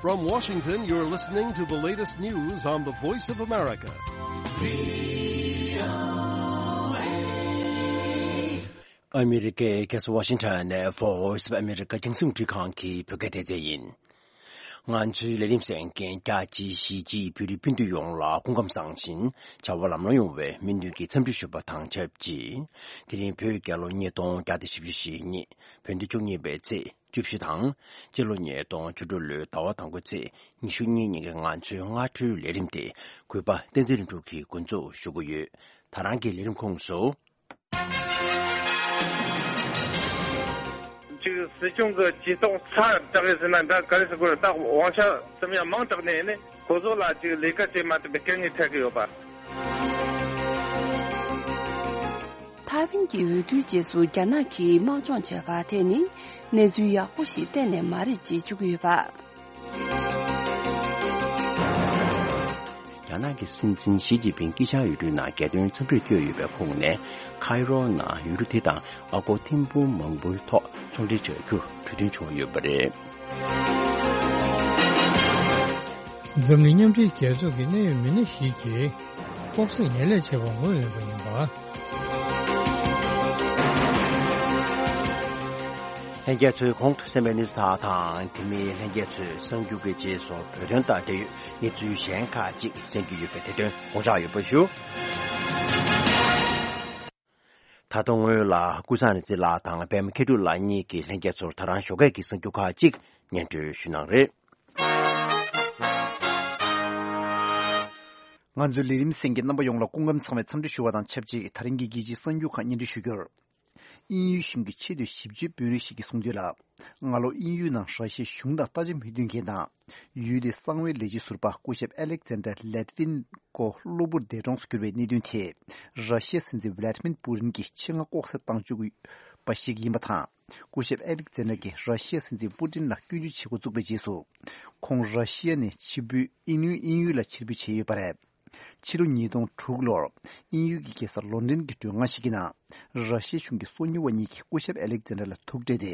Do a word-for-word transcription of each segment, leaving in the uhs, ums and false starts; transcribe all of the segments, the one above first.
From Washington, you're listening to the latest news on the Voice of America. ཨ་མི་རི་ཀའི་རྒྱལ་ས་ཝ་ཤིང་ཊོན་ནས་Voice of America རྒྱང་སྲིང་རླུང་འཕྲིན་ཁང་གི་བོད་སྐད་སྡེ་ཚན་ཡིན། ང་ཚོའི་ལས་རིམ་གསན་མཁན་རྒྱ་ཆེའི་གཞིས་བྱེས་བོད་རིགས་སྤུན་ཟླ་ཡོངས་ལ་སྐུ་ཁམས་བཟང་ཞིང་བྱ་བ་ལམ་ལྷོང་ཡོང་བའི་སྨོན་འདུན་གྱི་འཚམས་འདྲི་ཞུ་བ་དང་ཆབས་ཅིག་དེ་རིང་བོད་རྒྱལ་ལོ་ཉིས་སྟོང་བརྒྱ་དང་བཞི་བཅུ་ཞེ་གཉིས། བོད་ཟླ་བཅུ་གཉིས་པའི་ཚེས་བཅུ་བཞི་དང་། སྤྱི་ལོ་ཉིས་སྟོང་བཅུ་དྲུག་ལོའི་ཟླ་བ་དང་པོའི་ཚེས་ཉི་ཤུ་གཉིས་ཉིན་གྱི་ང་ཚོའི་སྔ་དྲོའི་ལས་རིམ་དེ་གུས་པ་བསྟན་འཛིན་ལྷུན་གྲུབ་ཀྱིས་འགོ་འཛུགས་ཞུ་གི་ཡོད། ད་རང་གི་ལས་རིམ་ཁོངས་སུ། ཅིག་སྲིད་སྐྱོང་གི་ཇུས་གཏོགས་ཚ་དྲག་གི་ཟེར་ན་འདྲ་ག་རེ་ཟེར་དགོས་རེད། ད་དབང་ཆ་ཙམ་ཡང་མང་དྲགས་ནས་ནི་ཁོ་ཚོ་ལ་ཅིག་ལས་ཀ་བྱེད་མ་ཐུབ་པའི་དཀའ་ངལ་འཕྲད་ཀྱི་ཡོད་པ། ཐའེ་ཝན་གྱི་འོས་བསྡུའི་རྗེས་སུ་རྒྱ་ནག་གིས་དམག་སྦྱོང་བྱས་པ་དེ་ནི་གནས་ཚུལ་ཡག་པོ་ཞིག་གཏན་ནས་མ་རེད་ཅེས་བརྗོད་ཀྱི་ཡོད་པ། རྒྱ་ནག་གི་སྲིད་འཛིན་ཞི་ཅིན་ཕིང་དཀྱིལ་ཤར་ཡུལ་གྲུའི་ནང་རྒྱལ་དོན་འཚམས་འདྲིར་བསྐྱོད་ཡོད་པའི་ཁོངས་ནས། ཁའི་རོ་ནང་ཡུལ་གྲུ་དེ་དང་ཨ་སྒོར་ཐེར་འབུམ་མང་པོའི་ཐོག་ཚོང་འབྲེལ་བྱ་རྒྱུར་གྲོས་མཐུན་བྱུང་ཡོད་པ་རེད། འཛམ་གླིང་མཉམ་འབྲེལ་རྒྱལ་ཚོགས་ཀྱི་གནད་ཡོད་མི་སྣ་ཞིག་གིས་ལྐོག་ཟ་ངན་ལས་བྱས་པར་ངོས་ལེན་པ་ཡིན་པ། ལྷན་རྒྱས་ཚོས་གོང་དུ་གསན་པའི་གནས་ཚུལ་དག་དང་། དེ་མིན་ལྷན་རྒྱས་ཚོས་གསར་འགྱུར་གྱི་རྗེས་སུ་བོད་དོན་དང་འབྲེལ་ཡོད་གནས་ཚུལ་གཞན་ཁག་ཅིག་གསན་རྒྱུ་ཡོད་པས། དེ་དོན་དགོངས་འཇགས་ཡོད་པ་ཞུ། ད་དུང་སྔོན་ལ་ཀུན་བཟང་རིག་འཛིན་ལགས་དང་པད་མ་མཁས་གྲུབ་ལགས་གཉིས་ཀྱིས་ལྷན་རྒྱས་ཚོར་ད་རང་ཞོགས་ཀས་ཀྱི་གསར་འགྱུར་ཁག་ཅིག་སྙན་སྒྲོན་ཞུ་གནང་རེད། ང་ཚོའི་ལས་རིམ་གསན་མཁན་རྣམ་པ་ཡོངས་ལ་སྐུ་ཁམས་བཟང་བའི་འཚམས་འདྲི་ཞུ་བ་དང་ཆབས་ཅིག་དེ་རིང་གི་རྒྱལ་སྤྱིའི་གསར་འགྱུར་ཁག་སྙན་སྒྲོན་ཞུ་རྒྱུར། དབྱིན་ཡུལ་གཞུང་གི་ཆེས་མཐོའི་ཞིབ་དཔྱོད་དཔོན་རིགས་ཤིག་གིས་གསུངས་དོན་ལ། སྔ་ལོ་དབྱིན་ཡུལ་ནང་ར་ཤི་ཡའི་གཞུང་དང་ལྟ་ཞིབ་མི་མཐུན་མཁན་དང་། ཡུལ་དེའི་གསང་བའི་ལས་བྱེད་ཟུར་པ་སྐུ་ཞབས་ཨ་ལེག་ཛན་ཌར་ལེ་ཏི་ཝིན་ཀོ་གློ་བུར་འདས་གྲོངས་སུ་གྱུར་བའི་གནད་དོན་དེ། ར་ཤི་ཡའི་སྲིད་འཛིན་ཝི་ལ་ཏི་མིར་པུ་ཏིན་གྱིས་ཆེད་མངགས་ལྐོག་ཟ་བཏང་བཅུག་པ་ཞིག་ཡིན་པ་དང་། སྐུ་ཞབས་ཨ་ལེག་ཛན་ཌར་གྱིས་ར་ཤི་ཡའི་སྲིད་འཛིན་པུ་ཏིན་ལ་སྐྱོན་བརྗོད་བྱེད་འགོ་བཙུགས་པའི་རྗེས་སུ། ཁོང་ར་ཤི་ཡ་ནས་ཕྱིར་འབུད་དབྱིན་ཡུལ་དབྱིན་ཡུལ་ལ་ཕྱིར་འབུད་བྱས་ཡོད་པ་རེད། ཕྱི་ལོ་ཉིས་སྟོང་དྲུག་ལོར་དབྱིན་ཡུལ་གྱི་རྒྱལ་ས་ལོན་ཌོན་གྱི་མགྲོན་ཁང་ཞིག་གི་ནང་། ར་ཤི་ཡའི་གཞུང་གི་སོ་ཉུལ་བ་གཉིས་ཀྱིས་སྐུ་ཞབས་ཨ་ལེག་ཛན་ཌར་ལ་ཐུག་འཕྲད་དེ།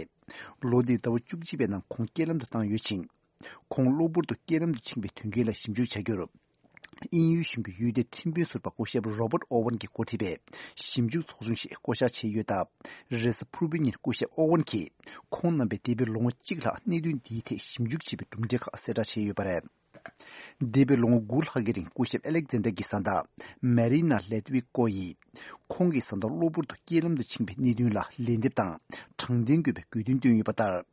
ལོ་འདིའི་ཟླ་བ་བཅུ་གཅིག་པའི་ནང་ཁོང་རྐྱེན་ལམ་དུ་བཏང་ཡོད་ཅིང་། ཁོང་གློ་བུར་དུ་རྐྱེན་ལམ་དུ་ཕྱིན་པའི་དོན་རྐྱེན་ལ་ཞིབ་འཇུག་བྱ་རྒྱུར། དབྱིན་ཡུལ་གཞུང་གི་ཡུལ་དེའི་ཁྲིམས་དཔོན་ཟུར་པ་སྐུ་ཞབས་རོ་བརྟ་ཨོ་ཝན་གྱིས་འགོ་ཁྲིད་པའི་ཞིབ་འཇུག་ཚོགས་ཆུང་ཞིག་བསྐོ་བཞག་བྱས་ཡོད་སྟབས། རེས་གཟའ་ཕུར་བུའི་ཉིན་སྐུ་ཞབས་ཨོ་ཝན་གྱིས་ཁོང་རྣམ་པས་འདས་པའི་ལོ་ངོ་གཅིག་ལྷག་གནད་དོན་འདིའི་ཐད་ཞིབ་འཇུག་བྱས་པའི་གྲུབ་འབྲས་ཁག་གསལ་བསྒྲགས་བྱས་ཡོད་པ་རེད། འདས་པའི་ལོ་ངོ་དགུ་ལྷག་གི་རིང་སྐུ་ཞབས་ཨ་ལེག་ཛན་ཌར་གྱི་བཟའ་ཟླ་མེ་རི་ན་ལེ་ཏི་ཝི་ཀོ་ཡིས། ཁོང་གི་བཟའ་ཟླ་གློ་བུར་དུ་རྐྱེན་ལམ་དུ་ཕྱིན་པའི་གནད་དོན་ལ་ལན་འདེབས་དང་དྲང་བདེན་དགོས་པའི་དགོས་འདུན་བཏོན་ཡོད་པ་ལྟར།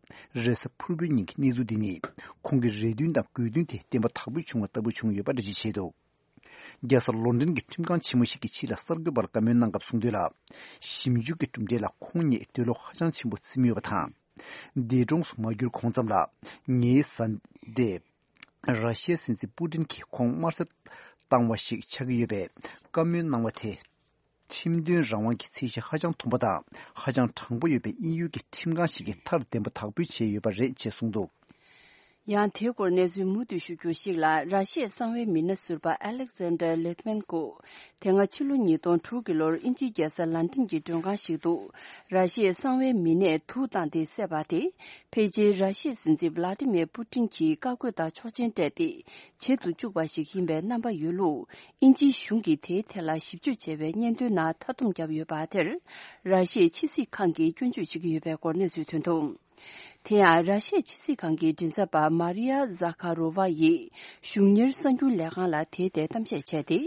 རེས་གཟའ་ཕུར་བུའི་ཉིན་གྱི་གནས་ཚུལ་འདི་ནི། ཁོང་གི་རེ་འདུན་དང་དགོས་འདུན་དེ་བདེན་པ་དག་པོ་བྱུང་བ་ལྟ་བུ་བྱུང་ཡོད་པ་འགྲེལ་བརྗོད་བྱས་འདུག་རྒྱལ་ས་ལོན་ཌོན་གྱི་ཁྲིམས་ཁང་ཆེན་མོ་ཞིག་གིས་ཕྱི་ལ་གསར་འགོད་པར་བཀའ་མོལ་གནང་སྐབས་གསུངས་དོན་ལ། ཞིབ་འཇུག་གི་གྲུབ་འབྲས་ལ་ཁོང་ཉིད་འདོད་བློ་ཧ་ཅང་ཆེན་པོ་ཟིན་ཡོད་པ་དང་། འདས་གྲོངས་སུ་མ་གྱུར་གོང་ཙམ་ལ། ངའི་བཟའ་ཟླས། ར་ཤི་ཡའི་སྲིད་འཛིན་པུ་ཏིན་གྱིས་ཁོང་དམར་གསོད་བཏང་བ་ཞིག་ཆགས་ཀྱི་ཡོད་པས། བཀའ་མོལ་གནང་བ་དེ། ཁྲིམས་དོན་རང་དབང་གི་ཚད་གཞི་ཧ་ཅང་མཐོན་པོ་དང་། ཧ་ཅང་དྲང་པོ་ཡོད་པའི་དབྱིན་ཡུལ་གྱི་ཁྲིམས་ཁང་ཞིག་གིས་མཐར་བདེན་པ་དག་པོའི་བྱས་ཡོད་པ་རེད་ཅེས་གསུངས་འདུག་ཡང་དེའི་སྐོར་གནས་ཚུལ་མུ་མཐུད་ཞུ་རྒྱུར་ཞིག་ལ། ར་ཤི་ཡའི་གསང་བའི་མི་སྣ་ཟུར་པ་ཨ་ལེག་ཛན་ཌར་ལེ་ཏི་མན་ཀོ། དེ་སྔ་ཕྱི་ལོ་ཉིས་སྟོང་དྲུག་གི་ལོར་དབྱིན་ཇིའི་རྒྱལ་ས་ལན་ཀྲན་གྱི་མགྲོན་ཁང་ཞིག་ཏུ། ར་ཤི་ཡའི་གསང་བའི་མི་སྣས་དུག་བཏང་སྟེ་བསད་པ་དེ། ཕལ་ཆེར་ར་ཤི་ཡའི་སྲིད་འཛིན་ཝི་ལ་ཏི་མེར་པུ་ཏིན་གྱིས་བཀའ་བཀོད་དང་ཆོག་མཆན་སྤྲད་དེ། བྱེད་དུ་བཅུག་པ་ཞིག་ཡིན་པའི་རྣམ་པ་ཡོད་ལུགས། དབྱིན་ཇིའི་གཞུང་གིས་དེའི་ཐད་ལ་ཞིབ་དཔྱོད་བྱས་པའི་སྙན་ཐོའི་ནང་མཐའ་སྡོམ་བརྒྱབ་ཡོད་པ་དེར། ར་ཤི་ཡའི་ཕྱི་སྲིད་ཁང་གིས་སྐྱོན་བརྗོད་བྱེད་ཀྱི་ཡོད་པའི་སྐོར་གནས་ཚུལ་ཐོན་འདུག་དེ་ཡང་། ར་ཤི་ཡའི་ཕྱི་སྲིད་ཁང་གི་མགྲིན་ཚབ་པ་མཱ་རི་ཡ་ཛ་ཁ་རོ་ཝ་ཡིས་གཞུང་གཉེར་གསར་འགྱུར་ལས་ཁང་ལ་དེའི་ཐད་གཏམ་བཤད་བྱས་ཏེ།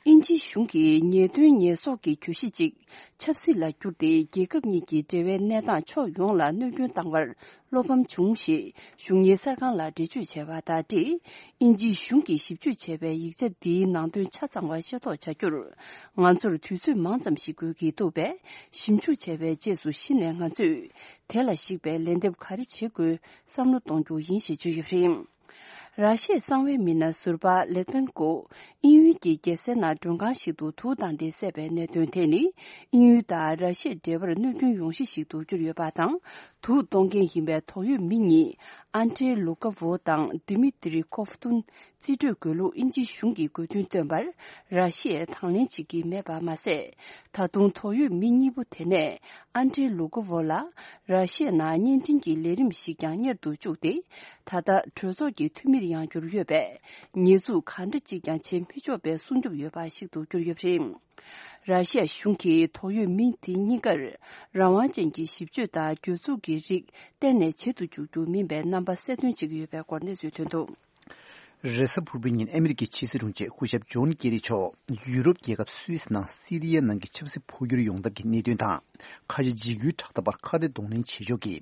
དབྱིན་ཇིའི་གཞུང་གིས་ཉེས་དོན་ཉེས་གསོག་གི་གྱོད་གཞི་གཅིག་ཆབ་སྲིད་ལ་བསྒྱུར་ཏེ། རྒྱལ་ཁབ་གཉིས་ཀྱི་འབྲེལ་བའི་གནས་སྟངས་ཕྱོགས་ཡོངས་ལ་གནོད་སྐྱོན་བཏང་བར་བློ་ཕམ་བྱུང་ཞེས་གཞུང་གཉེར་གསར་ཁང་ལ་འགྲེལ་བརྗོད་བྱས་པ་དང་འབྲེལ། དབྱིན་ཇིའི་གཞུང་གིས་ཞིབ་དཔྱོད་བྱས་པའི་ཡིག་ཆ་འདིའི་ནང་དོན་ཆ་ཚང་བ་ཤེས་རྟོགས་བྱ་རྒྱུར། ང་ཚོར་དུས་ཚོད་མང་ཙམ་ཞིག་དགོས་ཀྱི་འདུག་པས། ཞིབ་འཇུག་བྱས་པའི་རྗེས་སུ་གཞི་ནས་ང་ཚོས་དེ་ལ་གཞིགས་པའི་ལན་འདེབས་ག་རེ་བྱེད་དགོས་བསམ་བློ་གཏོང་རྒྱུ་ཡིན་ཞེས་བརྗོད་ཡོད་པ་རེད། ར་ཤི་ཡའི་གསང་བའི་མི་སྣ་ཟུར་པ་ལེ་ཏི་མན་ཀོ་དབྱིན་ཡུལ་གྱི་རྒྱལ་སའི་ནང་མགྲོན་ཁང་ཞིག་ཏུ་དུག་བཏང་སྟེ་བསད་པའི་གནད་དོན་དེ་ནི། དབྱིན་ཡུལ་དང་ར་ཤི་ཡའི་འབྲེལ་བར་གནོད་སྐྱོན་ཡོང་གཞི་ཞིག་ཏུ་གྱུར་ཡོད་པ་དང་། དུག་གཏོང་མཁན་ཡིན་པའི་དོགས་ཡོད་མི་གཉིས། ཨན་ཏྲེ་ལུ་ཀ་ཝོ་དང་དི་མི་ཏི་རི་ཀོབ་ཏུན། རྩིས་སྤྲོད་དགོས་ལུགས་དབྱིན་ཇི་གཞུང་གིས་དགོས་འདུན་བཏོན་པར་ར་ཤི་ཡས་དང་ལེན་བྱེད་ཀྱི་མེད་པ་མ་ཟད། ད་དུང་དོགས་ཡོད་མི་གཉིས་པོ་དེ་ནས་ཨན་ཌྲེ་ལུ་གོ་ཝོ་ལ་ར་ཤི་ཡའི་ནང་བརྙན་འཕྲིན་གྱི་ལས་རིམ་ཞིག་ཀྱང་གཉེར་དུ་བཅུག་སྟེ། ད་ལྟ་གྲོས་ཚོགས་ཀྱི་འཐུས་མིར་ཡང་གྱུར་ཡོད་པས། ཉེས་འཛུགས་ག་འདྲ་ཅིག་ཀྱང་བྱེད་མི་ཆོག་པའི་སྲུང་སྐྱོབ་ཡོད་པ་ཞིག་ཏུ་གྱུར་ཡོད་པ་རེད། ར་ཤི་ཡ་གཞུང་གིས་དོགས་ཡོད་མི་དེ་གཉིས་ཀར་རང་དབང་ཅན་གྱི་ཞིབ་དཔྱོད་དང་གྱོད་འཛུགས་ཀྱི་རིགས་གཏན་ནས་བྱེད་དུ་འཇུག་རྒྱུ་མིན་པའི་རྣམ་པ་གསལ་སྟོན་བྱེད་ཀྱི་ཡོད་པའི་སྐོར་གནས་ཚུལ་ཐོན་འདུག། རེས་གཟའ་ཕུར་བུའི་ཉིན་ཨ་མི་རི་ཀའི་ཕྱི་སྲིད་དྲུང་ཆེ་སྐུ་ཞབས་ཇོན་ཀེ་རི་མཆོག་ཡུ་རོབ་རྒྱལ་ཁབ་སུད་སི་ནང་སི་རི་ཡའི་ནང་གི་ཆབ་སྲིད་འཕོ་འགྱུར་ཡོང་ཐབས་ཀྱི་གནད་དོན་དང་། ཁ་ཆེ་འཇིགས་སྐུལ་དྲག་འཐབ་པར་ཁ་གཏད་གདོང་ལེན་བྱེད་ཕྱོགས་ཀྱི་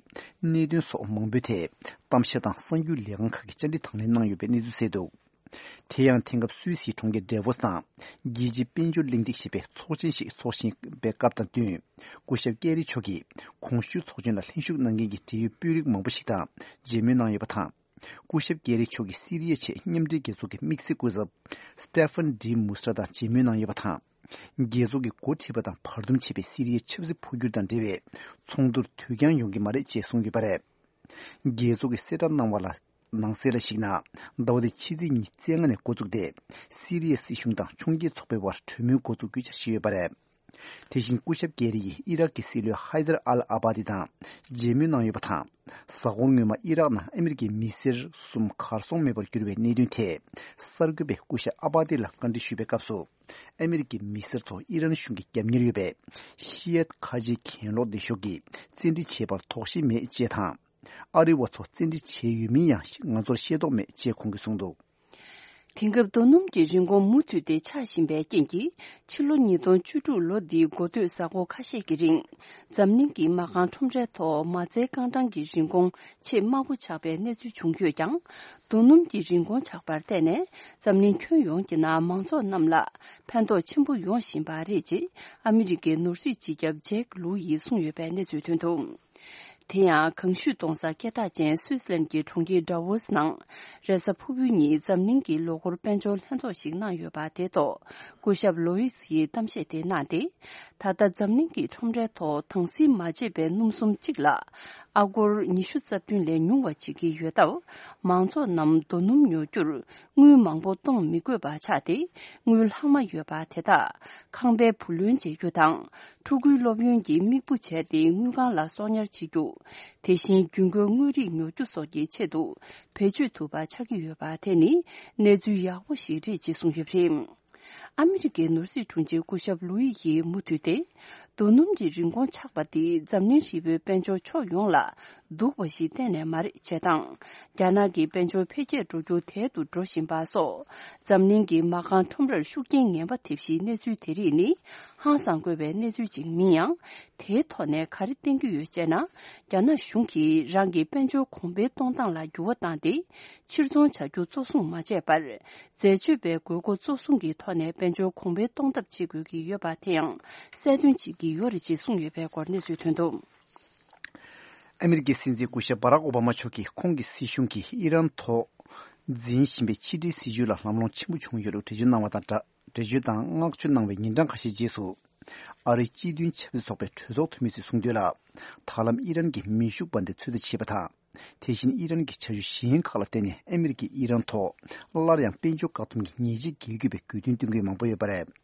གནད་དོན་སོགས་མང་པོའི་ཐད་གཏམ་བཤད་དང་གསར་འགྱུར་ལས་ཁང་ཁག་གིས་བཅར་འདྲི་དང་ལེན་གནང་ཡོད་པའི་གནས་ཚུལ་གསལ་འདུག། དེ་ཡང་དེང་སྐབས་སུད་སིའི་གྲོང་ཁྱེར་ཌེ་ཝོ་སི་ནང་རྒྱལ་སྤྱིའི་དཔལ་འབྱོར་གླེང་སྟེགས་ཞེས་པའི་ཚོགས་ཆེན་ཞིག་འཚོགས་བཞིན་པའི་སྐབས་དང་བསྟུན། སྐུ་ཞབས་ཀེ་རི་མཆོག་གིས་གོང་ཞུས་ཚོགས་ཆེན་ལ་ལྷན་ཞུགས་གནང་མཁན་གྱི་འབྲེལ་ཡོད་དཔོན་རིགས་མང་པོ་ཞིག་དང་མཇལ་མོལ་གནང་ཡོད་པ་དང་། སྐུ་ཞབས་ཀེ་རི་མཆོག་གིས་སི་རི་ཡའི་ཆེད་མཉམ་འབྲེལ་རྒྱལ་ཚོགས་ཀྱི་དམིགས་བསལ་སྐུ་ཚབ་སི་ཏེ་ཕན་ཌི་མུ་སི་ཏྲ་དང་མཇལ་མོལ་གནང་ཡོད་པ་དང་། རྒྱལ་ཚོགས་ཀྱི་འགོ་ཁྲིད་པ་དང་བར་འདུམ་བྱས་པའི་སི་རི་ཡའི་ཆབ་སྲིད་འཕོ་འགྱུར་དང་འབྲེལ་བའི་ཚོགས་འདུར་དུས་འགྱངས་ཡོང་གི་མ་རེད་ཅེས་གསུངས་ཡོད་པ་རེད། རྒྱལ་ཚོགས་ཀྱིས་གསལ་བསྒྲགས་གནང་བ་ལ། ནང་གསལ་ལ་གཞིགས་ན། ཟླ་བ་འདིའི་ཕྱི་ཚེས་ཉི་ཤུ་རྩ་ལྔ་ནས་འགོ་བཙུགས་ཏེ། སི་རི་ཡའི་སྲིད་གཞུང་དང་ཕྱོགས་འགལ་ཚོགས་པའི་དབར་གྲོས་མོལ་འགོ་འཛུགས་རྒྱུ་འཆར་གཞི་ཡོད་པ་རེད། དེ་བཞིན་སྐུ་ཞབས་ཀེ་རི་ཡིས་ཨི་རག་གི་སྲིད་བློན་ཧའི་དར་ཨལ་ཨ་བྷ་དི་དང་མཇལ་མོལ་གནང་ཡོད་པ་དང་། གཟའ་འཁོར་སྔོན་མ་ཨི་རག་ནང་ཨ་མི་རི་ཀའི་མི་སེར་གསུམ་གར་སོང་མེད་པར་གྱུར་བའི་གནད་དོན་ཐད། གསར་འགོད་པས་སྐུ་ཞབས་ཨ་བྷ་དི་ལ་བཀའ་འདྲི་ཞུས་པའི་སྐབས་སུ། ཨ་མི་རི་ཀའི་མི་སེར་ཚོ་ཨི་རན་གཞུང་གིས་རྒྱབ་གཉེར་ཡོད་པའི་ཤི་ཡད་ཁ་ཆེའི་གྱེན་ལོག་སྡེ་ཤོག་གིས་བཙན་ཁྲིད་བྱས་པར་དོགས་གཞི་མེད་ཅེས་དང་། ཨ་རི་བ་ཚོ་བཙན་ཁྲིད་བྱས་ཡོད་མིན་ཡང་ང་ཚོར་ཤེས་རྟོགས་མེད་ཅེས་ཁོང་གིས་གསུངས་འདུག། དེང་སྐབས་རྡོ་སྣུམ་གྱི་རིན་གོང་མུ་མཐུད་དེ་ཆག་བཞིན་པའི་རྐྱེན་གྱིས། ཕྱི་ལོ་ཉིས་སྟོང་བཅུ་དྲུག་ལོ་འདིའི་འགོ་སྟོད་གཟའ་འཁོར་ཁ་ཤས་ཀྱི་རིང་། འཛམ་གླིང་གི་མ་རྐང་ཁྲོམ་རའི་ཐོག་མ་རྩའི་རྐང་གྲངས་ཀྱི་རིན་གོང་ཆེས་དམའ་བོ་ཆག་པའི་གནས་ཚུལ་བྱུང་ཡོད་ཀྱང་། རྡོ་སྣུམ་གྱི་རིན་གོང་ཆག་པར་བརྟེན་ནས། འཛམ་གླིང་ཁྱོན་ཡོངས་ཀྱི་ནང་མང་ཚོགས་རྣམས་ལ་ཕན་ཐོགས་ཆེན་པོ་ཡོང་བཞིན་པ་རེད་ཅེས་ཨ་མི་རི་ཀའི་ནོར་སྲིད་སྤྱི་ཁྱབ་ཇེག་ལུའུ་ཡིས་གསུངས་ཡོད་པའི་གནས་ཚུལ་ཐོན་འདུག། དེ་ཡང་གངས་ཤུད་གཏོང་ས་སྐད་གྲགས་ཅན་སུད་སི་ལན་གྱི་གྲོང་ཁྱེར་ཌ་ཝོ་སི་ནང་རེས་གཟའ་ཕུར་བུའི་ཉིན་འཛམ་གླིང་གི་ལོ་འཁོར་དཔལ་འབྱོར་ལྷན་ཚོགས་ཤིག་གནང་ཡོད་པ་དེ་ཐོག་སྐུ་ཞབས་ལོ་ཡིས་ཡིས་གཏམ་བཤད་དེ་གནང་སྟེ། ད་ལྟ་འཛམ་གླིང་གི་ཁྲོམ་རའི་ཐོག་དྭངས་བསིལ་མ་བྱས་པའི་སྣུམ་སུམ་གཅིག་ལ་ཨ་སྒོར་ཉི་ཤུ་རྩ་བདུན་ལས་ཉུང་བ་བྱེད་ཀྱི་ཡོད་སྟབས། མང་ཚོགས་རྣམས་རྡོ་སྣུམ་ཉོ་རྒྱུར་དངུལ་མང་པོ་གཏོང་མི་དགོས་པ་ཆགས་ཏེ། དངུལ་ལྷག་མ་ཡོད་པ་དེ་དག་ཁང་པའི་བུ་ལོན་འཇལ་རྒྱུ་དང་། ཕྲུ་གུའི་སློབ་ཡོན་གྱི་དམིགས་བུ་བྱས་ཏེ་དངུལ་ཁང་ལ་གསོག་ཉར་བྱེད་རྒྱུ། དེ་བཞིན་རྒྱུན་མཁོའི་དངོས་རིགས་ཉོ་རྒྱུ་སོགས་ཀྱི་ཆེད་དུ་བེད་སྤྱོད་ཐུབ་པ་ཆགས་ཀྱི་ཡོད་པ་དེ་ནི་གནས་ཚུལ་ཡག་པོ་ཞིག་རེད་ཅེས་གསུངས་ཡོད་པ་རེད། ཨ་མི་རི་ཀའི་ནོར་སྲིད་དྲུང་ཆེ་སྐུ་ཞབས་ལུ་ཡི་ཡིས་མུ་མཐུད་དེ། རྡོ་སྣུམ་གྱི་རིན་གོང་ཆག་པ་དེས་འཛམ་གླིང་ཧྲིལ་པོའི་དཔལ་འབྱོར་ཕྱོགས་ཡོངས་ལ་སྡུག་པ་ཞིག་གཏན་ནས་མ་རེད་ཅེས་དང་། རྒྱ་ནག་གི་དཔལ་འབྱོར་འཕེལ་རྒྱས་འགྲོ་རྒྱུ་དལ་དུ་འགྲོ་བཞིན་པ་སོགས། འཛམ་གླིང་གི་མ་རྐང་ཁྲོམ་རར་ཤུགས་རྐྱེན་ངན་པ་ཐེབས་གཞིའི་གནས་ཚུལ་དེ་རིགས་ནི་ཧང་སང་དགོས་པའི་གནས་ཚུལ་ཅིག་མིན་ཡང་། དེའི་ཐོག་ནས་ག་རེ་བསྟན་གྱི་ཡོད་ཅེ་ན། རྒྱ་ནག་གཞུང་གིས་རང་གི་དཔལ་འབྱོར་གོང་འཕེལ་གཏོང་སྟངས་ལ་འགྱུར་བ་བཏང་སྟེ། ཕྱིར་ཚོང་བྱ་རྒྱུ་གཙོ་བཟུང་མ་བྱས་པར། འཛད་སྤྱོད་པའི་དགོས་མཁོ་གཙོ་བཟུང་གི་ཐོག་ནས་དཔལ་འབྱོར་གོང་འཕེལ་གཏོང་ཐབས་བྱེད་དགོས་ཀྱི་ཡོད་པ་དེ་ཡང་གསལ་སྟོན་བྱེད་ཀྱི་ཡོད་རེད་ཅེས་གསུངས་ཡོད་པའི་སྐོར་གནས་ཚུལ་ཐོན་འདུག། ཨ་མི་རི་ཀའི་སྲིད་འཛིན་སྐུ་ཞབས་བྷ་རག་ཨོ་བྷ་མ་མཆོག་གིས་ཁོང་གི་སྲིད་གཞུང་གིས་ཨི་རན་ཐོག་འཛིན་བཞིན་པའི་ཕྱི་འབྲེལ་སྲིད་ཇུས་ལ་ལམ་ལྷོང་ཆེན་པོ་བྱུང་ཡོད་ལུགས་འགྲེལ་བརྗོད་གནང་བ་དང་སྦྲགས། འགྲེལ་བརྗོད་དང་བསྔགས་བརྗོད་གནང་བའི་ཉིན་གྲངས་ཁ་ཤས་རྗེས་སུ། ཨ་རིའི་སྤྱི་མཐུན་ཆབ་སྲིད་ཚོགས་པའི་གྲོས་ཚོགས་འཐུས་མི་ཚོས་གསུངས་དོན་ལ། ད་ལམ་ཨི་རན་གྱི་མེ་ཤུགས་འབར་མདེལ་ཚོད་ལྟ་བྱས་པ་དང་། དེ་བཞིན་ཨི་རན་གྱི་བྱ་སྤྱོད་གཞན་ཁག་ལ་བརྟེན་ནས་ཨ་མི་རི་ཀས་ཨི་རན་ཐོག་སླར་ཡང་དཔལ་འབྱོར་བཀག་སྡོམ་གྱི་ཉེས་ཆད་འགེལ་དགོས་པའི་དགོས་འདུན་བཏོན་མཁན་མང་པོ་ཡོད་པ་རེད།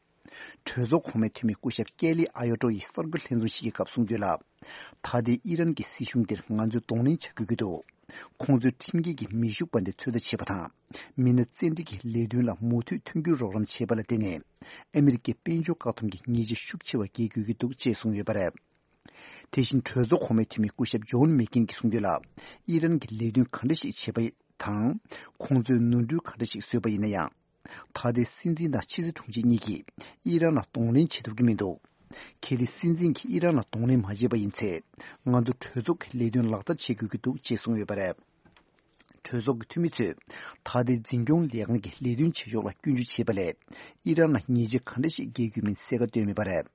གྲོས་ཚོགས་གོང་མའི་འཐུས་མི་སྐུ་ཞབས་ཀེ་ལི་ཨ་ཡོ་ཏོ་ཡིས་གསར་འགོད་ལྷན་འཛོམས་ཤིག་གི་སྐབས་གསུངས་དོན་ལ། ད་ལྟའི་ཨི་རན་གྱི་སྲིད་གཞུང་དེར་ང་ཚོས་གདོང་ལེན་བྱ་དགོས་ཀྱི་འདུག། ཁོང་ཚོས་ཁྲིམས་འགལ་གྱི་མེ་ཤུགས་འབར་མདེལ་ཚོད་ལྟ་བྱས་པ་དང་། མི་སྣ་བཙན་ཁྲིད་ཀྱི་ལས་དོན་ལ་མུ་མཐུད་མཐུན་འགྱུར་རོགས་རམ་བྱས་པ་ལ་བརྟེན་ནས། ཨ་མི་རི་ཀས་དཔལ་འབྱོར་བཀག་སྡོམ་གྱི་ཉེས་ཆད་ཤུགས་ཆེ་བ་འགེལ་དགོས་ཀྱི་འདུག་ཅེས་གསུངས་ཡོད་པ་རེད། དེ་བཞིན་གྲོས་ཚོགས་གོང་མའི་འཐུས་མི་སྐུ་ཞབས་ཇོན་མེག་ཀེན་གྱིས་གསུངས་དོན་ལ། ཨི་རན་གྱིས་ལས་དོན་ག་འདྲ་ཞིག་བྱས་པ་དང་། ཁོང་ཚོས་ནོར་འཁྲུལ་ག་འདྲ་ཞིག་བཟོས་པ་ཡིན་ན་ཡང་། ད་ལྟའི་སྲིད་འཛིན་དང་ཕྱི་སྲིད་དྲུང་ཆེ་གཉིས་ཀྱིས་ཨི་རན་ལ་གདོང་ལེན་བྱེད་ཐུབ་ཀྱི་མི་འདུག། གལ་ཏེ་སྲིད་འཛིན་གྱིས་ཨི་རན་ལ་གདོང་ལེན་མ་བྱས་པ་ཡིན་ཚེ། ང་ཚོ་གྲོས་ཚོགས་ཀྱི་ལས་དོན་ལག་བསྟར་བྱེད་དགོས་ཀྱི་འདུག་ཅེས་གསུངས་ཡོད་པ་རེད། གྲོས་ཚོགས་ཀྱི་འཐུས་མི་ཚོས་ད་ལྟའི་འཛིན་སྐྱོང་ལས་ཁང་གི་ལས་དོན་བྱེད་ཕྱོགས་ལ་སྐྱོན་བརྗོད་བྱས་པ་ལས། ཨི་རན་ལ་ཉེས་ཆད་ག་འདྲ་ཞིག་འགེལ་དགོས་མིན་གསལ་ཁ་བཏོན་མེད་པ་རེད།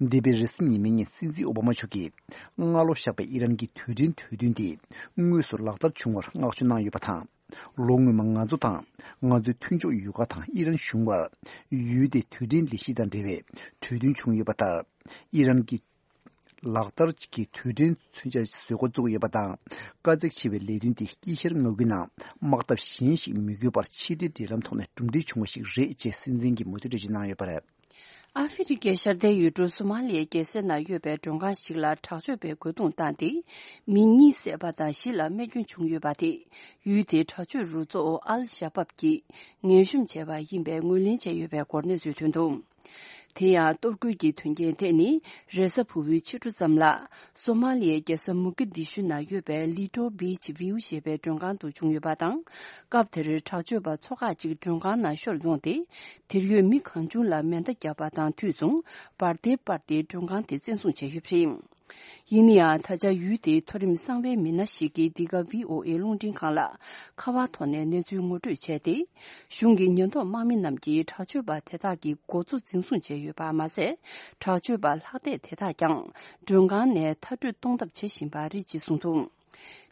འདས་པའི་རེས་གཟའ་ཉི་མའི་ཉིན་སྲིད་འཛིན་ཨོ་བྷ་མ་མཆོག་གིས་སྔ་ལོ་བཞག་པའི་ཨི་རན་གྱི་དུས་དྲན་གྲོས་མཐུན་དེ་དངོས་སུ་ལག་བསྟར་བྱུང་བར་བསྔགས་བརྗོད་གནང་ཡོད་པ་དང་། ལོ་སྔོན་མ་ང་ཚོ་དང་ང་ཚོའི་མཐུན་ཕྱོགས་ཡུལ་ཁག་དང་ཨི་རན་གཞུང་བར་ཡུལ་དེའི་དུས་དྲན་ལས་གཞི་དང་འབྲེལ་བའི་གྲོས་མཐུན་བྱུང་ཡོད་པ་ལྟར། ཨི་རན་གྱི་ ལག་བསྟར་གྱི་དུས་དྲན་མཚོན་ཆ་བཟོ་འགོ་བཙུགས་ཡོད་པ་དང་། དཀའ་ཚེགས་ཆེ་བའི་ལས་དོན་དེ་དཀྱིལ་ཤར་མངའ་ཁུལ་ནང་དམག་འཐབ་གཞན་ཞིག་མི་དགོས་པར་ཕྱི་འབྲེལ་འབྲེལ་ལམ་ཐོག་ནས་གྲུབ་འབྲས་བྱུང་བ་ཞིག་རེད་ཅེས་སྲིད་འཛིན་གྱིས་མུ་མཐུད་འགྲེལ་བརྗོད་གནང་ཡོད་པ་རེད། ཨ་ཧྥེ་རི་ཁའི་ཤར་མཐའི་ཡུལ་གྲུ་སོ་མ་ལི་ཡའི་རྒྱལ་ས་ན་ཡོད་པའི་མགྲོན་ཁང་ཞིག་ལ་དྲག་སྤྱོད་པས་རྒོལ་རྡུང་བཏང་སྟེ། མི་གཉིས་བསད་པ་དང་བཞི་ལ་རྨས་སྐྱོན་བྱུང་ཡོད་པ་དེ། ཡུལ་དེའི་དྲག་སྤྱོད་རུ་གཙོ་ཨལ་ཤ་བབ་ཀྱིས་ངན་ཞུམ་བྱས་པ་ཡིན་པའི་ངོས་ལེན་བྱས་ཡོད་པའི་སྐོར་གནས་ཚུལ་ཐོན་འདུག་དེ་ཡང་གཏོར་རྒོལ་གྱི་དོན་རྐྱེན་དེ་ནི་རེས་གཟའ་ཕུར་བུའི་ཕྱི་དྲོ་ཙམ་ལ། སོ་མ་ལི་ཡའི་རྒྱལ་ས་མུ་ཀི་དི་ཤུ་ན་ཡོད་པའི་ལི་ཏོ་བྷི་ཆི་བིའུ་ཞེས་པའི་མགྲོན་ཁང་དུ་བྱུང་ཡོད་པ་དང་། སྐབས་དེར་དྲག་སྤྱོད་པ་ཚོ་ཁག་ཅིག་མགྲོན་ཁང་ནང་ཤོར་ཡོང་སྟེ། དེར་ཡོད་མི་གང་བྱུང་ལ་མེ་མདའ་བརྒྱབ་པ་དང་དུས་མཚུངས་འབར་མདེལ་སྤར་ཏེ་མགྲོན་ཁང་དེ་བཙན་བཟུང་བྱས་ཡོད་པ་རེད། ཡིན་ན་ཡང་ད་ཆ་ཡུལ་དེའི་མཐོ་རིམ་གསང་བའི་མི་སྣ་ཞིག་གིས་འདི་ག་བྷི་ཨོ་ཨེ་རླུང་འཕྲིན་ཁང་ལ་ཁ་པར་ཐོག་ནས་གནས་ཚུལ་ངོ་སྤྲོད་བྱས་ཏེ། གཞུང་གི་ཉེན་རྟོག་དམག་མི་རྣམས་ཀྱིས་དྲག་སྤྱོད་པ་དེ་དག་གི་འགོ་གཙོ་འཛིན་བཟུང་བྱས་ཡོད་པ་མ་ཟད། དྲག་སྤྱོད་པ་ལྷག་བསྡད་དེ་དག་ཀྱང་མགྲོན་ཁང་ནས་མཐར་སྐྲོད་གཏོང་ཐབས་བྱེད་བཞིན་པ་རེད་ཅེས་གསུངས་འདུག་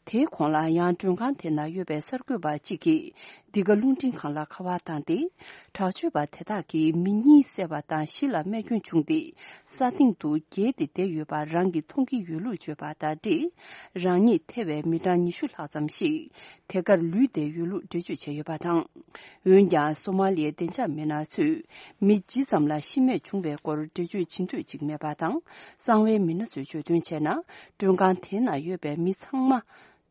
དེའི་གོང་ལ་ཡང་མགྲོན་ཁང་དེ་ན་ཡོད་པའི་གསར་འགོད་པ་གཅིག་གིས་འདི་ག་རླུང་འཕྲིན་ཁང་ལ་ཁ་པར་བཏང་སྟེ། དྲག་སྤྱོད་པ་དེ་དག་གིས་མི་གཉིས་བསད་པ་དང་བཞི་ལ་རྨས་སྐྱོན་བྱུང་སྟེ། ས་སྟེང་དུ་འགྱེལ་ཏེ་བསྡད་ཡོད་པ་རང་གིས་མཐོང་གི་ཡོད་ལུགས་བརྗོད་པ་དང་འབྲེལ། རང་ཉིད་ཐེ་བའི་མི་གྲངས་ཉི་ཤུ་ལྷག་ཙམ་ཞིག་དེ་གར་ལུས་བསྡད་ཡོད་ལུགས་འགྲེལ་བརྗོད་བྱས་ཡོད་པ་དང་། འོན་ཀྱང་སོ་མ་ལི་ཡའི་བདེ་འཇགས་མི་སྣ་ཚོས་མི་ཇི་ཙམ་ལ་ཤི་རྨས་བྱུང་བའི་སྐོར་འགྲེལ་བརྗོད་བྱེད་འདོད་ཅིག་མེད་པ་དང་། གསང་བའི་མི་སྣ་ཚོས་བརྗོད་དོན་བྱས་ན། མགྲོན་ཁང་དེ་ན་ཡོད་པའི་མི་ཚང་མ་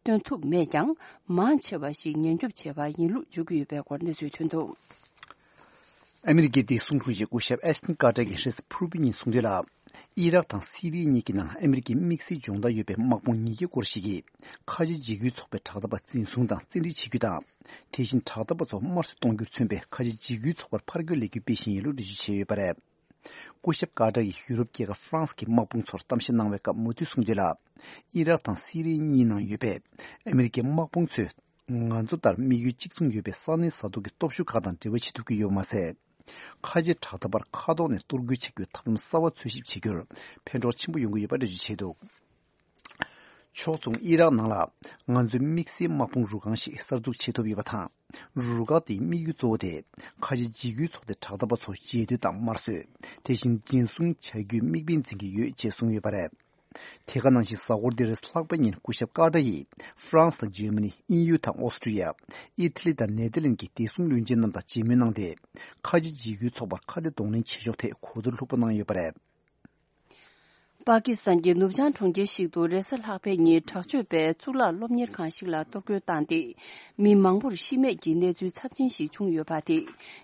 སྟོན་ཐུབ་མེད་ཀྱང་། མང་ཆེ་བ་ཞིག་ཉེན་སྐྱོབ་བྱས་པ་ཡིན་ལུགས་བརྗོད་ཀྱི་ཡོད་པའི་སྐོར་གནས་ཚུལ་ཐོན་འདུག་ཨ་མི་རི་ཀའི་བདེ་སྲུང་དྲུང་ཆེ་སྐུ་ཞབས་ཨེཤ་ཏན་ཀར་ཏར་གྱིས་རེས་གཟའ་ཕུར་བུ་ཉིན་གསུངས་དོན་ལ། ཨི་རག་དང་སི་རི་གཉིས་ཀྱི་ནང་ཨ་མི་རི་ཀའི་དམིགས་བསལ་སྦྱོང་བརྡར་ཡོད་པའི་དམག་དཔུང་ཉིས་བརྒྱ་སྐོར་ཞིག་གིས་ཁ་ཆེ་འཇིགས་སྐུལ་ཚོགས་པའི་དྲག་འཐབ་པ་འཛིན་བཟུང་དང་བཙན་ཁྲིད་བྱེད་རྒྱུ་དང་། དེ་བཞིན་དྲག་འཐབ་པ་ཚོ་དམར་གསོད་གཏོང་རྒྱུར་མཚོན་པའི་ཁ་ཆེ་འཇིགས་སྐུལ་ཚོགས་པར་ཕར་རྒོལ་ལས་འགུལ་སྤེལ་བཞིན་ཡོད་ལུགས་འགྲེལ་བརྗོད་བྱས་ཡོད་པ་རེད། སྐུ་ཞབས་ཀར་ཏར་གྱིས་ཡུ་རོབ་རྒྱལ་ཁབ་ཧྥ་རན་སི་གི་དམག་དཔུང་ཚོར་གཏམ་བཤད་གནང་བའི་སྐབས་མུ་མཐུད་གསུངས་དོན་ལ། ཨི་རག་དང་སི་རི་གཉིས་ནང་ཡོད་པའི་ཨ་མི་རི་ཀའི་དམག་དཔུང་ཚོས། ང་ཚོ་ལྟར་དམིགས་ཡུལ་གཅིག་མཚུངས་ཡོད་པའི་ས་གནས་ས་ཐོག་གི་སྟོབས་ཤུགས་ཁག་དང་འབྲེལ་བ་བྱེད་ཐུབ་ཀྱི་ཡོད་པ་མ་ཟད། ཁ་ཆེ་དྲག་འཐབ་པར་མཁའ་ཐོག་ནས་གཏོར་རྒོལ་བྱ་རྒྱུའི་ཐབས་ལམ་གསར་བ་འཚོལ་ཞིབ་བྱེད་རྒྱུར་ཕན་གྲོགས་ཆེན་པོ་ཡོང་གི་ཡོད་པ་འགྲེལ་བརྗོད་བྱས་འདུག་ཕྱོགས་མཚུངས་ཨི་རག་ནང་ལ་ང་ཚོའི་དམིགས་བསལ་དམག་དཔུང་རུ་ཁག་ཞིག་གསར་འཛུགས་བྱེད་ཐུབ་ཡོད་པ་དང་། རུ་ཁག་དེའི་དམིགས་ཡུལ་གཙོ་བོ་དེ་ཁ་ཆེ་འཇིགས་སྐུལ་ཚོགས་སྡེ་དྲག་འཐབ་པ་ཚོ་རྗེས་མཐུད་དང་དམར་གསོད། དེ་བཞིན་འཛིན་བཟུང་བྱ་རྒྱུའི་དམིགས་འབེན་འཛིན་གྱི་ཡོད་ཅེས་གསུངས་ཡོད་པ་རེད། དེ་ག་ནང་བཞིན་གཟའ་འཁོར་འདིར་ལྷག་པ་ཉིན་སྐུ་ཞབས་ཀར་ཏར་ཡིས་ཧྥ་རན་སི་དང་འཇར་མ་ནི། དབྱིན་ཡུལ་དང་ཨོ་སི་ཀྲི་ཡ། ཨི་ཐ་ལི་དང་ནེ་ཐར་ལན་གྱི་བདེ་སྲུང་བློན་ཆེན་རྣམས་དང་མཇལ་མོལ་གནང་སྟེ། ཁ་ཆེ་འཇིགས་སྐུལ་ཚོགས་པར་ཁ་གཏད་གདོང་ལེན་བྱེད་ཕྱོགས་ཐད་གོ་བསྡུར་ལྷུག་པོ་གནང་ཡོད་པ་རེད། པ་ཀི་སི་ཐན་གྱི་ནུབ་བྱང་གྲོང་ཁྱེར་ཞིག་ཏུ་རེས་གཟའ་ལྷག་པའི་ཉིན་དྲག་སྤྱོད་པས་གཙུག་ལག་སློབ་གཉེར་ཁང་ཞིག་ལ་གཏོར་རྒོལ་བཏང་སྟེ། མི་མང་པོར་ཤི་རྨས་ཀྱི་གནས་ཚུལ་ཚབས་ཆེན་ཞིག་བྱུང་ཡོད་པ་དེ།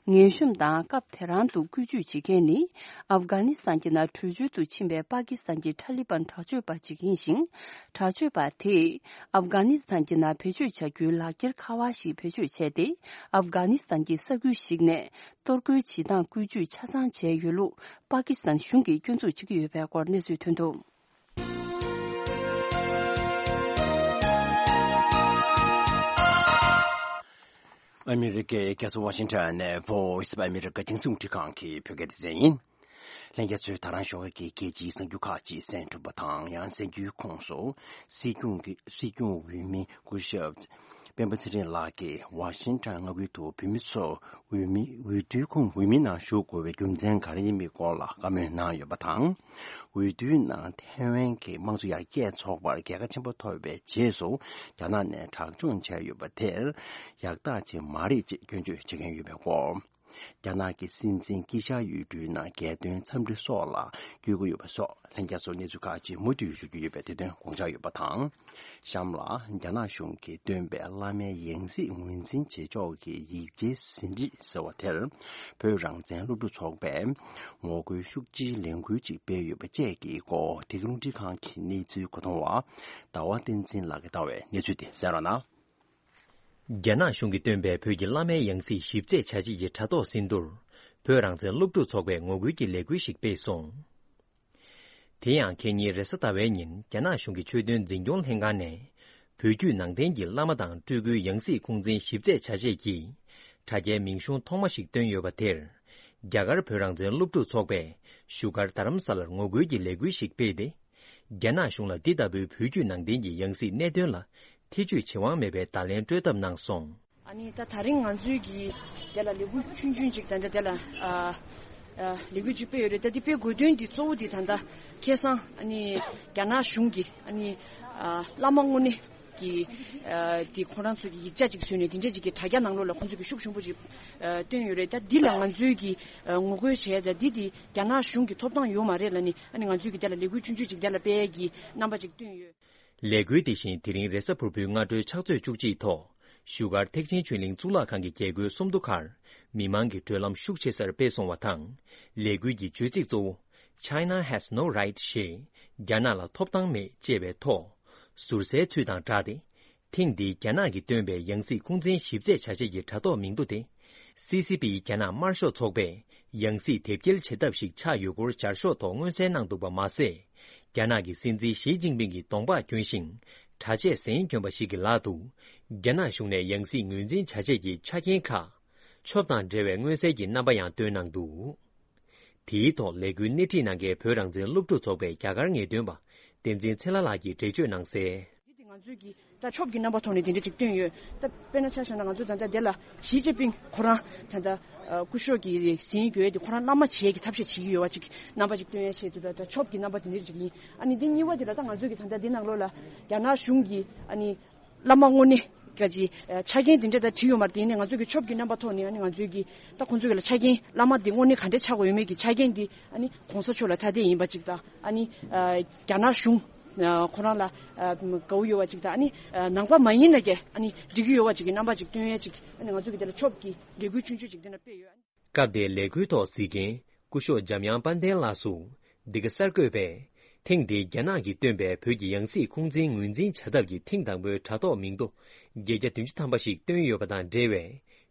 ངན་ཤོམ་དང་སྐབས་དེ་རང་དུ་བཀོལ་སྤྱོད་བྱེད་མཁན་ནི། ཨབ་གྷ་ནི་སི་ཐན་གྱི་ནང་བྲོས་བྱོལ་དུ་ཕྱིན་པའི་པ་ཀི་སི་ཐན་གྱི་ཐ་ལི་པན་དྲག་སྤྱོད་པ་ཅིག་ཡིན་ཞིང་། དྲག་སྤྱོད་པ་དེས་ཨབ་གྷ་ནི་སི་ཐན་གྱི་ནང་བེད་སྤྱོད་བྱ་རྒྱུའི་ལག་འཁྱེར་ཁ་པར་ཞིག་བེད་སྤྱོད་བྱས་ཏེ། ཨབ་གྷ་ནི་སི་ཐན་གྱི་ས་ཁུལ་ཞིག་ནས་གཏོར་རྒོལ་བྱེད་སྟངས་བཀོལ་སྤྱོད་ཆ་ཚང་བྱས་ཡོད་ལུགས་པ་ཀི་སི་ཐན་གཞུང་གིས་སྐྱོན་འཛུགས་བྱེད་ཀྱི་ཡོད་པའི་སྐོར་གནས་ཚུལ་ཐོན་འདུག་ཨ་མི་རི་ཀའི་རྒྱལ་ས་ཝ་ཤིང་ཊོན་ནས་Voice of America རྒྱང་སྲིང་རླུང་འཕྲིན་ཁང་གི་བོད་སྐད་སྡེ་ཚན་ཡིན། ལྷན་རྒྱས་ཚོས་ད་རང་ཞོགས་ཀྱི་རྒྱལ་སྤྱིའི་གསར་འགྱུར་ཁག་ཅིག་གསན་གྲུབ་པ་དང་། ཡང་གསར་འགྱུར་ཁོངས་སུ་སྲིད་སྐྱོང་གི་སྲིད་སྐྱོང་འོས་མི་སྐུ་ཞབས་སྤེན་པ་ཚེ་རིང་ལགས་ཀྱིས་ཝ་ཤིང་ཊོན་མངའ་ཁུལ་དུ་བོད་མི་ཚོ་འོས་མི་འོས་བསྡུའི་ཁོངས་འོས་མིའི་ནང་ཞུགས་དགོས་པའི་རྒྱུ་མཚན་ག་རེ་ཡིན་མིན་སྐོར་ལ་བཀའ་མོལ་གནང་ཡོད་པ་དང་། འོས་བསྡུའི་ནང་ཐའེ་ཝན་གྱི་དམངས་གཙོ་ཡར་རྒྱས་ཚོགས་པར་རྒྱལ་ཁ་ཆེན་པོ་ཐོབ་པའི་རྗེས་སུ་རྒྱ་ནག་ནས་དྲག་སྦྱོང་བྱས་ཡོད་པ་དེར་ཡག་རྟགས་ཅིག་མ་རེད་ཅེས་སྐྱོན་བརྗོད་བྱེད་མཁན་ཡོད་པའི་སྐོར། རྒྱ་ནག་གི་སྲིད་འཛིན་དཀྱིལ་ཤར་ཡུལ་གྲུའི་ནང་རྒྱལ་དོན་འཚམས་འདྲི་སོགས་ལ་བསྐྱོད་ཀྱི་ཡོད་པ་སོགས་ལྷན་རྒྱས་ཚོར་གནས་ཚུལ་ཁག་ཅིག་མུ་མཐུད་ཞུ་རྒྱུ་ཡོད་པའི་དེ་དོན་དགོངས་འཇགས་ཡོད་པ་དང་། གཤམ་ལ་རྒྱ་ནག་གཞུང་གིས་བཏོན་པའི་བླ་མའི་ཡང་སྲིད་ངོས་འཛིན་བྱེད་ཕྱོགས་ཀྱི་ཡིག་ཆའི་ཟིན་བྲིས་ཟེར་བ་དེར། བོད་རང་བཙན་སློབ་ཕྲུག་ཚོགས་པས་ངོ་རྒོལ་ཤུགས་ཆེའི་ལས་འགུལ་ཅིག་སྤེལ་ཡོད་པ་བཅས་ཀྱི་སྐོར། འདི་ག་རླུང་འཕྲིན་ཁང་གི་གནས་ཚུལ་མཁོ་གཏོང་བ་ཟླ་བ་བསྟན་འཛིན་ལགས་ཀྱིས་བཏང་བའི་གནས་ཚུལ་དེ་གསན་རོགས་གནང་། རྒྱ་ནག་གཞུང་གིས་བཏོན་པའི་བོད་ཀྱི་བླ་མའི་ཡང་སྲིད་ཞིབ་རྩད་བྱ་ཆེད་ཀྱི་དྲ་ཐོག་ཟིན་ཐོར། བོད་རང་བཙན་སློབ་ཕྲུག་ཚོགས་པས་ངོ་རྒོལ་གྱི་ལས་འགུལ་ཞིག་སྤེལ་སོང་། དེ་ཡང་ཁེ་ཉིན་རེས་གཟའ་ཟླ་བའི་ཉིན་རྒྱ་ནག་གཞུང་གི་ཆོས་དོན་འཛིན་སྐྱོང་ལྷན་ཁང་ནས། བོད་བརྒྱུད་ནང་བསྟན་གྱི་བླ་མ་དང་སྤྲུལ་སྐུའི་ཡང་སྲིད་ཁུངས་བཙན་ཞིབ་རྩད་བྱ་ཆེད་ཀྱི་དྲ་རྒྱའི་མིང་གཞུང་ཐོག་མ་ཞིག་བཏོན་ཡོད་པ་དེར། རྒྱ་གར་བོད་རང་བཙན་སློབ་ཕྲུག་ཚོགས་པས་བཞུགས་སྒར་རྡ་རམ་ས་ལར་ངོ་རྒོལ་གྱི་ལས་འགུལ་ཞིག་སྤེལ་ཏེ། རྒྱ་ནག་གཞུང་ལ་འདི་ལྟ་བུའི་བོད་བརྒྱུད་ནང་བསྟན་གྱི་ཡང་སྲིད་གནད་དོན་ལ་ཐེ་བྱུས་བྱེད་དབང་མེད་པའི་བརྡ་ལན་སྤྲོད་ཐབས་གནང་སོང་། ཨ་ནི་ད་ད་རིང་ང་ཚོའི་གི་དེ་ལ་ལས་འགུལ་ཆུང་ཆུང་ཅིག་ད་ལྟ་དེ་ལ་ཨ་ ལས་འགུལ་ཅིག་སྤེལ་ཡོད་རེད། ད་འདི་སྤེལ་དགོས་དོན་འདི་གཙོ་བོ་འདི་ད་ལྟ་ཁ་སང་ཨ་ནི་རྒྱ་ནག་གཞུང་གིས་ཨ་ནི་བླ་མ་དངོས་གནས་ཀྱི་འདི་ཁོ་རང་ཚོ་གི་ཡིག་ཆ་ཅིག་བཟོས་ནས་འདི་འདྲས་ཅིག་གི་དྲ་རྒྱ་ནང་ལོགས་ལ་ཁོང་ཚོ་གི་ཤུགས་ཆེན་པོ་ཅིག་བཏོན་ཡོད་རེད། ད་འདི་ལ་ང་ཚོས་ཀྱི་ངོ་རྒོལ་བྱས། ད་འདི་འདི་རྒྱ་ནག་གཞུང་གི་ཐོབ་ཐང་ཡོད་མ་རེད་ལབ་ནས་ཨ་ནི་ང་ཚོས་ཀྱི་དེ་ལ་ལས་འགུལ་ཆུང་ཆུང་ཅིག་དེ་ལ་སྤེལ་གྱི་རྣམ་པ་ཅིག་བཏོན་ཡོད། ལས་འགུལ་དེ་བཞིན་དེ་རིང་རེས་གཟའ་ཕུར་བུའི་སྔ་དྲོའི་ཕྱག་ཚོད་བཅུ་གཅིག་ཐོག་བཞུགས་སྒར་ཐེག་ཆེན་ཆོས་གླིང་གཙུག་ལག་ཁང་གི་རྒྱལ་སྒོའི་སུམ་མདོ་ཁར་མི་མང་གི་བགྲོད་ལམ་ཤུགས་ཆེ་སར་སྤེལ་སོང་བ་དང་། ལས་འགུལ་གྱི་བརྗོད་ཚིག་གཙོ་བོ། China has no right ཞེས་རྒྱ་ནག་ལ་ཐོབ་ཐང་མེད་ཅེས་པའི་ཐོག་ཟུར་ཟའི་ཚུལ་དང་སྦྲགས་ཏེ། ཐེངས་འདིའི་རྒྱ་ནག་གིས་བཏོན་པའི་ཡང་སྲིད་ཁུངས་བཙན་ཞིབ་དཔྱད་བྱ་བྱེད་ཀྱི་དྲ་ཐོག་མིང་ཐོ་དེ། སི་སི་པི་རྒྱ་ནག་དམར་ཤོག་ཚོགས་པས་ཡང་སྲིད་དེབ་སྐྱེལ་བྱེད་ཐབས་ཤིག་ཆགས་ཡོད་སྐོར་སྦྱར་ཤོག་ཐོག་མངོན་གསལ་གནང་འདུག་པ་མ་ཟད། རྒྱ་ནག་གི་སྲིད་འཛིན་ཞི་ཅིན་ཕིང་གི་གདོང་པགས་གྱོན་ཞིང་། གྲྭ་ཆས་གཟན་གྱོན་པ་ཞིག་གི་ལག་ཏུ། རྒྱ་ནག་གཞུང་ནས་ཡང་སྲིད་ངོས་འཛིན་བྱ་ཆེད་ཀྱི་ཆ་རྐྱེན་ཁག་ཆོབ་དང་འབྲེལ་བའི་མངོན་གསལ་གྱི་རྣམ་པ་ཡང་བཏོན་གནང་འདུག་དེའི་ཐོག་ལས་འགུལ་སྣེ་ཁྲིད་གནང་མཁན་བོད་རང་བཙན་སློབ་ཕྲུག་ཚོགས་པའི་རྒྱ་གར་ངེས་སྟོན་པ་བསྟན་འཛིན་ཚེ་ལྷ་ལགས་ཀྱིས་འགྲེལ་བརྗོད་གནང་གསལ། འདི་དེ་ང་ཚོས་ཀྱི་ད་ཆོབ་ཀྱི་རྣམ་པ་ཐོག་ནས་དེ་འདྲ་ཅིག་བཏོན་ཡོད། ད་དཔེར་ན་ཆ་བཞག་ན་ང་ཚོ་ད་ལྟ་དེ་ལ་ཞི་ཅིན་ཕིང་ཁོ་རང་ད་ལྟ་སྐུ་ཞབས་ཀྱི་ཟིན་ཡོད་དེ་ཁོ་རང་བླ་མ་བྱེད་ཀྱི་ཐབས་ཤེས་བྱེད་ཀྱི་ཡོད་པ་ཅིག་རྣམ་པ་ཅིག་སྟོན་ཡ་ཆེད་དུ་ད་ད་ཆོབ་ཀྱི་རྣམ་པ་དེ་འདྲ་ཅིག་ཡིན། ཨ་ནི་འདི་གཉིས་པ་དེ་ལ་ད་ང་ཚོས་ཀྱི་ད་ལྟ་འདི་ནང་ལོགས་ལ་རྒྱ་ནག་གཞུང་གི་ཨ་ནི་བླ་མ་དངོས་གནས་ག་ཅི་ཆ་རྐྱེན་དེ་འདྲ་ད་བྲིས་ཡོད་མ་རེད། དེ་ནས་ང་ཚོས་ཀྱི་ཆོབ་ཀྱི་རྣམ་པ་ཐོག་ནས་ཨ་ནི་ང་ཚོས་ཀྱི་ད་ཁོང་ཚོས་ཀྱི་ལ་ཆ་རྐྱེན་བླ་མ་འདི་དངོས་གནས་ག་འདྲ་ཆགས་དགོས་ཡོད་མེད་ཀྱི་ཆ་རྐྱེན་འདི་ཨ་ནི་གོང་ས་མཆོག་ལ་ཐ་དད་ཡིན་པ་ཅིག་དང་ཨ་ནི་རྒྱ་ནག་གཞུང་ཁོ་རང་ལ་དགའ་བོ་ཡོད་པ་ཅིག་དང་ཨ་ནི་ནང་པ་མ་ཡིན་ན་ཀྱང་ཨ་ནི་འགྲིག་གི་ཡོད་པ་ཅིག་གི་རྣམ་པ་ཅིག་སྟོན་ཡ་ཅིག་ཨ་ནི་ང་ཚོ་གི་དེ་ལ་ཆོབ་ཀྱི་ལས་འགུལ་ཆུང་ཆུང་ཅིག་དེ་འདྲ་སྤེལ་ཡོད། སྐབས་དེའི་ལས་འགུལ་ཐོག་གཟིགས་མཁན་སྐུ་ཞབས་འཇམ་དབྱངས་དཔལ་ལྡན་ལགས་སུ། འདི་ག་གསར་འགོད་པས། ཐེངས་འདིའི་རྒྱ་ནག་གིས་བཏོན་པའི་བོད་ཀྱི་ཡང་སྲིད་ཁུངས་འཛིན་ངོས་འཛིན་བྱ་ཐབས་ཀྱི་ཐེངས་དང་པོའི་དྲ་ཐོག་མིང་ཐོ་བརྒྱད་བརྒྱ་བདུན་ཅུ་ཐམ་པ་ཞིག་བཏོན་ཡོད་པ་དང་འབྲེལ་བའི་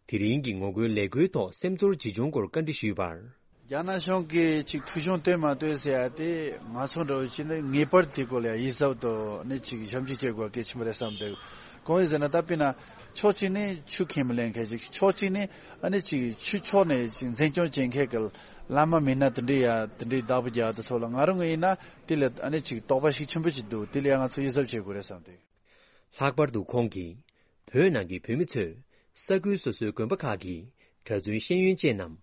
དེ་རིང་གི་ངོ་རྒོལ་ལས་འགུལ་ཐོག་སེམས་ཚོར་ཇི་བྱུང་སྐོར་བཀའ་འདྲི་ཞུས་པར། རྒྱ་ནག་གཞུང་གིས་ཅིག་ཐོ་གཞུང་བཏོན་མ་བཏོན་ཟེར་ཡ་དེ་ང་ཚོ་འདྲ་བོ་ཅིག་ནི་ངེས་པར་དེ་སྐོར་ལ་ཡིད་གཟབ་ཏུ་ནི་ཅིག་ཞབས་འདེགས་བྱེད་དགོས་གལ་ཆེན་པོ་རེད་བསམ་འདུག་གང་ཡིན་ཟེར་ན་ད་དཔེར་ན་ཕྱོགས་གཅིག་ནས་ཆོས་ཁས་མི་ལེན་མཁན་ཅིག་ཕྱོགས་གཅིག་ནས་ཨ་ནི་ཅིག་ཆོས་ཕྱོགས་ནས་ཅིག་འཛིན་སྐྱོང་བྱེད་མཁན་གྱི་བླ་མ་མི་སྣ་དེ་འདྲའི་ཡ་དེ་འདྲའི་བདག་པོ་རྒྱག་དུས་ཚོད་ལ་ང་རང་ངོས་ཡིན་ན་དེ་ལ་ཨ་ནི་ཅིག་དོགས་པ་ཤུགས་ཆེན་པོ་ཅིག་འདུག་དེ་ལ་ཡ་ང་ཚོ་ཡིད་གཟབ་བྱེད་དགོས་རེད་བསམ་འདུག་ལྷག་པར་དུ་ཁོང་གིས། བོད་ནང་གི་བོད་མི་ཚོས་ས་ཁུལ་སོ་སོའི་དགོན་པ་ཁག་གི་གྲྭ་བཙུན་ཤེས་ཡོན་ཅན་ནམ།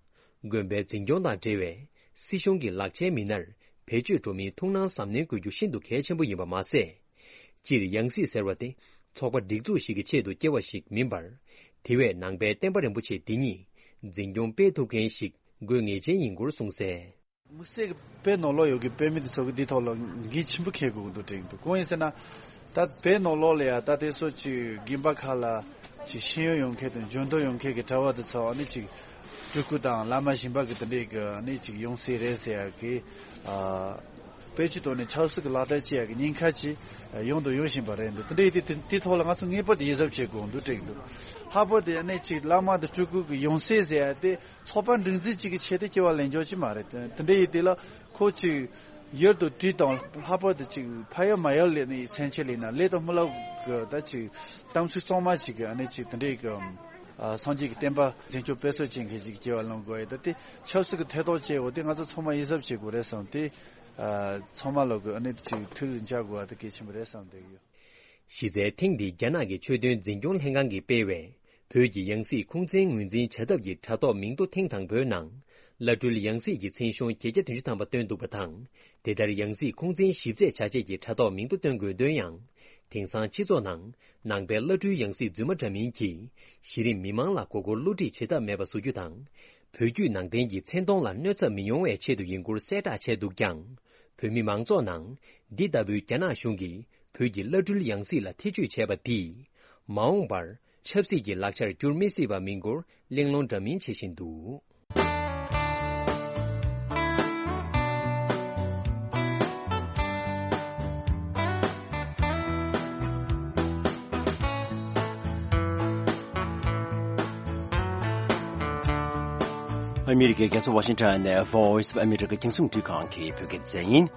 དགོན་པའི་འཛིན་སྐྱོང་དང་འབྲེལ་བའི་སྲིད་གཞུང་གི་ལག་ཆའི་མི་སྣར་བེད་སྤྱོད་འགྲོ་མིན་ཐུགས་སྣང་གཟབ་ནན་དགོས་རྒྱུ་ཤིན་ཏུ་གལ་ཆེན་པོ་ཡིན་པ་མ་ཟད། སྤྱིར་ཡང་སྲིད་ཟེར་བ་དེ་ཚོགས་པ་སྒྲིག་འཛུགས་ཤིག་གི་ཆེད་དུ་སྐྱེལ་བ་ཞིག་མིན་པར། དེ་བས་ནང་པའི་བསྟན་པ་རིན་པོ་ཆེ་འདི་ཉིད་འཛིན་སྐྱོང་སྤེལ་ཐུབ་མཁན་ཞིག་དགོས་ངེས་ཅན་ཡིན་སྐོར་གསུངས་གསལ། དམིགས་བསལ་གྱི་བོད་ནང་ལོགས་ཡོད་ཀྱི་བོད་མི་དེ་ཚོ་གི་འདི་ཐོག་ལ་འགན་ཆེན་པོ་འཁྱེར་དགོས་ཀྱི་འདུག་དྲན་གྱི་འདུག་གང་ཡིན་ཟེར་ན། ད་བོད་ནང་ལོགས་ལ་ཡ་ད་དེ་ཚོ་ཅིག་དགོན་པ་ཁག་ལ་ཅིག་ཤེས་ཡོན་ཡོད་མཁན་དང་འཇོན་ཐང་ཡོད་མཁན་གྱི་གྲྭ་པ་དེ་ཚོ་ཨ་ནི་ཅིག་སྤྲུལ་སྐུ་དང་བླ་མ་གཞན་པ་གི་དེ་འདྲའི་གི་ཨ་ནི་ཅིག་ཡོང་སྲིད་རེད་ཟེར་ཡ་གི་ཨ། བེད་སྤྱོད་བཏང་ནས་ཆབ་སྲིད་ཀྱི་ལག་བསྟར་བྱེད་ཡ་གི་ཉེན་ཁ་ཅིག་ཡོང་དང་ཡོང་བཞིན་པ་རེད་འདུག་དེ་འདྲ་ཡིན་དུས་དེ་དེ་ཐོག་ལ་ང་ཚོ་ངེས་པར་དུ་ཡིད་གཟབ་བྱེད་དགོས་འདུག་དྲན་གྱི་འདུག་ལྷག་པར་དུ་ཨ་ནི་ཅིག་བླ་མ་དང་སྤྲུལ་སྐུ་གི་ཡོང་སྲིད་ཟེར་ཡ་དེ། ཚོགས་པ་སྒྲིག་འཛུགས་གཅིག་གི་ཆེད་དུ་སྐྱེ་བ་ལེན་རྒྱུ་ཅིག་མ་རེད། དེ་འདྲ་ཡིན་དུས་ལ་ཁོ་ཅིག་ཡུལ་དུ་དུས་དང་ལྷག་པར་དུ་ཅིག་ཕ་ཡུལ་མ་ཡུལ་ལ་ནི་སེམས་ཅན་ལ་ན་ལས་དང་རྨི་ལམ་གི་ད་ཅིག་གཏམ་ཚིག་གཙང་མ་ཅིག་གི་ཨ་ནི་ཅིག་དེ་འདྲའི་གི་ཨ་སངས་རྒྱས་ཀྱི་བསྟན་པ་འཛིན་སྐྱོང་སྤེལ་གསུམ་བྱེད་མཁན་ཅིག་སྐྱེ་བ་ལེན་དགོས་ཡ་ད་དེ་ཆབ་སྲིད་ཀྱི་ཐད་གཏོང་བྱེད་འོ་དེ་ང་ཚོ་ཚང་མ་ཡིད་གཟབ་བྱེད་དགོས་རེད་བསམ་སྟེ་ཨ་ཚང་མ་ལོག་གི་ཨ་ནི་ཅིག་ཐུགས་ལ་འཇགས་དགོས་པ་དེ་གལ་ཆེན་པོ་རེད་བསམ་བསྡད་ཡོད། གཞི་རྩའི་ཐེངས་འདིའི་རྒྱ་ནག་གི་ཆོས་དོན་འཛིན་སྐྱོང་ལྷན་ཁང་གིས་སྤེལ་བའི་བོད་ཀྱི་ཡང་སྲིད་ཁུངས་བཙན་ངོས་འཛིན་བྱ་ཐབས་ཀྱི་དྲ་ཐོག་མིང་ཐོ་ཐེངས་དང་པོའི་ནང་། བླ་སྤྲུལ་ཡང་སྲིད་ཀྱི་མཚན་གཞུང་བརྒྱད་བརྒྱ་བདུན་ཅུ་ཐམ་པ་བཏོན་འདུག་པ་དང་། དེ་ལྟར་ཡང་སྲིད་ཁུངས་བཙན་ཞིབ་དཔྱད་བྱ་ཆེད་ཀྱི་དྲ་ཐོག་མིང་ཐོ་བཏོན་དགོས་དོན་ཡང་། དེང་སང་སྤྱི་ཚོགས་ནང་ནང་པའི་བླ་སྤྲུལ་ཡང་སྲིད་རྫུན་མ་འདྲ་མིན་གྱིས་གཞི་རིམ་མི་མང་ལ་མགོ་སྐོར་བསླུ་བྲིད་བྱེད་ཐབས་མེད་པ་བཟོ་རྒྱུ་དང་། བོད་བརྒྱུད་ནང་བསྟན་གྱི་མཚན་མཐོང་ལ་གནོད་འཚེ་མི་ཡོང་བའི་ཆེད་དུ་ཡིན་སྐོར་གསལ་བསྒྲགས་བྱས་འདུག་ཀྱང་། བོད་མི་མང་ཚོགས་ནང་འདི་ལྟ་བུའི་རྒྱ་ནག་གཞུང་གིས་བོད་ཀྱི་བླ་སྤྲུལ་ཡང་སྲིད་ལ་ཐེ་ཇུས་བྱས་པ་འདིས། མ་འོངས་པར་ཆབ་སྲིད་ཀྱི་ལག་ཆར་འགྱུར་མི་སྲིད་པ་མིན་སྐོར་གླེང་སློང་འདྲ་མིན་བྱེད་བཞིན་འདུག་ཨ་མི་རི་ཀའི་རྒྱལ་ས་ཝ་ཤིང་ཊོན་ནས་Voice of America རྒྱང་སྲིང་འཕྲིན་ཁང་གི་བོད་སྐད་སྡེ་ཚན་ཡིན།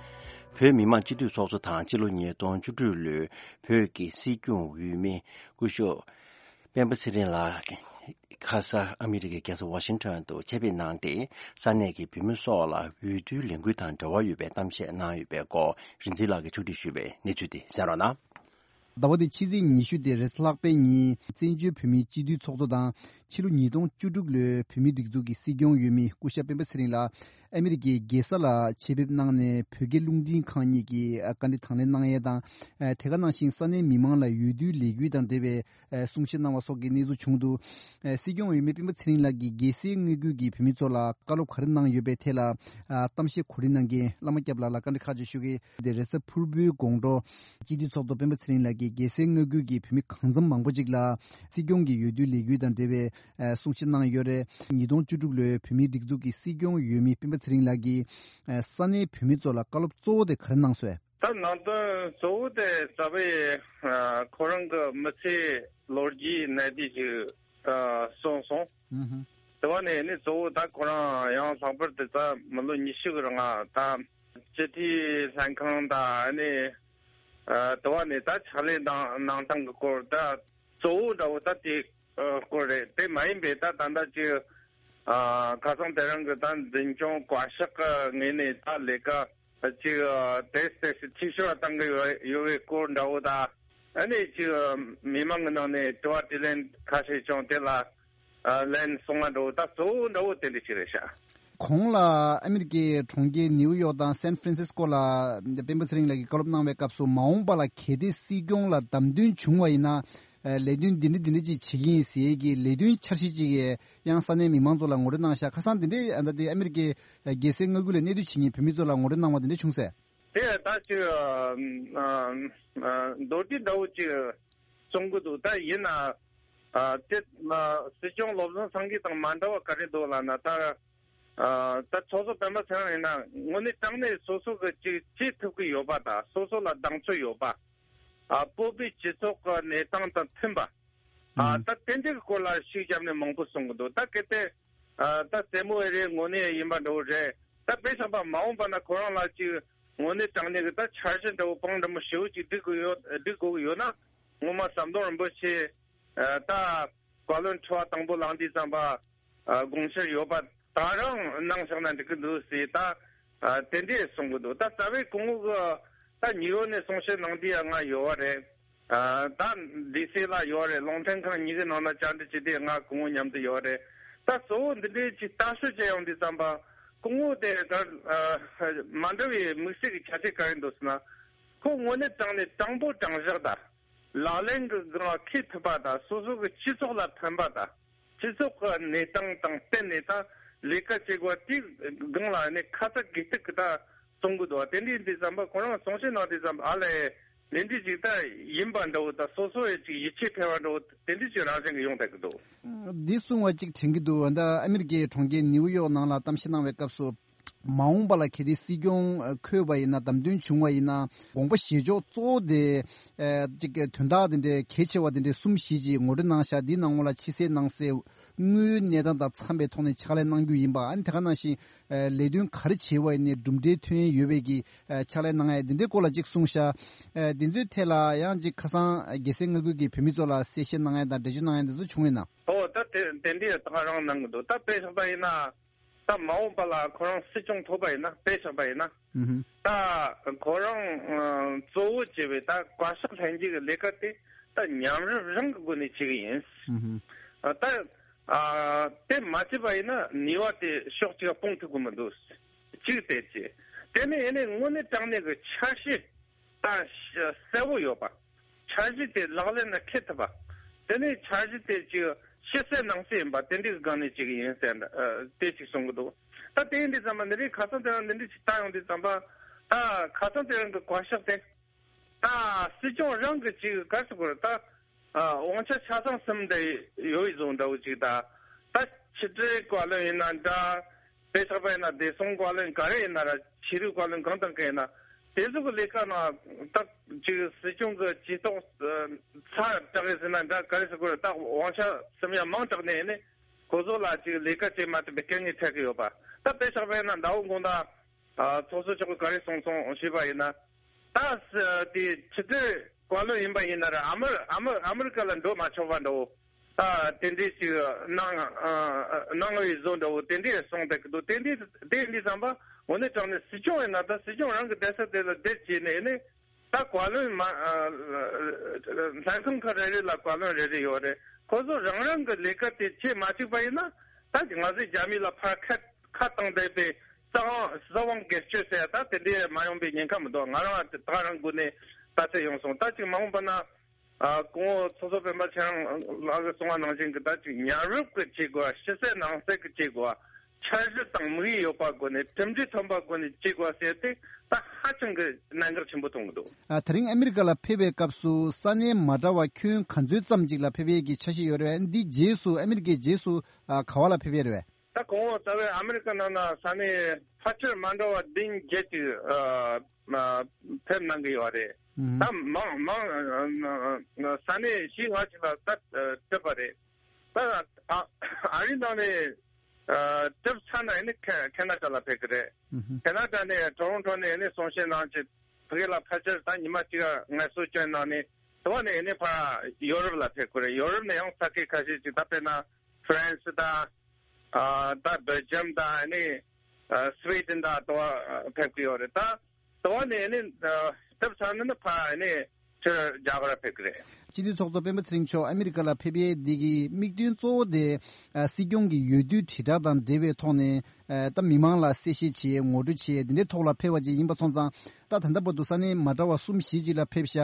བོད་མི་མང་སྤྱི་འཐུས་ཚོགས་གཙོ་དང་སྤྱི་ལོ་ཉིས་སྟོང་བཅུ་དྲུག་ལོའི་བོད་ཀྱི་སྲིད་སྐྱོང་འོས་མི་སྐུ་ཞབས་སྤེན་པ་ཚེ་རིང་ལགས་ཁ་ས་ཨ་མི་རི་ཀའི་རྒྱལ་ས་ཝ་ཤིང་ཊོན་དུ་ཆེད་ཕེབས་གནང་སྟེ་ས་གནས་ཀྱི་བོད་མི་སོགས་ལ་འོས་བསྡུའི་ལས་འགུལ་དང་འབྲེལ་བ་ཡོད་པའི་གཏམ་བཤད་གནང་ཡོད་པའི་སྐོར་རིག་འཛིན་ལགས་ཀྱིས་ཕྱོགས་སྒྲིག་ཞུས་པའི་གནས་ཚུལ་དེ་གསན་རོགས་གནང་། ཟླ་བ་འདིའི་ཕྱི་ཚེས་ཉི་ཤུ་སྟེ་རེས་གཟའ་ལྷག་པའི་ཉིན་བཙན་བྱོལ་བོད་མིའི་སྤྱི་འཐུས་ཚོགས་གཙོ་དང་ཕྱི་ལོ་ཉིས་སྟོང་བཅུ་དྲུག་ལོའི་བོད་མིའི་སྒྲིག་འཛུགས་ཀྱི་སྲིད་སྐྱོང་འོས་མི་སྐུ་ཞབས་སྤེན་པ་ཚེ་རིང་ལགས་ ཨ་མི་རི་ཀའི་རྒྱལ་ས་ལ་ཆེད་ཕེབས་གནང་ནས་བོད་རྒྱ་རླུང་འཕྲིན་ཁང་གཉིས་ཀྱི་ཨ་བཀའ་འདྲི་དང་ལེན་གནང་ཡས་དང་། ཨ་དེ་ག་ནང་བཞིན་ས་གནས་མི་མང་ལ་འོས་བསྡུའི་ལས་འགུལ་དང་འབྲེལ་བའི་ཨ་གསུང་བཤད་གནང་བ་སོགས་ཀྱི་གནས་ཚུལ་བྱུང་འདུག་ཨ་སྲིད་སྐྱོང་འོས་མི་སྤེན་པ་ཚེ་རིང་ལགས་ཀྱིས་རྒྱལ་སའི་མངའ་ཁུལ་གྱི་བོད་མི་ཚོ་ལ་བཀའ་སློབ་ག་རེ་གནང་ཡོད་པའི་ཐད་ལ་ཨ་གཏམ་བཤད་གོ་སྒྲིག་གནང་མཁན་བླ་མ་སྐྱབས་ལགས་ལ་བཀའ་འདྲི་ཁག་ཅིག་ཞུ་གི་ཡིན། དེ་རེས་གཟའ་ཕུར་བུའི་དགོང་དྲོ་སྤྱི་འཐུས་ཚོགས་གཙོ་སྤེན་པ་ཚེ་རིང་ལགས་ཀྱིས་རྒྱལ་སའི་མངའ་ཁུལ་གྱི་བོད་མི་གང་འཚམ་མང་པོ་ཅིག་ལ་སྲིད་སྐྱོང་གི་འོས་བསྡུའི་ལས་འགུལ་དང་འབྲེལ་བའི་ཨ་གསུང་བཤད་གནང་ཡོད་རེད། ཉིས་སྟོང་བཅུ་དྲུག་ལོའི་བོད་མིའི་སྒྲིག་འཛུགས་ཀྱི་སྲིད་སྐྱོང་འོས་མི་སྤེན་པ་ཚེ་རིང་ལགས་ཀྱིས་ཨ་ས་གནས་བོད་མི་ཚོ་ལ་བཀའ་སློབ་གཙོ་བོ་དེ་ག་རེ་གནང་སོང་། ད་ནང་དོན་གཙོ་བོ་དེ་རྩ་བའི་ཨ་ཁོ་རང་གི་མི་ཚེའི་ལོ་རྒྱུས་གནད་བསྡུས་ཤིག་ད་གསུངས་སོང་། ཨུ་ཧུ། དེ་བ་ནས་ནི་གཙོ་བོ་ད་ཁོ་རང་ཡང་ལྷག་པར་དུ་ད་མི་ལོ་ཉི་ཤུ་གི་རིང་ད་སྤྱི་འཐུས་ལྷན་ཁང་ད་ནི་ཨ་དེ་བ་ནས་ད་ཕྱག་ལས་གནང་གནང་སྟངས་ཀྱི་སྐོར་ད་གཙོ་བོ་འདྲ་བོ་ད་དེ་ཨ་སྐོར་རེད། དེ་མ་ཡིན་པའི་ད་ད་ལྟ་ཅིག་ཨ་ཁ་སང་དེ་རིང་གི་ད་འཛིན་སྐྱོང་བཀའ་ཤག་གི་ངོས་ནས་ད་ལས་ཀ་ཅིག་ཨ་དེ་དེ་འཐུས་ཤོར་བཏང་གི་ཡོད་ཡོད་པའི་སྐོར་འདྲ་བོ་ད་ཨ་ནི་ཅིག་ཨ་མི་མང་གི་ནང་ནས་དྲི་བ་དྲིས་ལན་ཁ་ཤས་བྱུང་། དེ་ལ་ཨ་ལན་གསུང་བ་འདྲ་བོ་ད་གཙོ་བོ་འདྲ་བོ་དེ་འདྲ་ཅིག་རེད་ཤག་གོང་ལ་ཨ་མི་རི་ཀའི་གྲོང་ཁྱེར་ནིའུ་ཡོག་དང་སན་ཧྥ་རན་སིས་ཀོ་ལ་སྤེན་པ་ཚེ་རིང་ལགས་ཀྱིས་བཀའ་སློབ་གནང་བའི་སྐབས་སུ་མ་འོངས་པ་ལ་གལ་ཏེ་སྲིད་སྐྱོང་ལ་བདམས་ཐོན་བྱུང་བ་ཡིན་ན། ཨ་ལས་དོན་འདི་འདྲ་འདི་འདྲ་ཅིག་བྱེད་ཀྱི་ཡིན་ཟེར་གྱི་ལས་དོན་འཆར་གཞི་ཅིག་ཡང་ས་གནས་མི་མང་ཚོ་ལ་ངོ་སྤྲོད་གནང་ཤག་ཁ་སང་འདི་འདྲའི་ཨ་ད་དེ་ཨ་མི་རི་ཀའི་རྒྱལ་སའི་མངའ་ཁུལ་ལ་གནས་སྡོད་བྱེད་མཁན་བོད་མི་ཚོ་ལ་ངོ་སྤྲོད་གནང་བ་འདི་འདྲ་བྱུང་ཟེར། དེ་ད་ཅིག་ཨ་ཨ་མདོར་བསྡུས་འདྲ་བོ་ཅིག་གསུང་གི་འདུག་ད་ཡིན་ན་ཨ་དེ་ཨ་སྲིད་སྐྱོང་བློ་བཟང་སེང་གེ་དང་མ་འདྲ་བ་ག་རེ་འདུག་ལབ་ན། ད་ཨ་ད་ཚོགས་གཙོ་སྤེན་པ་ཚེ་རིང་ཡིན་ན་དངོས་གནས་དྲང་གནས་སོ་སོ་གི་ཅིག་བྱེད་ཐུབ་ཀྱི་ཡོད་པ་དང་། སོ་སོ་ལ་གདེང་ཚོད་ཡོད་པ། ཨ་བོད་པའི་སྤྱི་ཚོགས་ཀྱི་གནས་སྟངས་དང་མཐུན་པ། ཨ་ཨང་། ད་དེ་འདྲའི་སྐོར་ལ་ཤུགས་བརྒྱབ་ནས་མང་པོ་གསུང་གི་འདུག་ད་གལ་ཏེ་ཨ་ད་རྩེད་མོ་རེ་དངོས་གནས་ཡིན་པ་འདྲ་བོ་རེད། ད་དཔེ་བཞག་པ་མ་འོངས་པ་ན་ཁོ་རང་ལ་ཅིག་དངོས་གནས་དྲང་གནས་ཀྱི་ད་འཆར་གཞི་འདྲ་བོ་གང་འདྲ་མོ་ཞེ་པོ་ཅིག་སྒྲིག་དགོས་ཡོད། སྒྲིག་དགོས་ཀྱི་ཡོད་ན། ངོ་མ་ཟམ་གདོང་རིན་པོ་ཆེ་ཨ་ད་བཀའ་བློན་ཁྲི་པ་དང་པོ་ལངས་དུས་ཙམ་པ་ཨ་དགོངས་འཆར་ཡོད་པ་ད་རང་གནང་བཞག་ན་འགྲིག་གི་འདུག་ཟེར་ད་ཨ་དེ་འདྲས་གསུང་གི་འདུག་ད་རྩ་བའི་སྐུ་ངོ་གི་ད་ཉིའུ་ཡོག་ནས་གསུང་བཤད་གནང་དུས་ཡང་ང་ཡོད་པ་རེད། ཨ་ད་ལྡི་སི་ལ་ཡོད་རེད། རླུང་འཕྲིན་ཁང་གཉིས་ཀྱི་ནང་ན་བཅར་འདྲི་བྱེད་དུས་ང་སྐུ་ངོ་མཉམ་དུ་ཡོད་རེད། ད་གཙོ་བོ་འདི་འདྲའི་ཅིག་ལྟ་ཞིབ་བྱེད་ཡོང་དུས་ཙམ་པ་སྐུ་ངོ་དེ་ད་ཨ་མ་འདྲ་བའི་དམིགས་བསལ་གྱི་ཁྱད་ཆོས་ག་རེ་འདུག་ཟེར་ན། ཁོ་དངོས་གནས་དྲང་གནས་དྲང་པོ་དྲང་བཞག་དང་། ལག་ལེན་གྱི་སྒང་ལ་འཁེལ་ཐུབ་པ་དང་། སོ་སོ་གི་སྤྱི་ཚོགས་ལ་ཕན་པ་དང་། སྤྱི་ཚོགས་ཀྱི་གནས་སྟངས་དང་བསྟུན་ནས་ད་ལས་ཀ་བྱེད་དགོས་པ་དེའི་སྒང་ལ་ནི་ཁ་ཚ་དགོས་གཏུག་གི་ད་གསུང་གི་འདུག་དེ་འདྲའི་ཡིན་དུས་ཙམ་པ་ཁོ་རང་གསུང་བཤད་གནང་དུས་ཙམ་པ་ཨ་ལས་ལས་འདི་ཅིག་ད་ཡིན་པ་འདྲ་བོ་དང་། སོ་སོ་ཡི་ཅིག་ཡིད་ཆེས་འཕེར་བ་འདྲ་བོ་དེ་འདྲ་ཅིག་རང་བཞིན་གྱི་ཡོང་བསྡད་ཀྱི་འདུག་འདི་གསུང་བ་ཅིག་དྲན་གྱི་འདུག་ད་ཨ་མི་རི་ཀའི་གྲོང་ཁྱེར་ནིའུ་ཡོག་ནང་ལ་གཏམ་བཤད་གནང་བའི་སྐབས་སུ། མ་འོངས་པ་ལ་གལ་ཏེ་སྲིད་སྐྱོང་འཁོད་པ་ཡིན་ན། བདམས་ཐོན་བྱུང་བ་ཡིན་ན། དགོངས་པ་བཞེས་ཕྱོགས་གཙོ་བོ་དེ་ཨ་ཅིག་དོན་དག་དེ་འདྲའི་གལ་ཆེ་བ་དེ་འདྲའི་གསུམ་བཞི་ཅིག་ངོ་སྤྲོད་གནང་ཤག་འདིའི་ནང་ལོགས་ལ་ཕྱི་གསལ་ནང་གསལ་དངོས་ཡོད་གནས་སྟངས་དང་འཚམས་པའི་ཐོག་ནས་ཕྱག་ལས་གནང་རྒྱུ་ཡིན་པ། ཨ་ནི་དེ་ག་ནང་བཞིན་ཨ་ལས་དོན་ག་རེ་བྱས་པ་ཡིན་ནའི་གྲུབ་འབྲས་ཐོན་ཡས་ཡོད་པའི་གི་ཨ་ཕྱག་ལས་གནང་ཡས་དེ་འདྲའི་སྐོར་ལ་ཅིག་གསུངས་ཤག་ཨ་དེ་ཚོའི་ཐད་ལ་ཡང་ཅིག་ཁ་སང་རྒྱལ་སའི་མངའ་ཁུལ་གྱི་བོད་མི་ཚོ་ལ་གསལ་བཤད་གནང་ཡས་དང་འགྲེལ་བརྗོད་གནང་ཡས་དེ་ཚོ་བྱུང་ཡོད་ན། ཨོ་ད་དེ་དེ་འདྲའི་ད་ག་རང་གནང་གི་འདུག་ད་དཔེ་བཞག་པ་ཡིན་ན། ད་མ་འོངས་པ་ལ་ཁོ་རང་སྲིད་སྐྱོང་ཐོབ་པ་ཡིན་ན། དཔེ་བཞག་པ་ཡིན་ན། ཨུ་ཧུ། ད་ཁོ་རང་ཨ་གཙོ་བོ་བྱས་པའི་ད་བཀའ་ཤག་ལྷན་རྒྱས་ཀྱི་ལས་ཀ་དེ་ད་མཉམ་རུབ་རང་གི་སྒོ་ནས་བྱེད་ཀྱི་ཡིན། ཨུ་ཧུ། ཨ་ད་ཨ་དེ་མ་བྱས་པ་ཡིན་ན་ནུས་པ་དེ་ཕྱོགས་གཅིག་ལ་སྤུངས་ཐུབ་ཀྱི་མི་འདུག་གཅིག་དེ་བྱས། དེ་ནས་ཡིན་ནའི་དངོས་གནས་དྲང་གནས་ཀྱི་འཆར་གཞི་ད་གསལ་པོ་ཡོད་པ། འཆར་གཞི་དེ་ལག་ལེན་ལ་འཁེལ་ཐུབ་པ། དེ་ནས་འཆར་གཞི་དེ་ཅིག་ཕྱི་གསལ་ནང་གསལ་ཡིན་པ་དེ་འདྲའི་སྒང་ནས་ཅིག་ཡིན་ཟེར་འདྲ་ཨ་དེ་ཅིག་གསུང་གི་འདུག་ད་དེ་ཡིན་དུས་ཙམ་པ་འདི་འདྲའི་ཁ་སང་དེ་རིང་འདི་འདྲའི་ཅིག་བལྟ་ཡོང་དུས་ཙམ་པ། ད་ཁ་སང་དེ་རིང་གི་བཀའ་ཤག་དེ་ད་སྲིད་སྐྱོང་རང་གི་ཅིག་ག་རེ་ཟེར་དགོས་རེད། ད་ཨ་དབང་ཆ་ཆ་ཚང་ཟིན་བསྡད་ཡོད་བཟོ་འདྲ་བོ་ཅིག་ད་ད་ཕྱི་དྲིལ་བཀའ་བློན་ཡིན་ན་འདྲ། དཔེ་ཆ་པ་ཡིན་ན་བདེ་སྲུང་བཀའ་བློན་ག་རེ་ཡིན་ན་ར། ཕྱི་དྲིལ་བཀའ་བློན་གང་དང་གང་ཡིན་ན། དེ་ཚོ་གི་ལས་ཀ་ནང་ད་ཅིག་སྲིད་སྐྱོང་གི་ཇུས་གཏོགས་ཚ་དྲག་གི་ཟེར་ན་འདྲ། ག་རེ་ཟེར་དགོས་རེད། ད་དབང་ཆ་སེམས་ཡ་མང་དྲགས་ནས་ནི་ཁོ་ཚོ་ལ་ཅིག་ལས་ཀ་བྱེད་མ་ཐུབ་པའི་རྐྱེན་ངན་འཕྲད་ཀྱི་ཡོད་པ། ད་དཔེ་ཆ་པ་ཡིན་ན་ཟླ་བོ་དགོང་དག་ཨ་ཚོགས་གཙོ་མཆོག་གིས་ག་རེ་གསུངས་སོང་ཞུས་པ་ཡིན་ན། ད་ས་དེ་ཕྱི་དྲིལ་བཀའ་བློན་ཡིན་པ་ཡིན་ན་ར། ཨ་མི་ཨ་མི་ཨ་མི་རི་ཀ་ལ་འགྲོ་མ་ཆོག་པ་འདྲ་བོ། ཨ་དེ་འདྲའི་ཅིག་གནང་ཨ་གནང་བའི་བཟོ་འདྲ་བོ་དེ་འདྲའི་གསུངས་བསྡད་ཀྱི་འདུག་དེ་འདྲའི་དེ་འདྲའི་ཙམ་པ་དངོས་གནས་དྲང་གནས་སྲིད་སྐྱོང་ཡིན་ན། ད་སྲིད་སྐྱོང་རང་གི་བསྡད་ས་དེ་ལ་བསྡད་བྱས་ནས་ནི། ད་བཀའ་བློན་མ་ཨ་ལྷན་ཁང་ཁག་རེ་རེ་ལ་བཀའ་བློན་རེ་རེ་ཡོད་རེད། ཁོ་ཚོ་རང་རང་གི་ལས་ཀ་དེ་བྱེད་མ་བཅུག་པ་ཡིན་ན། ད་ང་ཚོས་རྒྱ་མི་ལ་ཕར་ཁ་ཁ་བཏང་བསྡད་པའི་ ད་གཟབ་དབང་སྒེར་གཅོད་ཟེར་ཡ་ད་དེ་འདྲའི་མ་ཡོང་པའི་ཉེན་ཁ་མི་འདུག་ང་རང་ད་རང་སྒོ་ནས་ལྟ་ཚུལ་ཡོང་སོང་། ད་ཅིག་མ་འོངས་པ་ན། ཨ་སྐུ་ངོ་ཚོགས་གཙོ་སྤེན་པ་ཚེ་རིང་ལགས་ཀྱིས་གསུངས་པ་ནང་བཞིན་གྱི་ད་ཅིག་མཉམ་རུབ་ཀྱི་བྱེད་དགོས། ཕྱི་གསལ་ནང་གསལ་གྱི་བྱེད་དགོས། འཆར་གཞི་དང་དམིགས་ཡུལ་ཡོད་པ་སྒོ་ནས་གྲུབ་འབྲས་ཐོན་པ་སྒོ་ནས་བྱེད་དགོས་ཟེར་ཏེ་ད་ཧ་ཅང་གི་གནད་འགག་ཆེན་པོ་མཐོང་གི་འདུག་ཨ། དེ་རིང་ཨ་མི་རི་ཀ་ལ་ཕེབས་པའི་སྐབས་སུ་ས་གནས་མ་འདྲ་བ་ཁྱོན་ག་ཚོད་ཙམ་ཅིག་ལ་ཕེབས་ཡས་ཀྱི་འཆར་གཞི་ཡོད་རེད་བས། འདི་རྗེས་སུ་ཨ་མི་རི་ཀའི་རྗེས་སུ་ཨ་ག་བ་ལ་ཕེབས་ཡས་རེད་བས། ད་གོང་འོག་རྩ་བའི་ཨ་མི་རི་ཀ་ནང་ན་ས་གནས་ཕལ་ཆེར་མ་འདྲ་བ་བདུན་བརྒྱད་ཅིག་ཨ་ཨ་ཕེབས་གནང་གི་ཡོད་རེད། ཨུམ། ད་མང་མང་ཨ་ཨ་ས་གནས་བཞི་ལྔ་ཅིག་ལ་ད་ཨ་ཕེབས་པ་རེད། ད་ཨ་ཨ་རི་ནང་ནས་ཨ་ཕེབས་ཚར་ན་ཨ་ནི་ཁེ་ཁེ་ན་ཌ་ལ་ཕེབས་ཀྱི་རེད། ཨུམ། ཁེ་ན་ཌ་ནས་ཊོ་རོན་ཊོ་ནས་ཨ་ནི་གསུང་བཤད་གནང་བྱས་ཕ་གི་ལ་ཕལ་ཆེར་ད་ཉི་མ་གཅིག་ངལ་གསོ་བསྐྱོན་གནང་ནས་དེ་བ་ནས་ཨ་ནི་ཕར་ཡོ་རོབ་ལ་ཕེབས་ཀྱི་རེད། ཡོ་རོབ་ནས་ཡང་ས་ཁུལ་ཁ་ཤས་ཅིག་ད་དཔེར་ན་ཧྥ་རན་སི་དང་། ཨ་ད་སྦེལ་ཇམ་དང་ཨ་ནི་ཨ་སི་ཝེ་ཌེན་དང་དེ་བ་ཕེབས་ཀྱི་ཡོད་རེད། ད་དེ་བ་ནས་ཨ་ནི་ཨ་ཕེབས་ཚར་ན་ནི་ཕར་ཨ་ནི་ཕྱིར་རྒྱ་གར་ཕེབས་ཀྱི་རེད། སྤྱི་འཐུས་ཚོགས་གཙོ་སྤེན་པ་ཚེ་རིང་མཆོག་ཨ་མི་རི་ཀ་ལ་ཕེབས་ཡས་འདི་གི་དམིགས་དོན་གཙོ་བོ་དེ་ཨ་སྲིད་སྐྱོང་གི་འོས་བསྡུའི་དྲིལ་བསྒྲགས་དང་འབྲེལ་བའི་ཐོག་ནས་ཨ་ད་མི་མང་ལ་གསལ་བཤད་བྱེད་ཡས་ངོ་སྤྲོད་བྱེད་ཡས་འདི་འདྲའི་ཐོག་ལ་ཕེབས་པ་ཅིག་ཡིན་པ་སོང་ཙང་། ད་ད་ལྟ་བར་དུ་ས་གནས་མ་འདྲ་བ་གསུམ་བཞི་ཅིག་ལ་ཕེབས་ཤག་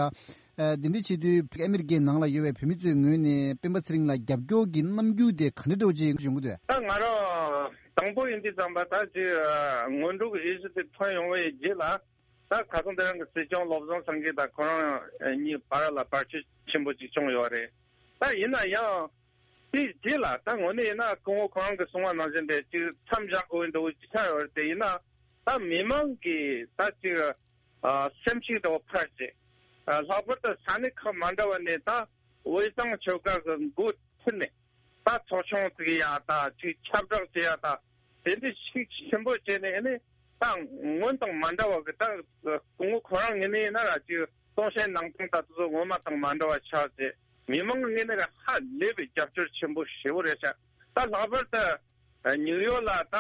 ཨ་འདི་འདྲ་བྱེད་དུས་ཨ་མི་རི་ཀའི་ནང་ལ་ཡོད་པའི་བོད་མི་ཚོའི་ངོས་ནས་སྤེན་པ་ཚེ་རིང་ལ་རྒྱབ་སྐྱོར་གྱི་རྣམ་འགྱུར་དེ་ག་འདྲ་འདྲ་བོ་ཅིག་ཡོང་གི་འདུག་ད་ང་རང་དང་པོ་ཡིན་དུས་ཙམ་པ་ད་ཅིག་ཨ་སྔོན་འགྲོ་གི་འོས་གཞི་དེ་ཐོན་ཡོང་བའི་རྗེས་ལ་ད་ཁ་སང་དེ་རིང་གི་སྲིད་སྐྱོང་བློ་བཟང་སེང་གེ་དང་ཁོ་རང་གཉིས་བར་ལ་བར་ཆད་ཆེན་པོ་ཅིག་བྱུང་ཡོད་རེད། ད་ཡིན་ན་ཡང་དེའི་རྗེས་ལ་ད་དངོས་གནས་ཡིན་ན་སྐུ་ངོ་ཁོ་རང་གིས་གསུངས་པ་ནང་བཞིན་དེ་ཅིག་མཚམས་བཞག་དགོས་འདུག་ཅིག་ཆགས་ཡོད་རེད། དེ་ཡིན་ན་ད་མི་མང་གིས་ད་ཅིག་ཨ་སེམས་ཤུགས་དེ་འཕར་བྱས། ཨ་ལྷག་པར་དུ་ས་གནས་ཁག་མ་འདྲ་བ་ནས་ད་དབུས་གཙང་ཆོལ་ཁ་གི་འགོ་ཁྲིད་ནས་ད་ཚོགས་ཆུང་བཙུགས་ཡ་ད་ཅིག་ཁྱབ་བསྒྲགས་བྱེད་ཡ་ད་དེ་འདྲའི་ཤུགས་ཆེན་པོ་བྱས་ནས་ཨ་ནི་ད་སྔོན་དང་མ་འདྲ་བ་གི་ད་སྐུ་ངོ་ཁོ་རང་ངོས་ནས་ཡིན་ན་ར་ཅིག་གཏོང་བཤད་གནང་སྟངས་ད་དེ་ཚོ་སྔོན་མ་དང་མ་འདྲ་བ་ཆགས་ཏེ་མི་མང་གི་ངོས་ནས་ར་ཧ་ལས་པའི་རྒྱབ་སྐྱོར་ཆེན་པོ་ཞེ་པོ་རེད་ཤག་ད་ལྷག་པར་དུ་ཨ་ནིའུ་ཡོག་ལ་ད་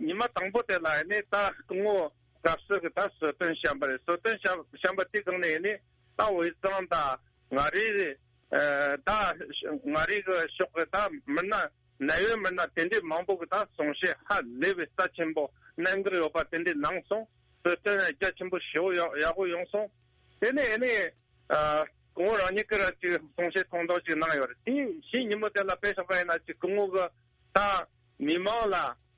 ཉི་མ་དང་པོ་དེ་ལ་ཨ་ནི་ད་སྐུ་ངོ་སྐབས་སུ་གི་ད་གསོལ་སྟོན་བཤམས་པ་རེད། གསོལ་སྟོན་བཤམས་བཤམས་པ་དེ་སྒང་ནས་ནི་ད་དབུས་གཙང་དང་མངའ་རིས་ཨ་ད་མངའ་རིས་གི་ཕྱོགས་གི་ད་མི་སྣ་གནད་ཡོད་མི་སྣ་དེ་འདྲའི་མང་པོ་གི་ད་གསུང་བཤད་ཧ་ལས་པའི་རྩ་ཆེན་པོ་གནད་འགག་ཡོད་པ་དེ་འདྲའི་གནང་སོང་། གསོལ་སྟོན་རྒྱ་ཆེན་པོ་ཞེ་པོ་ཡག་ཡག་པོ་ཡོང་སོང་། དེ་ནས་ནི་ཨ་སྐུ་ངོ་རང་ཉིད་ཀྱི་ར་ཅིག་གསུང་བཤད་ཐུང་ཐུང་ཅིག་གནང་ཡོད་རེད། དེ་གཞི་ཉིན་མོ་དེ་ལ་དཔེ་བཞག་པ་ཡིན་ན་ཅིག་སྐུ་ངོ་གི་ད་མི་མང་ལ་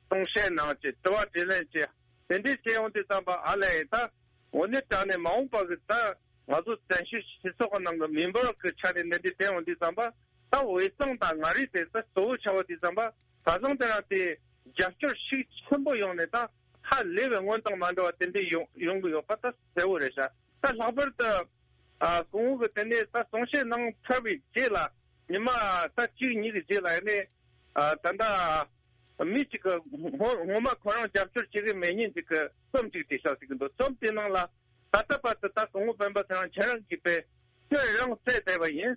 གསུང་བཤད་གནང་བྱས་དྲི་བ་དྲིས་ལན་བྱས་དེ་འདྲའི་བྱས་ཡོང་དུས་ཙམ་པ་ཨ་ལས་ད་དངོས་གནས་དྲང་གནས་མ་འོངས་པ་གི་ད་ང་ཚོ་བཙན་བྱོལ་སྤྱི་ཚོགས་ཀྱི་ནང་གི་མི་འབོར་གྱི་ཆ་ནས་འདི་འདྲའི་བསྟན་ཡོང་དུས་ཙམ་པ་ད་དབུས་གཙང་དང་མངའ་རིས་དེ་ད་གཙོ་བོ་ཆགས་པ་དུས་ཙམ་པ་ད་བཟང་དེ་རང་དེ་རྒྱབ་སྐྱོར་ཤུགས་ཆེན་པོ་ཡོང་ནས་ད་ཧ་ལས་པའི་སྔོན་དང་མ་འདྲ་བ་དེ་འདྲའི་ཡོང་ཡོང་གི་ཡོད་པ་ད་གསལ་བོ་རེད་ཤག་ད་ལྷག་པར་དུ་ཨ་སྐུ་ངོ་གི་དེ་ནས་ད་གསུང་བཤད་གནང་ཚར་བའི་རྗེས་ལ་ཉི་མ་ད་གཅིག་གཉིས་ཀྱི་རྗེས་ལ་ཡིན་ནས་ཨ་ད་ལྟ་མི་གཅིག་གི་ངོ་ངོ་མ་ཁོ་རང་རྒྱབ་སྐྱོར་བྱེད་ཀྱི་མེད་མཁན་ཅིག་གི་རྩོམ་ཅིག་བྲིས་ཤག་ཟེར་གྱི་འདུག་རྩོམ་དེའི་ནང་ལ་ད་ལྟ་བར་དུ་ད་སྐུ་ངོ་སྤེན་པ་ཚེ་རིང་ཁྱེད་རང་གིས་དཔེ་སྐྱོན་རང་བཙལ་བསྡད་པ་ཡིན།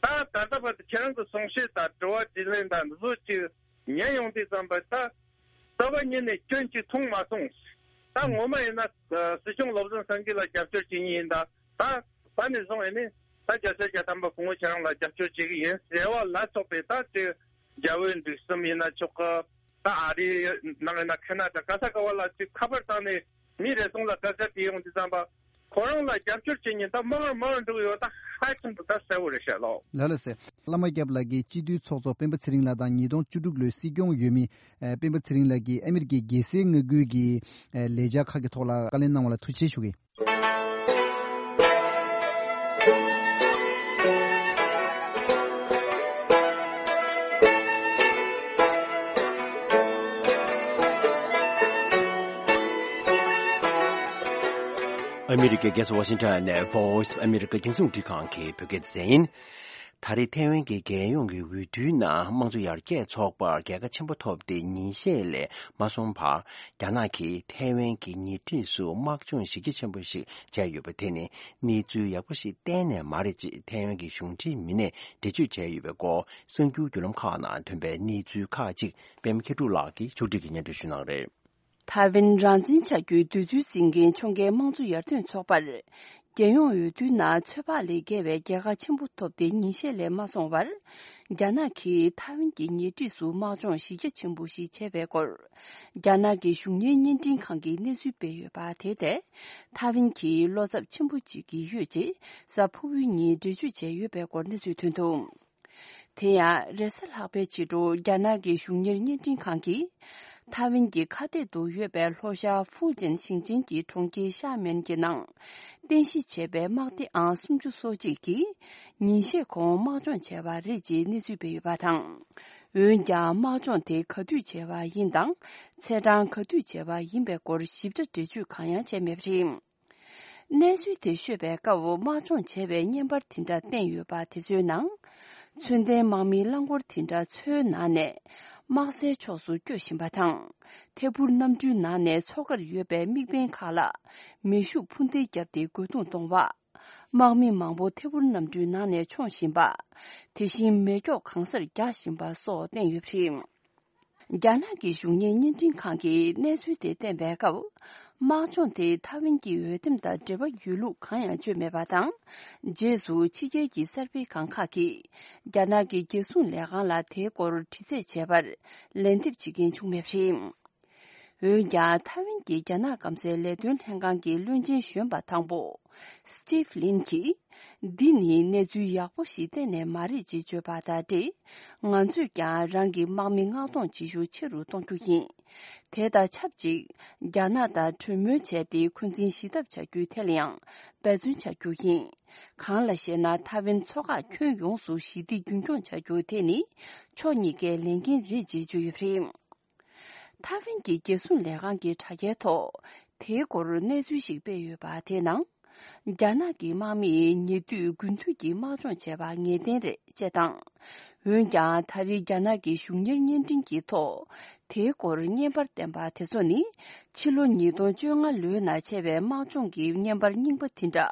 ད་ད་ལྟ་བར་དུ་ཁྱེད་རང་གི་གསུང་བཤད་དང་དྲི་བ་དྲིས་ལན་དང་འདི་ཚོ་ཅིག་ཉན་ཡོང་དུས་ཙམ་པ་ད་རྩ་བ་ཉིད་ནས་སྐྱོན་ཅིག་མཐོང་མ་སོང་། ད་ངོ་མ་ཡིན་ན་ཨ་སྲིད་སྐྱོང་བློ་བཟང་སེང་གེ་ལ་རྒྱབ་སྐྱོར་བྱེད་མཁན་ཡིན་ད། ད་ད་ནས་བཟུང་ཨེ་ནི་ད་བརྒྱ་ཆ་བརྒྱ་ཐམ་པ་སྐུ་ངོ་ཁྱེད་རང་ལ་རྒྱབ་སྐྱོར་བྱེད་ཀྱི་ཡིན་ཟེར་བ་ལ་སོགས་པའི་ད་ཅིག་རྒྱ་བོད་འབྲེལ་ཟམ་ཡིན་ན་ཆོག་གི། ད་ཨ་རིའི་ནང་ཡིན་ན་ཁེ་ན་ཌ་ག་ས་ག་བ་ལ་ཅིག་ཁ་པར་བཏང་ནས་མི་རེ་ཟུང་ལ་སྐད་ཆ་དྲིས་ཡོང་དུས་ཙམ་པ་ཁོ་རང་ལ་རྒྱབ་སྐྱོར་བྱེད་མཁན་ད་མང་རུ་མང་རུ་འགྲོ་གི་ཡོད། ད་ཧ་ཅང་དུ་ད་གསལ་བོ་རེད་ཤག་ལགས། ལགས་ལགས་སེ། བླ་མ་སྐྱབས་ལགས་ཀྱིས་སྤྱི་འཐུས་ཚོགས་གཙོ་སྤེན་པ་ཚེ་རིང་ལགས་དང་ཉིས་སྟོང་བཅུ་དྲུག་ལོའི་སྲིད་སྐྱོང་འོས་མི་ཨ་སྤེན་པ་ཚེ་རིང་ལགས་ཀྱིས་ཨ་མི་རི་ཀའི་རྒྱལ་སའི་མངའ་ཁུལ་གྱི་ཨ་ལས་འཆར་ཁག་གི་ཐོག་ལ་བཀའ་ལན་གནང་བ་ལ་ཐུགས་རྗེ་ཆེ་ཞུ་གི། ཨ་མི་རི་ཀའི་རྒྱལ་ས་ཝ་ཤིང་ཊོན་ནས་Voice of America རྒྱང་སྲིང་རླུང་འཕྲིན་ཁང་གི་བོད་སྐད་སྡེ་ཚན་ཡིན། ད་རེས་ཐའེ་ཝན་གྱི་རྒྱལ་ཡོངས་ཀྱི་འོས་བསྡུའི་ནང་དམངས་གཙོ་ཡར་རྒྱས་ཚོགས་པར་རྒྱལ་ཁ་ཆེན་པོ་ཐོབ་སྟེ་ཉིན་ཤས་ལས་མ་སོང་བར་རྒྱ་ནག་གིས་ཐའེ་ཝན་གྱི་ཉེ་འཁྲིས་སུ་དམག་སྦྱོང་གཞི་རྒྱ་ཆེན་པོ་ཞིག་བྱས་ཡོད་པ་དེ་ནི་གནས་ཚུལ་ཡག་པོ་ཞིག་གཏན་ནས་མ་རེད་ཅེས་ཐའེ་ཝན་གྱི་གཞུང་འབྲེལ་མི་སྣས་འགྲེལ་བརྗོད་བྱས་ཡོད་པའི་སྐོར་གསར་འགྱུར་བརྒྱུད་ལམ་ཁག་ནང་ཐོན་པའི་གནས་ཚུལ་ཁག་ཅིག་པད་མ་མཁས་གྲུབ་ལགས་ཀྱིས་ཕྱོགས་སྒྲིག་གིས་སྙན་སྒྲོན་ཞུ་གནང་རེད། ཐའེ་ཝན་རང་བཙན་བྱ་རྒྱུའི་འདོད་ཚུལ་འཛིན་མཁན་ཕྱོགས་འགལ་དམངས་གཙོ་ཡར་ཐོན་ཚོགས་པར། རྒྱལ་ཡོངས་འོས་བསྡུའི་ནང་ཚོད་དཔག་ལས་བརྒལ་བའི་རྒྱལ་ཁ་ཆེན་པོ་ཐོབ་སྟེ་ཉིན་ཤས་ལས་མ་སོང་བར། རྒྱ་ནག་གིས་ཐའེ་ཝན་གྱི་ཉེ་འཁྲིས་སུ་དམག་སྦྱོང་གཞི་རྒྱ་ཆེན་པོ་ཞིག་བྱས་པའི་སྐོར། རྒྱ་ནག་གི་གཞུང་གཉེར་བརྙན་འཕྲིན་ཁང་གིས་གནས་ཚུལ་སྤེལ་ཡོད་པ་དེ་ཐད། ཐའེ་ཝན་གྱིས་བློ་འཚབ་ཆེན་པོ་བྱེད་ཀྱི་ཡོད་ཅེས་གཟའ་ཕུར་བུའི་ཉིན་འགྲེལ་བརྗོད་བྱས་ཡོད་པའི་སྐོར་གནས་ཚུལ་ཐོན་འདུག་དེ་ཡང་རེས་གཟའ་ལྷག་པའི་ཕྱི་དྲོ་རྒྱ་ནག་གི་གཞུང་གཉེར་བརྙན་འཕྲིན་ཁང་གིས། ཐའེ་ཝན་གྱི་ཁ་གཏད་དུ་ཡོད་པའི་ལྷོ་ཤར་ཧྥུའུ་ཅན་ཞིང་ཆེན་གྱི་གྲོང་ཁྱེར་ཤ་མེན་གྱི་ནང་། རྟེན་གཞི་བྱས་པའི་དམག་སྡེ་ཨང་སུམ་ཅུ་སོ་གཅིག་གིས། ཉིན་ཤས་གོང་དམག་སྦྱོང་བྱས་པ་རེད་ཅེས་གནས་ཚུལ་སྤེལ་ཡོད་པ་དང་། འོན་ཀྱང་དམག་སྦྱོང་དེ་ག་དུས་བྱས་པ་ཡིན་དང་། ཚེས་གྲངས་ག་དུས་བྱས་པ་ཡིན་པའི་སྐོར་ཞིབ་ཕྲ་འགྲེལ་བརྗོད་གང་ཡང་བྱས་མེད་པ་རེད། གནས་ཚུལ་དེ་ཤོད་པའི་སྐབས་དམག་སྦྱོང་བྱས་པའི་བརྙན་པར་དེ་འདྲ་བསྟན་ཡོད་པ་དེ་ཚོའི་ནང་། ཚོན་ལྡན་དམག་མིའི་རླངས་འཁོར་དེ་འདྲ་མཚོའི་ནང་ནས་དམག་སའི་ཕྱོགས་སུ་སྐྱོད་བཞིན་པ་དང་། ཐད་འཕུར་གནམ་གྲུའི་ནང་ནས་མཚོ་ཁར་ཡོད་པའི་དམིགས་འབེན་ཁག་ལ་མེ་ཤུགས་འཕུར་མདེལ་བརྒྱབ་སྟེ་རྒོལ་རྡུང་གཏོང་བ། དམག་མི་མང་པོ་ཐད་འཕུར་གནམ་གྲུའི་ནང་ནས་མཆོངས་བཞིན་པ། དེ་བཞིན་མེ་སྒྱོགས་གང་སར་རྒྱག་བཞིན་པ་སོགས་བསྟན་ཡོད་པ་རེད། རྒྱ་ནག་གི་གཞུང་གཉེར་བརྙན་འཕྲིན་ཁང་གིས་གནས་ཚུལ་དེ་བསྟན་པའི་སྐབས། དམག་སྦྱོང་དེ་ཐའེ་ཝན་གྱི་འོས་འདེམས་དང་འབྲེལ་བ་ཡོད་ལུགས་གང་ཡང་བརྗོད་མེད་པ་དང་། རྗེས་སུ་ཕྱི་རྒྱལ་གྱི་གསར་སྤེལ་ཁང་ཁག་གིས། རྒྱ་ནག་གི་རྒྱལ་སྲུང་ལས་ཁང་ལ་དེའི་སྐོར་དྲི་རྩད་བྱས་པར། ལན་འདེབས་བྱེད་མཁན་བྱུང་མེད་པ་རེད། འོན་ཀྱང་ཐའེ་ཝན་གྱི་རྒྱ་ནག་སྐམ་སའི་ལས་དོན་ལྷན་ཁང་གི་བློན་ཆེན་གཞོན་པ་དང་པོ། སི་ཊིབ་ལིན་གྱིས། འདི་ནི་གནས་ཚུལ་ཡག་པོ་ཞིག་གཏན་ནས་མ་རེད་ཅེས་བརྗོད་པ་དང་འབྲེལ། ང་ཚོས་ཀྱང་རང་གི་དམག་མི་མངགས་གཏོང་བྱེད་ཤུགས་ཆེ་རུ་གཏོང་རྒྱུ་ཡིན། དེ་དང་ཆབས་ཅིག་རྒྱ་ནག་དང་གྲོས་མོལ་བྱས་ཏེ་འཁོན་འཛིན་ཞི་ཐབས་བྱ་རྒྱུའི་ཐད་ལ་ཡང་འབད་བརྩོན་བྱ་རྒྱུ་ཡིན། གང་ལགས་ཤེ་ན་ཐའེ་ཝན་མཚོ་འགག་ཁྱོན་ཡོངས་སུ་ཞི་བདེ་རྒྱུན་འཁྱོངས་བྱ་རྒྱུ་དེ་ནི་ཕྱོགས་གཉིས་ཀའི་ལས་འགན་རེད་ཅེས་བརྗོད་ཡོད་པ་རེད། ཐའེ་ཝན་གྱི་རྒྱལ་སྲུང་ལས་ཁང་གི་དྲ་རྒྱའི་ཐོག་དེའི་སྐོར་གནས་ཚུལ་ཞིག་སྤེལ་ཡོད་པ་དེའི་ནང་། རྒྱ་ནག་གི་དམག་མིས་ཉེ་དུས་དགུན་དུས་ཀྱི་དམག་སྦྱོང་བྱས་པ་ངེས་གཏན་རེད་ཅེས་དང་། འོན་ཀྱང་ད་རེས་རྒྱ་ནག་གི་གཞུང་གཉེར་བརྙན་འཕྲིན་གྱི་ཐོག་དེའི་སྐོར་བརྙན་པར་བསྟན་པ་དེ་ཚོ་ནི་ཕྱི་ལོ་ཉིས་སྟོང་བཅོ་ལྔ་ལོའི་ནང་བྱས་པའི་དམག་སྦྱོང་གི་བརྙན་པར་རྙིང་པ་དེ་འདྲ་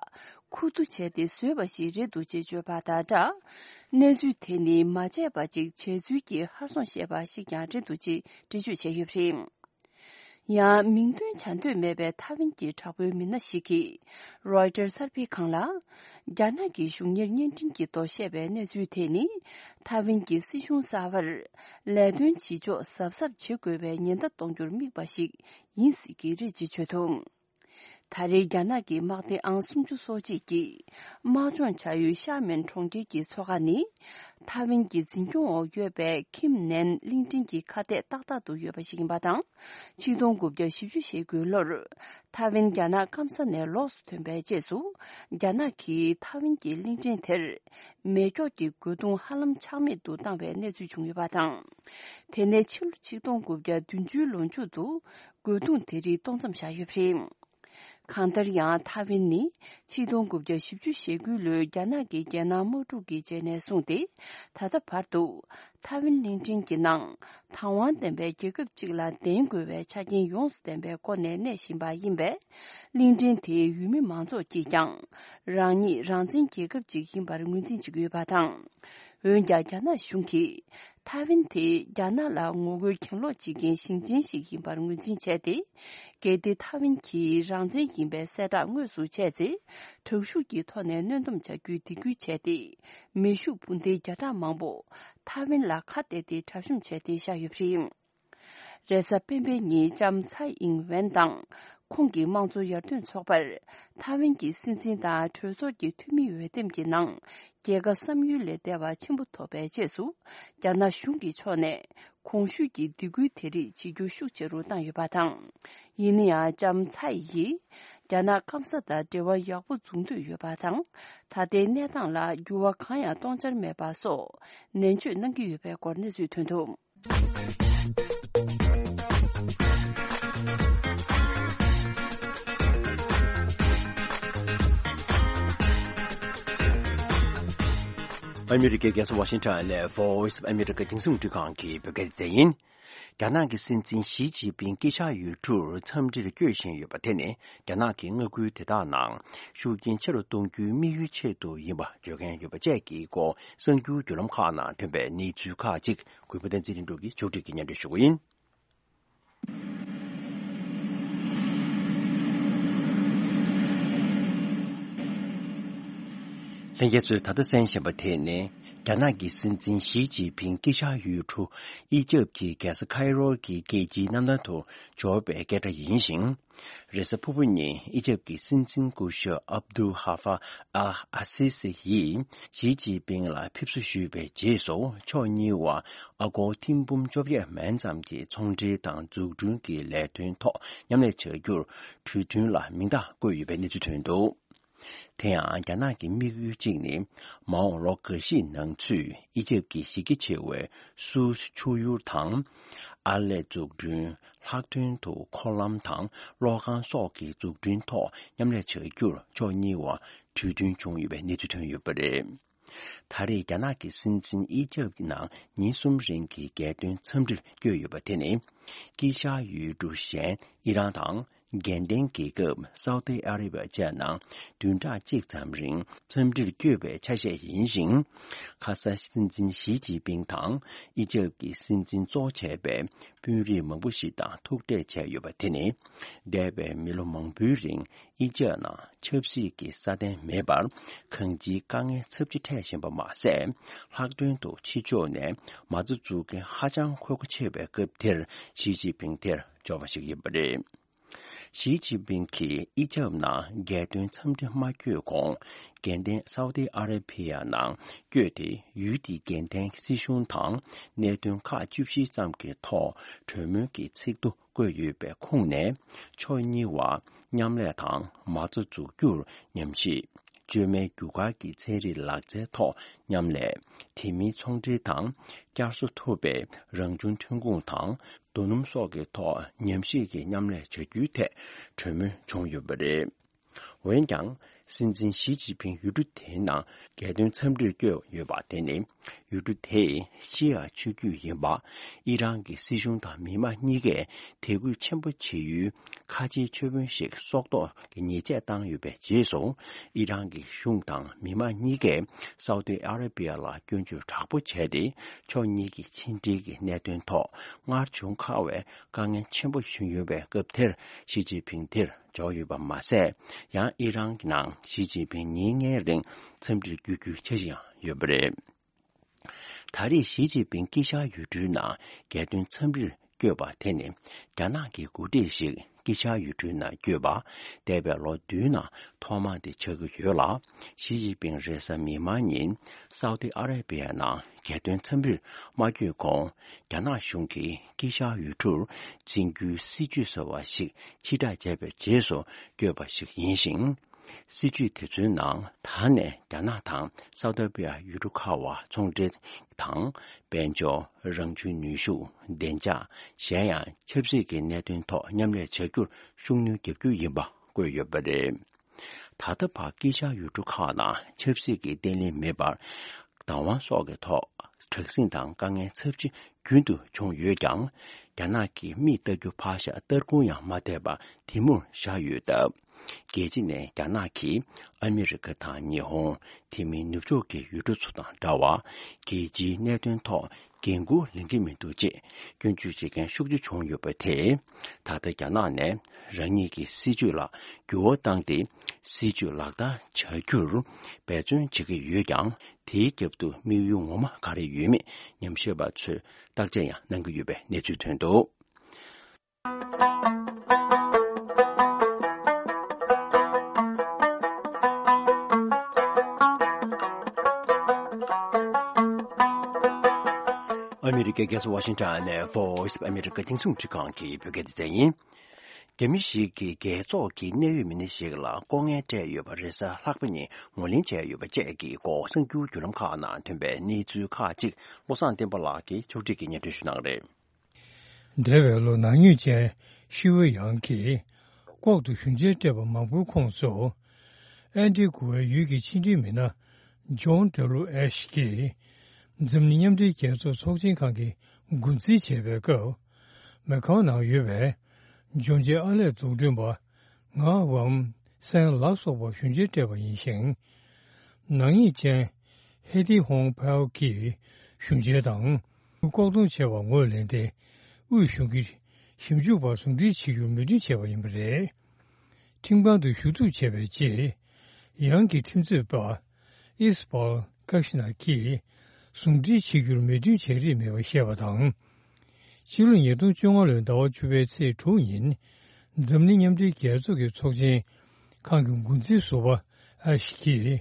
ཁུ་བསྡུ་བྱས་ཏེ་བཟོས་པ་ཞིག་རེད་འདུག་ཅེས་བརྗོད་པ་དང་སྦྲགས། གནས་ཚུལ་དེ་ནི་མ་བྱས་པ་ཅིག་བྱས་ཚུལ་གྱི་ཧར་སོང་བཤད་པ་ཞིག་ཀྱང་རེད་འདུག་ཅེས་འགྲེལ་བརྗོད་བྱས་ཡོད་པ་རེད། ཡང་མིང་འདོན་བྱ་འདོད་མེད་པའི་ཐའེ་ཝན་གྱི་དྲག་པོའི་མི་སྣ་ཞིག་གིས་རོའི་ཊར་གསར་སྤེལ་ཁང་ལ། རྒྱ་ནག་གི་གཞུང་གཉེར་བརྙན་འཕྲིན་གྱི་ཐོག་བཤད་པའི་གནས་ཚུལ་དེ་ནི། ཐའེ་ཝན་གྱི་སྲིད་གཞུང་གསར་པར་ལས་དོན་བྱེད་ཕྱོགས་གཟབ་གཟབ་བྱེད་དགོས་པའི་ཉེན་བརྡ་གཏོང་རྒྱུར་དམིགས་པ་ཞིག་ཡིན་སྲིད་ཀྱི་རེད་ཅེས་བརྗོད་འདུག་ད་རེས་རྒྱ་ནག་གི་དམག་སྡེ་ཨང་སུམ་ཅུ་སོ་གཅིག་གིས་དམག་སྦྱོང་བྱ་ཡུལ་ཤ་མེན་གྲོང་ཁྱེར་གྱི་མཚོ་ཁ་ནི། ཐའེ་ཝན་གྱི་འཛིན་སྐྱོང་འོག་ཡོད་པའི་ཁིམ་ནན་གླིང་ཕྲན་གྱི་ཁ་གཏད་ཏག་ཏག་ཏུ་ཡོད་པ་ཞིག་ཡིན་པ་དང་། ཆིག་སྟོང་དགུ་བརྒྱ་བཞི་བཅུ་ཞེ་དགུའི་ལོར། ཐའེ་ཝན་རྒྱ་ནག་སྐམ་ས་ནས་ལོགས་སུ་ཐོན་པའི་རྗེས་སུ། རྒྱ་ནག་གིས་ཐའེ་ཝན་གྱི་གླིང་ཕྲན་དེར། མེ་སྒྱོགས་ཀྱི་རྒོལ་རྡུང་ཧ་ལམ་ཆག་མེད་དུ་བཏང་བའི་གནས་ཚུལ་བྱུང་ཡོད་པ་དང་། དེ་ནས་ཕྱི་ལོ་ཆིག་སྟོང་དགུ་བརྒྱ་བདུན་ཅུའི་ལོ་མཇུག་ཏུ། རྒོལ་རྡུང་དེ་རིགས་གཏོང་མཚམས་བཞག་ཡོད་པ་རེད། གང་ལྟར་ཡང་ཐའེ་ཝན་ནི་ཆིག་སྟོང་དགུ་བརྒྱ་བཞི་བཅུ་ཞེ་དགུའི་ལོའི་རྒྱ་ནག་གི་རྒྱལ་ནང་དམག་འཁྲུག་གི་རྗེས་ནས་བཟུང་སྟེ་ད་ལྟ་བར་དུ་ཐའེ་ཝན་གླིང་ཕྲན་གྱི་ནང་དང་བ་ལྡན་པའི་རྒྱལ་ཁབ་ཅིག་ལ་ལྡན་དགོས་པའི་ཆ་རྐྱེན་ཡོངས་སུ་ལྡན་པའི་སྒོ་ནས་གནས་བཞིན་པ་ཡིན་པས། གླིང་ཕྲན་དེའི་ཡུལ་མི་མང་ཚོགས་ཀྱིས་ཀྱང་རང་ཉིད་རང་བཙན་རྒྱལ་ཁབ་ཅིག་ཡིན་པར་ངོས་འཛིན་བྱེད་ཀྱི་ཡོད་པ་དང་། འོན་ཀྱང་རྒྱ་ནག་གཞུང་གིས་ཐའེ་ཝན་དེ་རྒྱ་ནག་ལ་ངོ་རྒོལ་གྱེན་ལོག་བྱེད་མཁན་ཞིང་ཆེན་ཞིག་ཡིན་པར་ངོས་འཛིན་བྱས་ཏེ། གལ་ཏེ་ཐའེ་ཝན་གྱིས་རང་བཙན་ཡིན་པའི་གསལ་བསྒྲགས་དངོས་སུ་བྱས་ཚེ། དྲག་ཤུགས་ཀྱི་ཐོག་ནས་གནོན་སྡོམ་བྱ་རྒྱུའི་སྡིགས་སྐུལ་བྱས་ཏེ། མེ་ཤུགས་འཕུར་མདེལ་བརྒྱ་ཕྲག་མང་པོ་ཐའེ་ཝན་ལ་ཁ་གཏད་དེ་གྲབས་གཤོམ་བྱས་ཏེ་བཞག་ཡོད་པ་རེད། རེས་གཟའ་སྤེན་པའི་ཉིན་ལྕམ་ཚའེ་ཨིང་ཝེན་དང་ཁོང་གི་དམངས་གཙོ་ཡར་ཐོན་ཚོགས་པར་ཐའེ་ཝན་གྱི་སྲིད་འཛིན་དང་གྲོས་ཚོགས་ཀྱི་འཐུས་མིའི་འོས་འདེམས་ཀྱི་ནང་རྒྱལ་ཁ་བསམ་ཡུལ་ལས་འདས་པ་ཆེན་པོ་ཐོབ་པའི་རྗེས་སུ། རྒྱ་ནག་གཞུང་གི་ཕྱོགས་ནས་གོང་ཞུས་ཀྱི་སྡིགས་སྐུལ་དེ་རིགས་བྱེད་རྒྱུ་ཤུགས་ཆེ་རུ་བཏང་ཡོད་པ་དང་། ཡིན་ན་ཡང་ལྕམ་ཚའེ་ཡིས་རྒྱ་ནག་སྐམ་ས་དང་འབྲེལ་བ་ཡག་པོ་འཛུགས་འདོད་ཡོད་པ་དང་། ད་ལྟའི་གནས་སྟངས་ལ་འགྱུར་བ་གང་ཡང་གཏོང་འཆར་མེད་པ་སོགས་ནན་བརྗོད་གནང་གི་ཡོད་པའི་སྐོར་གནས་ཚུལ་ཐོན་འདུག་ཨ་མི་རི་ཀའི་རྒྱལ་ས་ཝ་ཤིང་ཊོན་ནས་Voice of America་རྒྱང་སྲིང་རླུང་འཕྲིན་ཁང་གི་བོད་སྐད་སྡེ་ཚན་ཡིན། རྒྱ་ནག་གི་སྲིད་འཛིན་ཞི་ཅིན་ཕིང་དཀྱིལ་ཤག་ཡུལ་གྲུར་འཚམས་འདྲིར་བསྐྱོད་བཞིན་ཡོད་པ་དེ་ནི་རྒྱ་ནག་གི་མངའ་ཁུལ་དེ་དག་ནང་ཤུགས་རྐྱེན་ཆེ་རུ་གཏོང་རྒྱུའི་དམིགས་ཡུལ་ཆེད་དུ་ཡིན་པ་བརྗོད་མཁན་ཡོད་པ་བཅས་ཀྱི་སྐོར་གསར་འགྱུར་བརྒྱུད་ལམ་ཁག་ནང་ཐོན་པའི་གནས་ཚུལ་ཁག་ཅིག་གུས་པ་བསྟན་འཛིན་ལྷུན་གྲུབ་ཀྱིས་ཕྱོགས་སྒྲིག་གིས་སྙན་སྒྲོན་ཞུ་གི་ཡིན། ལྷན་རྒྱས་ཚོས་ད་ལྟ་གསན་བཞིན་པ་དེ་ནི། རྒྱ་ནག་གི་སྲིད་འཛིན་ཞི་ཅིན་ཕིང་དཀྱིལ་ཤར་ཡུལ་གྲུ་ཨི་ཇེབ་ཀྱི་རྒྱལ་ས་ཁའི་རོ་གི་རྒྱལ་སྤྱིའི་གནམ་ཐང་དུ་འབྱོར་བའི་སྐད་སྒྲ་ཡིན་ཞིང་། རེས་གཟའ་ཕུར་བུ་ཉིན་ཨི་ཇེབ་ཀྱི་སྲིད་འཛིན་སྐུ་ཞབས་ཨབ་དུ་ཧ་ཧྥ་ཨ་ཨ་སི་སི་ཡིས་ཞི་ཅིན་ཕིང་ལ་ཕེབས་བསུ་ཞུས་པའི་རྗེས་སུ། ཕྱོགས་གཉིས་བར་ཨ་སྒོར་ཐེར་འབུམ་བཅོ་བརྒྱད་མན་ཙམ་གྱི་ཚོང་འབྲེལ་དང་འཛུགས་སྐྲུན་གྱི་ལས་དོན་ཐོག་མཉམ་ལས་བྱ་རྒྱུར་གྲོས་མཐུན་ལ་མིང་རྟགས་བཀོད་ཡོད་པའི་གནས་ཚུལ་ཐོན་འདུག། དེ་ཡང་རྒྱ་ནག་གི་དམིགས་ཡུལ་གཅིག་ནི། མ་འོངས་ལོ་འགའ་ཤས་ནང་ཚུད་ཨི་ཇེབ་ཀྱི་གཞི་རྒྱ་ཆེ་བའི་སུའུ་ཆུ་ཡུར་དང་། ཨར་ལས་འཛུགས་སྐྲུན། ལྷག་དོན་དུ་འཁོར་ལམ་དང་གློག་ཁང་སོགས་ཀྱི་འཛུགས་སྐྲུན་ཐོག་མཉམ་ལས་བྱ་རྒྱུར་ཕྱོགས་གཉིས་བར་གྲོས་མཐུན་བྱུང་ཡོད་པའི་གནས་ཚུལ་ཐོན་ཡོད་པ་རེད། ད་རེས་རྒྱ་ནག་གི་སྲིད་འཛིན་ཨི་ཇེབ་ནང་ཉིན་གསུམ་རིང་གི་རྒྱལ་དོན་འཚམས་འདྲིར་བསྐྱོད་ཡོད་པ་དེ་ནི། དཀྱིལ་ཤར་ཡུལ་གྲུ་གཞན་ཨི་རན་དང་། དགེ་ལྡན་རྒྱལ་ཁབ་སའུ་ཏི་ཨ་རི་བ་བཅས་ནང་བདུན་ཕྲག་གཅིག་ཙམ་རིང་འཚམས་འདྲིར་བསྐྱོད་པའི་ཆ་ཤས་ཡིན་ཞིང་། ཁ་སང་སྲིད་འཛིན་ཞི་ཅིན་ཕིང་དང་ཨི་ཇེབ་ཀྱི་སྲིད་འཛིན་གཙོ་བྱས་པའི་དཔོན་རིགས་མང་པོ་ཞིག་དང་ཐུག་འཕྲད་བྱས་ཡོད་པ་དེ་ནི། འདས་པའི་མི་ལོ་མང་པོའི་རིང་ཨི་ཇེབ་ནང་ཆབ་སྲིད་ཀྱི་སྲ་བརྟན་མེད་པར་གང་ཅིའི་དཀའ་ངལ་ཚབས་ཆེ་འཕྲད་བཞིན་པ་མ་ཟད། ལྷག་དོན་དུ་ཕྱི་ཕྱོགས་ནས་མ་རྩ་འཛུགས་མཁན་ཧ་ཅང་ཁོ་ཁོ་ཆེ་བའི་སྐབས་དེར་ཞི་ཅིན་ཕིང་དེར་འབྱོར་བ་ཞིག་ཡིན་པ་རེད། ཞི་ཅིན་ཕིང་གིས་ཨི་ཇེབ་ནང་རྒྱལ་དོན་འཚམས་འདྲི་མ་བསྐྱོད་གོང་། དགེ་ལྡན་སའུ་ཏི་ཨ་ར་བྷི་ཡ་ནང་བསྐྱོད་དེ། ཡུལ་དེའི་རྒྱལ་བསྟན་སྲིད་གཞུང་དང་གནད་དོན་ཁག་བཅུ་བཞི་ཙམ་གྱི་ཐོག་གྲོས་མོལ་གྱི་ཚིག་ཐོ་བཀོད་ཡོད་པའི་ཁོངས་ནས། ཕྱོགས་གཉིས་བར་མཉམ་ལས་དང་མ་རྩ་འཛུགས་རྒྱུར་ཉམས་ཞིབ། བཅོས་མའི་རྒྱུ་སྐར་གྱི་ཚན་རིག་ལག་རྩལ་ཐོག་མཉམ་ལས། དེ་མིན་ཚོང་འབྲེལ་དང་བསྐྱར་གསོ་ཐུབ་པའི་རང་བྱུང་ཐོན་ཁུངས་དང་རྡོ་སྣུམ་སོགས་ཀྱི་ཐོག་ཉམས་ཞིབ་ཀྱི་མཉམ་ལས་བྱ་རྒྱུའི་ཐད་གྲོས་མོལ་བྱུང་ཡོད་པ་རེད། འོན་ཀྱང་། སྲིད་འཛིན་ཞི་ཅིན་ཕིང་ཡུལ་གྲུ་དེའི་ནང་རྒྱལ་དོན་འཚམས་འདྲིར་བསྐྱོད་ཡོད་པ་དེ་ནི། ཡུལ་གྲུ་དེ་ཤི་ཡ་ཆོས་བརྒྱུད་ཡིན་པ། ཨི་རན་གྱི་སྲིད་གཞུང་དང་མི་མང་གཉིས་ཀས་དད་གུས་ཆེན་པོ་བྱེད་ཡུལ་ཁ་ཆེའི་མཆོད་དཔོན་ཞིག་སྲོག་ཐོག་གི་ཉེས་ཆད་བཏང་ཡོད་པའི་རྗེས་སུ། ཨི་རན་གྱི་གཞུང་དང་མི་མང་གཉིས་ཀས་སའུ་ཏི་ཨ་ར་བི་ཡ་ལ་སྐྱོན་བརྗོད་དྲག་པོ་བྱས་ཏེ། ཕྱོགས་གཉིས་ཀྱི་ཕྱི་འབྲེལ་གྱི་གནད་དོན་ཐོག་སྔར་བྱུང་ཁ་བའི་དཀའ་ངལ་ཆེན་པོ་བྱུང་ཡོད་པའི་སྐབས་དེར་ཞི་ཅིན་ཕིང་དེར་འབྱོར་ཡོད་པ་མ་ཟད། ཡང་ཨི་རན་གྱི་ནང་ཞི་ཅིན་ཕིང་ཉིན་ལྔའི་རིང་འཚམས་འདྲིར་བསྐྱོད་རྒྱུའི་འཆར་གཞི་ཡང་ཡོད་པ་རེད། ད་རེས་ཞི་ཅིན་ཕིང་དཀྱིལ་ཤར་ཡུལ་གྲུའི་ནང་རྒྱལ་དོན་འཚམས་འདྲིར་བསྐྱོད་པ་དེ་ནི། རྒྱ་ནག་གི་འགོ་ཁྲིད་ཞིག་དཀྱིལ་ཤར་ཡུལ་གྲུའི་ནང་བསྐྱོད་པ། འདས་པའི་ལོ་བདུན་ནང་ཐོག་མ་དེ་ཆགས་ཀྱི་ཡོད་ལ། ཞི་ཅིན་ཕིང་རེས་གཟའ་མིག་དམར་ཉིན་སའུ་ཏི་ཨ་ར་བི་ཡ་ནང་རྒྱལ་དོན་འཚམས་འདྲིར་མ་བསྐྱོད་གོང་། རྒྱ་ནག་གཞུང་གིས་དཀྱིལ་ཤར་ཡུལ་གྲུར་འཛིན་རྒྱུའི་སྲིད་ཇུས་ཟེར་བ་ཞིག་ཕྱིར་བསྒྲགས་བྱས་པའི་རྗེས་སུ་བསྐྱོད་པ་ཞིག་ཡིན་ཞིང་། སྲིད་ཇུས་དེ་ཚོའི་ནང་ད་ནས་རྒྱ་ནག་དང་སའུ་ཏི་ཨ་ར་བི་ཡ་ཡུལ་གྲུ་ཁག་བར་ཚོང་འབྲེལ་དང་། དཔལ་འབྱོར། རང་བྱུང་ནུས་ཤུགས། བདེ་འཇགས། གཞན་ཡང་ཆབ་སྲིད་ཀྱི་གནད་དོན་ཐོག་མཉམ་ལས་བྱ་རྒྱུར་ཤུགས་སྣོན་རྒྱག་རྒྱུ་ཡིན་པ་བཀོད་ཡོད་པ་རེད། ད་ལྟ་བར་དཀྱིལ་ཤར་ཡུལ་གྲུ་ཁག་ནང་ཆབ་སྲིད་ཀྱི་བརྟན་ལྷིང་མེད་པར། བདག་དབང་སོགས་ཀྱི་ཐོག་དྲག་ཟིང་དང་དཀའ་ངལ་ཚབས་ཆེ་རྒྱུན་དུ་བྱུང་ཡོད་ཀྱང་། རྒྱ་ནག་གིས་མིག་ལྟ་རྒྱུ་ཕར་བཞག་སྟར་ཁུང་ཡང་མ་བལྟས་པར་དེ་མུར་བཞག་ཡོད་སྟབས། རྒྱལ་སྤྱི་ནས་རྒྱ་ནག་གིས་ཨ་མི་རི་ཀ་དང་ཉི་ཧོང་། དེ་མིན་ནུབ་ཕྱོགས་ཀྱི་ཡུལ་གྲུ་ཚོ་དང་འདྲ་བར། རྒྱལ་སྤྱིའི་གནད་དོན་ཐོག་འགན་འཁུར་ལེན་གྱི་མི་འདུག་ཅེས་སྐྱོན་བརྗོད་བྱེད་མཁན་ཤུགས་ཆེ་བྱུང་ཡོད་པ་དེས། ད་ལྟ་རྒྱ་ནག་ནས་རང་ཉིད་ཀྱི་སྲིད་ཇུས་ལ་འགྱུར་བ་བཏང་སྟེ། སྲིད་ཇུས་ལག་བསྟར་བྱ་རྒྱུར་འབད་བརྩོན་བྱེད་ཀྱི་ཡོད་ཀྱང་། དེའི་རྒྱབ་ཏུ་དམིགས་ཡུལ་ངོ་མ་ག་རེ་ཡོད་མེད་ཉམས་ཞིབ་པ་ཚོས་བརྟག་དཔྱད་ཡང་གནང་གི་ཡོད་པའི་གནས་ཚུལ་ཐོན་འདུག། ཨ་མི་རི་ཀའི་རྒྱལ་ས་ཝ་ཤིང་ཊོན་ནས་Voice of America་རྒྱང་སྲིང་རླུང་འཕྲིན་ཁང་གི་བོད་སྐད་སྡེ་ཚན་ཡིན། རྒྱ་མི་ཞིག་གིས་རྒྱལ་ཚོགས་ཀྱི་གནད་ཡོད་མི་སྣ་ཞིག་ལ་ལྐོག་རྔན་སྤྲད་ཡོད་པ་རེས་གཟའ་ལྷག་པ་ཉིན་ངོས་ལེན་བྱས་ཡོད་པ་བཅས་ཀྱི་སྐོར་གསར་འགྱུར་བརྒྱུད་ལམ་ཁག་ནང་ཐོན་པའི་གནས་ཚུལ་ཁག་ཅིག་བློ་བཟང་བསྟན་པ་ལགས་ཀྱིས་ཕྱོགས་སྒྲིག་གིས་སྙན་སྒྲོན་ཞུ་གནང་རེད། འདས་པའི་ལོ་ནག་ཉེས་ཅན་ཤི་ཝེ་ཡང་གིས་ལྐོག་ཏུ་ཞུ་མཇལ་སྤྲད་པ་མང་པོའི་ཁོངས་སུ། ཨན་ཏི་གུ་ཝའི་ཡུལ་གྱི་ཕྱི་འབྲེལ་མི་སྣ་ཇོན་ཏེ་རུ་ཨེ་ཤི་ཀྱིས། འཛམ་གླིང་མཉམ་འབྲེལ་རྒྱལ་ཚོགས་ཚོགས་ཆེན་ཁང་གི་འགོ་འཛིན་བྱེད་པའི་སྐབས། མེ་ཁང་ནང་ཡོད་པའི་ཇོར་ཇི་ཨ་ལས་འཛུགས་སྐྲུན་པ་ངག་ཝམ་སན་ལ་སོགས་པར་ཞུ་མཇལ་སྤྲད་པ་ཡིན་ཞིང་། ནག་ཉེས་ཅན་ཧེ་ཏི་ཧོང་ཕའོ་གིས་ཞུ་མཇལ་དང་ལྐོག་གཏོང་བྱས་པར་ངོས་ལེན་ཏེ། དབུས་གཞུང་གི་ཞིབ་འཇུག་པར་ཟུང་འབྲེལ་བྱེད་རྒྱུར་མོས་མཐུན་བྱས་པ་ཡིན་པ་རེད། ཁྲིམས་ཁང་དུ་ཞུ་གཏུག་བྱས་པའི་རྗེས། ཡང་གི་ཁྲིམས་རྩོད་པ། ཨིས་པཱལ་ཀ་ཤི་ན་གིས་ཟུང་འབྲེལ་བྱེད་རྒྱུར་མོས་མཐུན་བྱེད་རིགས་མེད་པ་བཤད་པ་དང་། ཕྱི་ལོ་ཉིས་སྟོང་བཅོ་ལྔ་ལོའི་ཟླ་བ་བཅུ་པའི་ཚེས་དྲུག་ཉིན། འཛམ་གླིང་མཉམ་འབྲེལ་རྒྱལ་ཚོགས་ཀྱི་ཚོགས་ཆེན་ཁང་གི་འགོ་འཛིན་ཟུར་པ་ཨེ་ཤི་གིས་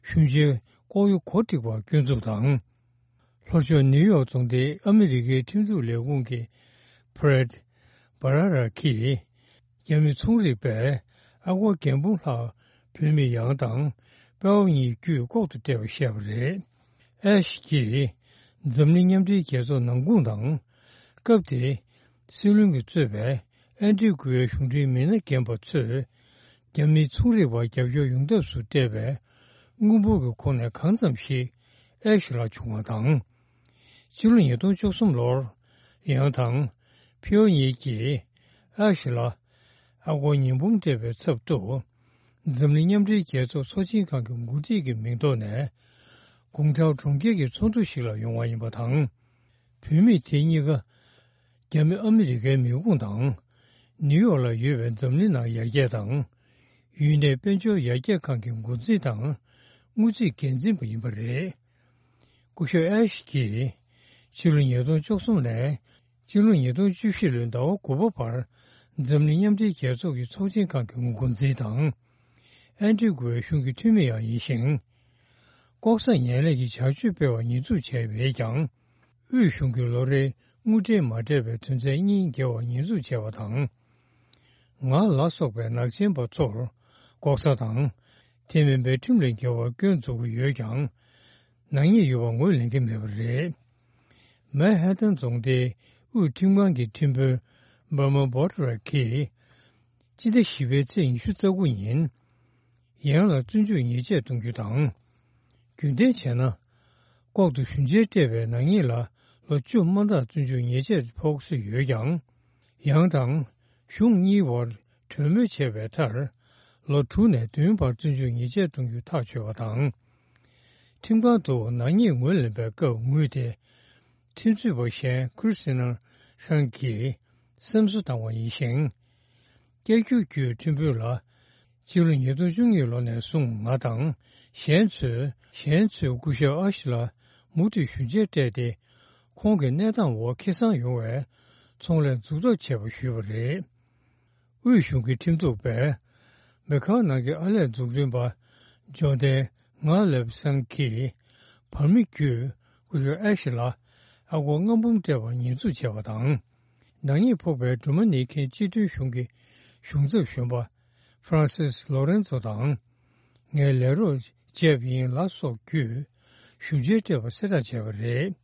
གཞུང་ཆེན་ལྐོག་གཡོ་གོ་སྒྲིག་པར་སྐྱོན་འཛུགས་དང་། ལྷོ་ཕྱོགས་ནིའུ་ཡོག་རྫོང་སྡེའི་ཨ་མི་རི་ཀའི་ཁྲིམས་འཛུགས་ལས་ཁུངས་ཀྱི་ཕྲེད་བྷ་ར་ར་གིས། རྒྱ་མི་ཚོང་རིག་པས་ཨ་སྒོར་བརྒྱད་འབུམ་ལྷག་བུད་མེད་ཡང་དང་དཔའ་བོ་གཉིས་བརྒྱུད་ལྐོག་ཏུ་སྤྲད་པ་བཤད་པ་རེད། ཨེ་ཤི་ཡིས་འཛམ་གླིང་མཉམ་འབྲེལ་རྒྱལ་ཚོགས་ནང་ཁུངས་དང་། སྐབས་དེའི་སྲིད་བློན་གྱིས་གཙོས་པའི་ཨན་ཏི་གུ་ཝའི་གཞུང་འབྲེལ་མི་སྣ་རྒན་པ་ཚོས་རྒྱ་མིའི་ཚོང་རིག་པར་རྒྱབ་སྐྱོར་ཡོང་ཐབས་སུ་སྤྲད་པའི་དངུལ་འབོར་གྱི་ཁོངས་ནས་གང་ཙམ་ཞིག་ཨེ་ཤི་ལ་བྱུང་བ་དང་། ཕྱི་ལོ་ཉིས་སྟོང་བཅུ་གསུམ་ལོར། ཡང་དང་ཕིའོ་གཉིས་ཀྱིས་ཨ་ཤི་ལ་ཨ་སྒོར་ཉིས་འབུམ་སྤྲད་པའི་ཚབ་ཏུ། འཛམ་གླིང་མཉམ་འབྲེལ་རྒྱལ་ཚོགས་ཚོགས་ཆེན་ཁང་གི་འགོ་ཁྲིད་ཀྱི་མིང་ཐོག་ནས། གུང་ཁྲའོ་གྲོང་ཁྱེར་གྱི་ཚོགས་འདུ་ཞིག་ལ་ཡོང་བ་ཡིན་པ་དང་། བུད་མེད་དེ་གཉིས་ཀ་རྒྱ་མི་ཨ་མི་རི་ཀའི་མི་ཁུངས་དང་། ནིའུ་ཡོག་ལ་ཡོད་པའི་འཛམ་གླིང་ནང་ཡར་རྒྱས་དང་། ཡུན་ནན་དཔལ་འབྱོར་ཡར་རྒྱས་ཁང་གི་འགོ་འཛིན་དང་། དངུལ་རྩིས་འགན་འཛིན་པ་ཡིན་པ་རེད། སྐུ་ཞབས་ཨེ་ཤི་གིས་ཕྱི་ལོ་ཉིས་སྟོང་བཅུ་གསུམ་ནས་ཕྱི་ལོ་ཉིས་སྟོང་བཅུ་བཞི་ལོའི་ཟླ་བ་དགུ་པ་བར་འཛམ་གླིང་མཉམ་འབྲེལ་རྒྱལ་ཚོགས་ཀྱི་ཚོགས་ཆེན་ཁང་གི་འགོ་འཛིན་དང་། ཨན་ཏི་གུ་ཝའི་གཞུང་གི་འཐུས་མི་ཡང་ཡིན་ཞིང་། ལྐོག་ཟ་ངན་ལྷད་ཀྱི་བྱ་སྤྱོད་སྤེལ་བར་ཉེས་འཛུགས་བྱས་མེད་ཀྱང་། དབུས་གཞུང་གིས་ལོ་རེའི་དངུལ་འབྲེལ་མ་སྤྲད་པའི་དོན་ཚན་གཉིས་འགེལ་བར་ཉེས་འཛུགས་བྱས་པ་དང་། ང་ལ་སོགས་པའི་ནག་ཅན་པ་ཚོར་ལྐོག་ཟ་དང་། དེ་མིན་པའི་ཁྲིམས་ལས་འགལ་བར་སྐྱོན་འཛུགས་ཀྱི་ཡོད་ཀྱང་། ནག་ཉེས་ཡོད་པ་ངོས་ལེན་གྱི་མེད་པ་རེད། མན་ཧ་ཐན་རྫོང་སྡེའི་དབུས་ཁྲིམས་ཁང་གི་ཁྲིམས་དཔོན་འབར་མ་བྷོ་ཏི་ར་གིས། སྤྱི་ཟླ་བཞི་པའི་ཚེས་ཉི་ཤུ་རྩ་དགུ་ཉིན། ཡང་ལ་བཙོན་འཇུག་ཉེས་ཆད་གཏོང་རྒྱུ་དང་། རྒྱུན་ལྡན་བྱས་ན། ལྐོག་ཏུ་ཞུ་མཇལ་སྤྲད་པའི་ནག་ཉེས་ལ་ལོ་བཅུ་མ་མཐར་བཙོན་འཇུག་ཉེས་ཆད་ཕོག་སྲིད་ཡོད་ཀྱང་། ཡང་དང་གཞུང་གཉིས་བར་གྲོས་མོལ་བྱས་པའི་མཐར། ལོ་དྲུག་ནས་བདུན་བར་བཙོན་འཇུག་ཉེས་ཆད་གཏོང་རྒྱུ་ཐག་ཆོད་པ་དང་། ཁྲིམས་ཁང་དུ་ནག་ཉེས་ངོས་ལེན་པའི་སྐབས་ངོས་དེ། ཁྲིམས་རྩོད་པ་གཞན་ཁྲི་སི་ན་ཧྲན་གྱིས་སེམས་གསོ་བཏང་བ་ཡིན་ཞིང་། བསྐྱར་བསྒྱུར་བརྒྱུད་ཁྲིམས་དཔོན་ལ། སྤྱི་ལོ་ཉིས་སྟོང་བཅུ་གཉིས་ལོ་ནས་བཟུང་ང་དང་གཞན་ཚོས་གཞན་ཚོས་སྐུ་ཞབས་ཨ་ཤི་ལ་མུ་མཐུད་ཞུ་མཇལ་སྤྲད་དེ། ཁོང་གི་གནས་སྟངས་འོག་ཁེ་བཟང་ཡོང་བའི་ཚོང་ལས་འཛུགས་ཐབས་བྱས་པ་ཞུས་པ་རེད། དབུས་གཞུང་གི་ཁྲིམས་གཏུག་པས། མེ་ཁའོ་ནང་གི་ཨར་ལས་འཛུགས་སྐྲུན་པ། ཇོན་ཏན་ང་ལེབ་སང་གིས། བར་མི་བརྒྱུད། སྐུ་ཞབས་ཨེ་ཤི་ལ། ཨ་སྒོར་ལྔ་འབུམ་སྤྲད་པར་ཉེས་འཛུགས་བྱས་པ་དང་། ནག་ཉེས་ཕོག་པའི་སྒྲོལ་མ་ནེའི་མཁན་སྤྱི་མཐུན་གཞུང་གི་གཞུང་ཚབ་གཞོན་པ། ཧྥ་རན་སིས་ལོ་རེན་ཙོ་དང་། ངས་ལས་རོགས་བྱས་པ་ཡིན་ལ་སོགས་བརྒྱུད། ཞུ་མཇལ་སྤྲད་པ་གསལ་བསྒྲགས་བྱས་པ་རེད།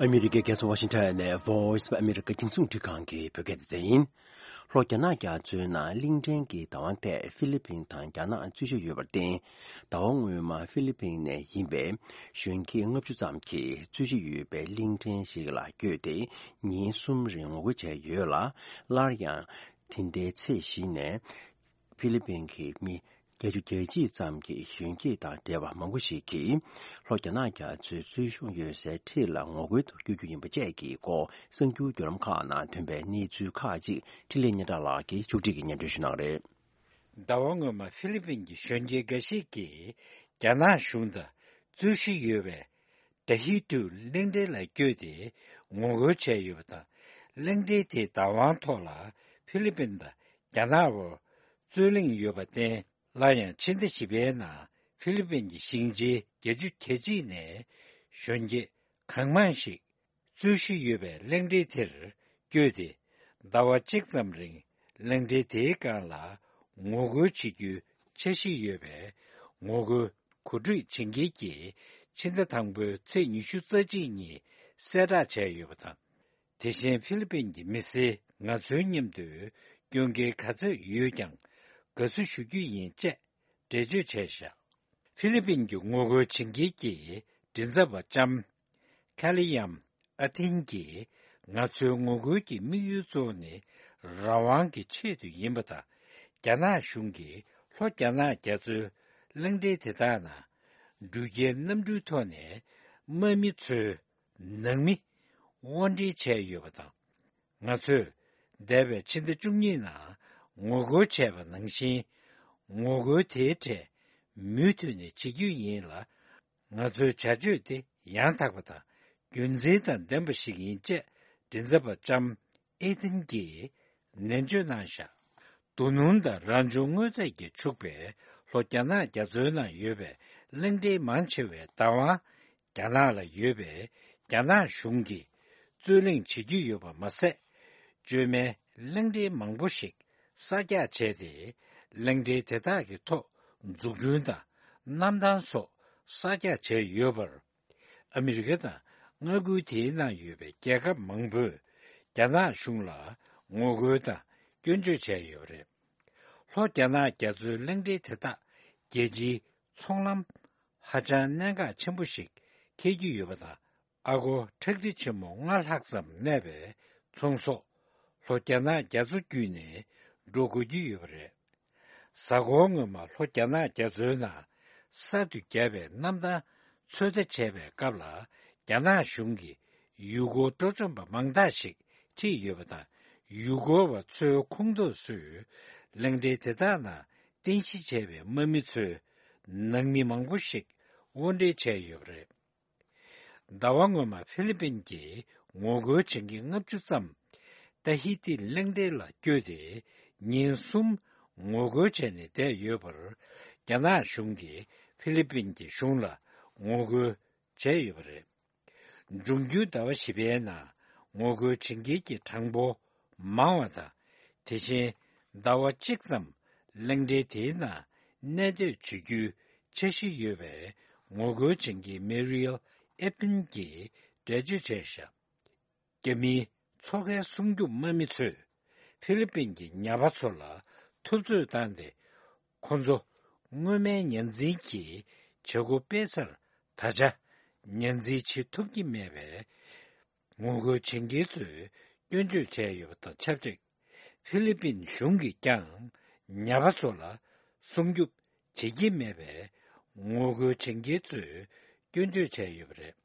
ཨ་མི་རི་ཀའི་རྒྱལ་ས་ཝ་ཤིང་ཊོན་ནས་Voice of America་རྒྱང་སྲིང་འཕྲིན་ཁང་གི་བོད་སྐད་སྡེ་ཚན་ཡིན། ལྷོ་རྒྱ་ནག་རྒྱ་མཚོའི་ནང་གླིང་ཕྲན་གྱི་བདག་དབང་ཐད་ཧྥི་ལི་ཕིན་དང་རྒྱ་ནག་རྩོད་གཞི་ཡོད་པར་བརྟེན། ཟླ་བ་སྔོན་མ་ཧྥི་ལི་ཕིན་ནས་ཡིན་པའི་གཞོན་སྐྱེས་ལྔ་བཅུ་ཙམ་གྱིས་རྩོད་གཞི་ཡོད་པའི་གླིང་ཕྲན་ཞིག་ལ་བསྐྱོད་དེ་ཉིན་གསུམ་རིང་ངོ་རྒོལ་བྱས་ཡོད་ལ། སླར་ཡང་དེ་ཟླའི་ཚེས་བཞི་ནས་ཧྥི་ལི་ཕིན་གྱི་མི་བརྒྱད་ཅུ་གྱ་གཅིག་ཙམ་གྱིས་གཞོན་སྐྱེས་དང་འབྲེལ་བ་མང་པོ་ཞིག་གིས་ལྷོ་རྒྱ་ནག་རྒྱ་མཚོའི་རྩོད་གཞི་ཡོད་སའི་འཁྲིས་ལ་ངོ་རྒོལ་དུ་བསྐྱོད་རྒྱུ་ཡིན་པ་བཅས་ཀྱི་སྐོར་གསར་འགྱུར་བརྒྱུད་ལམ་ཁག་ནང་ཐོན་པའི་གནས་ཚུལ་ཁག་ཅིག་འཕྲིན་ལས་སྙན་གྲགས་ལགས་ཀྱིས་མཇུག་སྒྲིལ་གྱིས་སྙན་སྒྲོན་ཞུ་གནང་གི་རེད། ཟླ་བ་སྔོན་མ་ཧྥི་ལི་ཕིན་གྱི་གཞོན་སྐྱེས་འགའ་ཞིག་གིས་རྒྱ་ནག་གཞུང་དང་རྩོད་གཞི་ཡོད་པའི་ཏ་ཧི་ཏུ་གླིང་ཕྲན་ལ་བསྐྱོད་དེ་ངོ་རྒོལ་བྱས་ཡོད་པ་དང་། གླིང་ཕྲན་དེའི་བདག་དབང་ཐོག་ལ་ཧྥི་ལི་ཕིན་དང་རྒྱ་ནག་བར་རྩོད་གླེང་ཡོད་པར་བརྟེན། སླར་ཡང་ཕྱི་ཟླ་བཞི་པའི་ནང་ཧྥི་ལི་ཕིན་གྱི་ཞིང་ཆེན་བརྒྱད་ཅུ་གྱ་གཅིག་ནས་གཞོན་སྐྱེས་གང་མང་ཞིག་རྩོད་གཞི་ཡོད་པའི་གླིང་ཕྲན་དེར་བསྐྱོད་དེ། ཟླ་བ་གཅིག་ཙམ་རིང་གླིང་ཕྲན་དེའི་སྒང་ལ་ངོ་རྒོལ་བྱེད་རྒྱུའི་འཆར་གཞི་ཡོད་པའི་ངོ་རྒོལ་གོ་སྒྲིག་བྱེད་མཁན་གྱིས་ཕྱི་ཟླ་དང་པོའི་ཚེས་ཉི་ཤུ་རྩ་གཅིག་ཉིན་གསལ་བསྒྲགས་བྱས་ཡོད་པ་དང་། དེ་བཞིན་ཧྥི་ལི་ཕིན་གྱི་མི་སེར་ང་ཚོའི་མཉམ་དུ་སྐྱོད་མཁན་ག་ཚོད་ཡོད་ཀྱང་དགའ་བསུ་ཞུ་རྒྱུ་ཡིན་ཅེས་འགྲེལ་བརྗོད་བྱས་བཞག་ཧྥི་ལི་ཕིན་གྱི་ངོ་རྒོལ་བྱེད་མཁན་གྱི་མགྲིན་ཚབ་པ་ལྕམ་ཁ་ལི་ཡམ་ཨ་ཐིན་གྱིས་ང་ཚོའི་ངོ་རྒོལ་གྱི་དམིགས་ཡུལ་གཙོ་བོ་ནི་རང་དབང་གི་ཆེད་དུ་ཡིན་པ་དང་། རྒྱ་ནག་གཞུང་གིས་ལྷོ་རྒྱ་ནག་རྒྱ་མཚོའི་གླིང་ཕྲན་དེ་དག་ནང་ འགྲུལ་སྐྱེལ་གནམ་གྲུའི་ཐོག་ནས་དམག་མི་ཚོའི་ནང་མི་དབོར་འདྲེན་བྱས་ཡོད་པ་དང་། ང་ཚོས་འདས་པའི་ཕྱི་ཟླ་བཅུ་གཉིས་ནང་ངོ་རྒོལ་བྱས་པ་ནང་བཞིན། ངོ་རྒོལ་དེའི་གྲས་མུ་མཐུད་ནས་བྱེད་རྒྱུ་ཡིན་ལ། ང་ཚོའི་བྱ་སྤྱོད་དེ་ཡང་དག་པ་དང་རྒྱུ་མཚན་དང་ལྡན་པ་ཞིག་ཡིན་ཅེས་མགྲིན་ཚབ་པ་ལྕམ་ཨེ་ཐན་གྱིས་ནན་བརྗོད་གནང་བཞག་རྡོ་སྣུམ་དང་རང་བྱུང་དངོས་རྫས་ཀྱིས་ཕྱུག་པའི་ལྷོ་རྒྱ་ནག་རྒྱ་མཚོའི་ནང་ཡོད་པའི་གླིང་ཕྲན་མང་ཆེ་བའི་བདག་དབང་རྒྱ་ནག་ལ་ཡོད་པའི་རྒྱ་ནག་གཞུང་གིས་རྩོད་གླེང་བྱེད་ཀྱི་ཡོད་པ་མ་ཟད། བཅོས་མའི་གླིང་ཕྲན་མང་པོ་ཞིག་གསར་རྒྱག་བྱས་ཏེ། གླིང་ཕྲན་དེ་དག་གི་ཐོག་འཛུགས་སྐྲུན་དང་གནམ་ཐང་སོགས་གསར་རྒྱག་བྱས་ཡོད་པར། ཨ་མི་རི་ཀ་དང་མངའ་ཁུལ་དེའི་ནང་ཡོད་པའི་རྒྱལ་ཁབ་མང་པོས་རྒྱ་ནག་གཞུང་ལ་ངོ་རྒོལ་དང་སྐྱོན་བརྗོད་བྱས་ཡོད་པ་རེད། ལྷོ་རྒྱ་ནག་རྒྱ་མཚོའི་གླིང་ཕྲན་དེ་དག་རྒྱལ་སྤྱིའི་ཚོང་ལམ་ཧ་ཅང་གནད་འགག་ཆེན་པོ་ཞིག་འཁེལ་གྱི་ཡོད་པ་དང་། ཨ་སྒོར་ཁྲག་ཁྲིག་ཆེན་མོ་ལྔ་ལྷག་ཙམ་གནས་པའི་ཚོང་ཟོག་ལྷོ་རྒྱ་ནག་རྒྱ་མཚོ་བརྒྱུད་ནས་འགྲོ་དགོས་ཀྱི་ཡོད་པ་རེད། གཟའ་འཁོར་སྔོན་མ་ལྷོ་རྒྱ་ནག་རྒྱ་མཚོའི་ནང་གསར་དུ་བརྒྱབ་པའི་གནམ་ཐང་ཚོད་ལྟ་བྱས་པའི་སྐབས་ལ། རྒྱ་ནག་གཞུང་གིས་ཡུལ་སྐོར་འགྲོ་མགྲོན་པ་མང་དག་ཞིག་ཁྲིད་ཡོད་པ་དང་། ཡུལ་སྐོར་བ་ཚོའི་ཁོངས་གཏོགས་ཚོས་གླིང་ཕྲན་དེ་དག་ནང་རྟེན་གཞི་བྱས་པའི་དམག་མི་ཚོའི་ནང་མི་མང་པོ་ཞིག་དབོར་འདྲེན་བྱས་ཡོད་པ་རེད། ཟླ་བ་སྔོན་མ་ཧྥི་ལི་པིན་གྱི་ངོ་རྒོལ་བྱེད་མཁན་ལྔ་བཅུ་ཙམ་ཏཱ་ཧི་ཏི་གླིང་ཕྲན་ལ་བསྐྱོད་དེ། ཉིན་གསུམ་ངོ་རྒོལ་བྱས་ནས་བསྡད་ཡོད་པར། རྒྱ་ནག་གཞུང་གིས་ཧྥི་ལི་པིན་གྱི་གཞུང་ལ་ངོ་རྒོལ་བྱས་ཡོད་པ་རེད། འབྱུང་འགྱུར་ཟླ་བ་བཞི་པའི་ནང་ངོ་རྒོལ་བྱེད་མཁན་གྱི་གྲངས་འབོར་མང་བ་དང་། དེ་བཞིན་ཟླ་བ་གཅིག་ཙམ་གླིང་ཕྲན་དེའི་ནང་གནས་སྡོད་བྱེད་རྒྱུའི་འཆར་གཞི་ཡོད་པའི་ངོ་རྒོལ་བྱེད་མཁན་མེ་རིལ་ཨེ་པིན་གྱིས་འགྲེལ་བརྗོད་བྱས་བཞག་རྒྱ་མིའི་མཚོ་ཁའི་སྲུང་སྐྱོབ་དམག་མི་ཚོས་ཧྥི་ལི་པིན་གྱི་ཉ་པ་ཚོ་ལ་འཐབ་རྩོད་བཏང་སྟེ། ཁོ་ཚོ་སྔོན་མའི་ཉ་འཛིན་གྱི་བྱེད་སྒོ་སྤེལ་སར་ད་ཆ་ཉ་འཛིན་བྱེད་ཐུབ་ཀྱི་མེད་པའི་ངོ་རྒོལ་བྱེད་མཁན་ཚོས་སྐྱོན་བརྗོད་བྱས་ཡོད་པ་དང་ཆབས་ཅིག་ཧྥི་ལི་པིན་གཞུང་གིས་ཀྱང་ཉ་པ་ཚོ་ལ་སྲུང་སྐྱོབ་བྱེད་ཀྱི་མེད་པའི་ངོ་རྒོལ་བྱེད་མཁན་ཚོས་སྐྱོན་བརྗོད་བྱས་ཡོད་པ་རེད།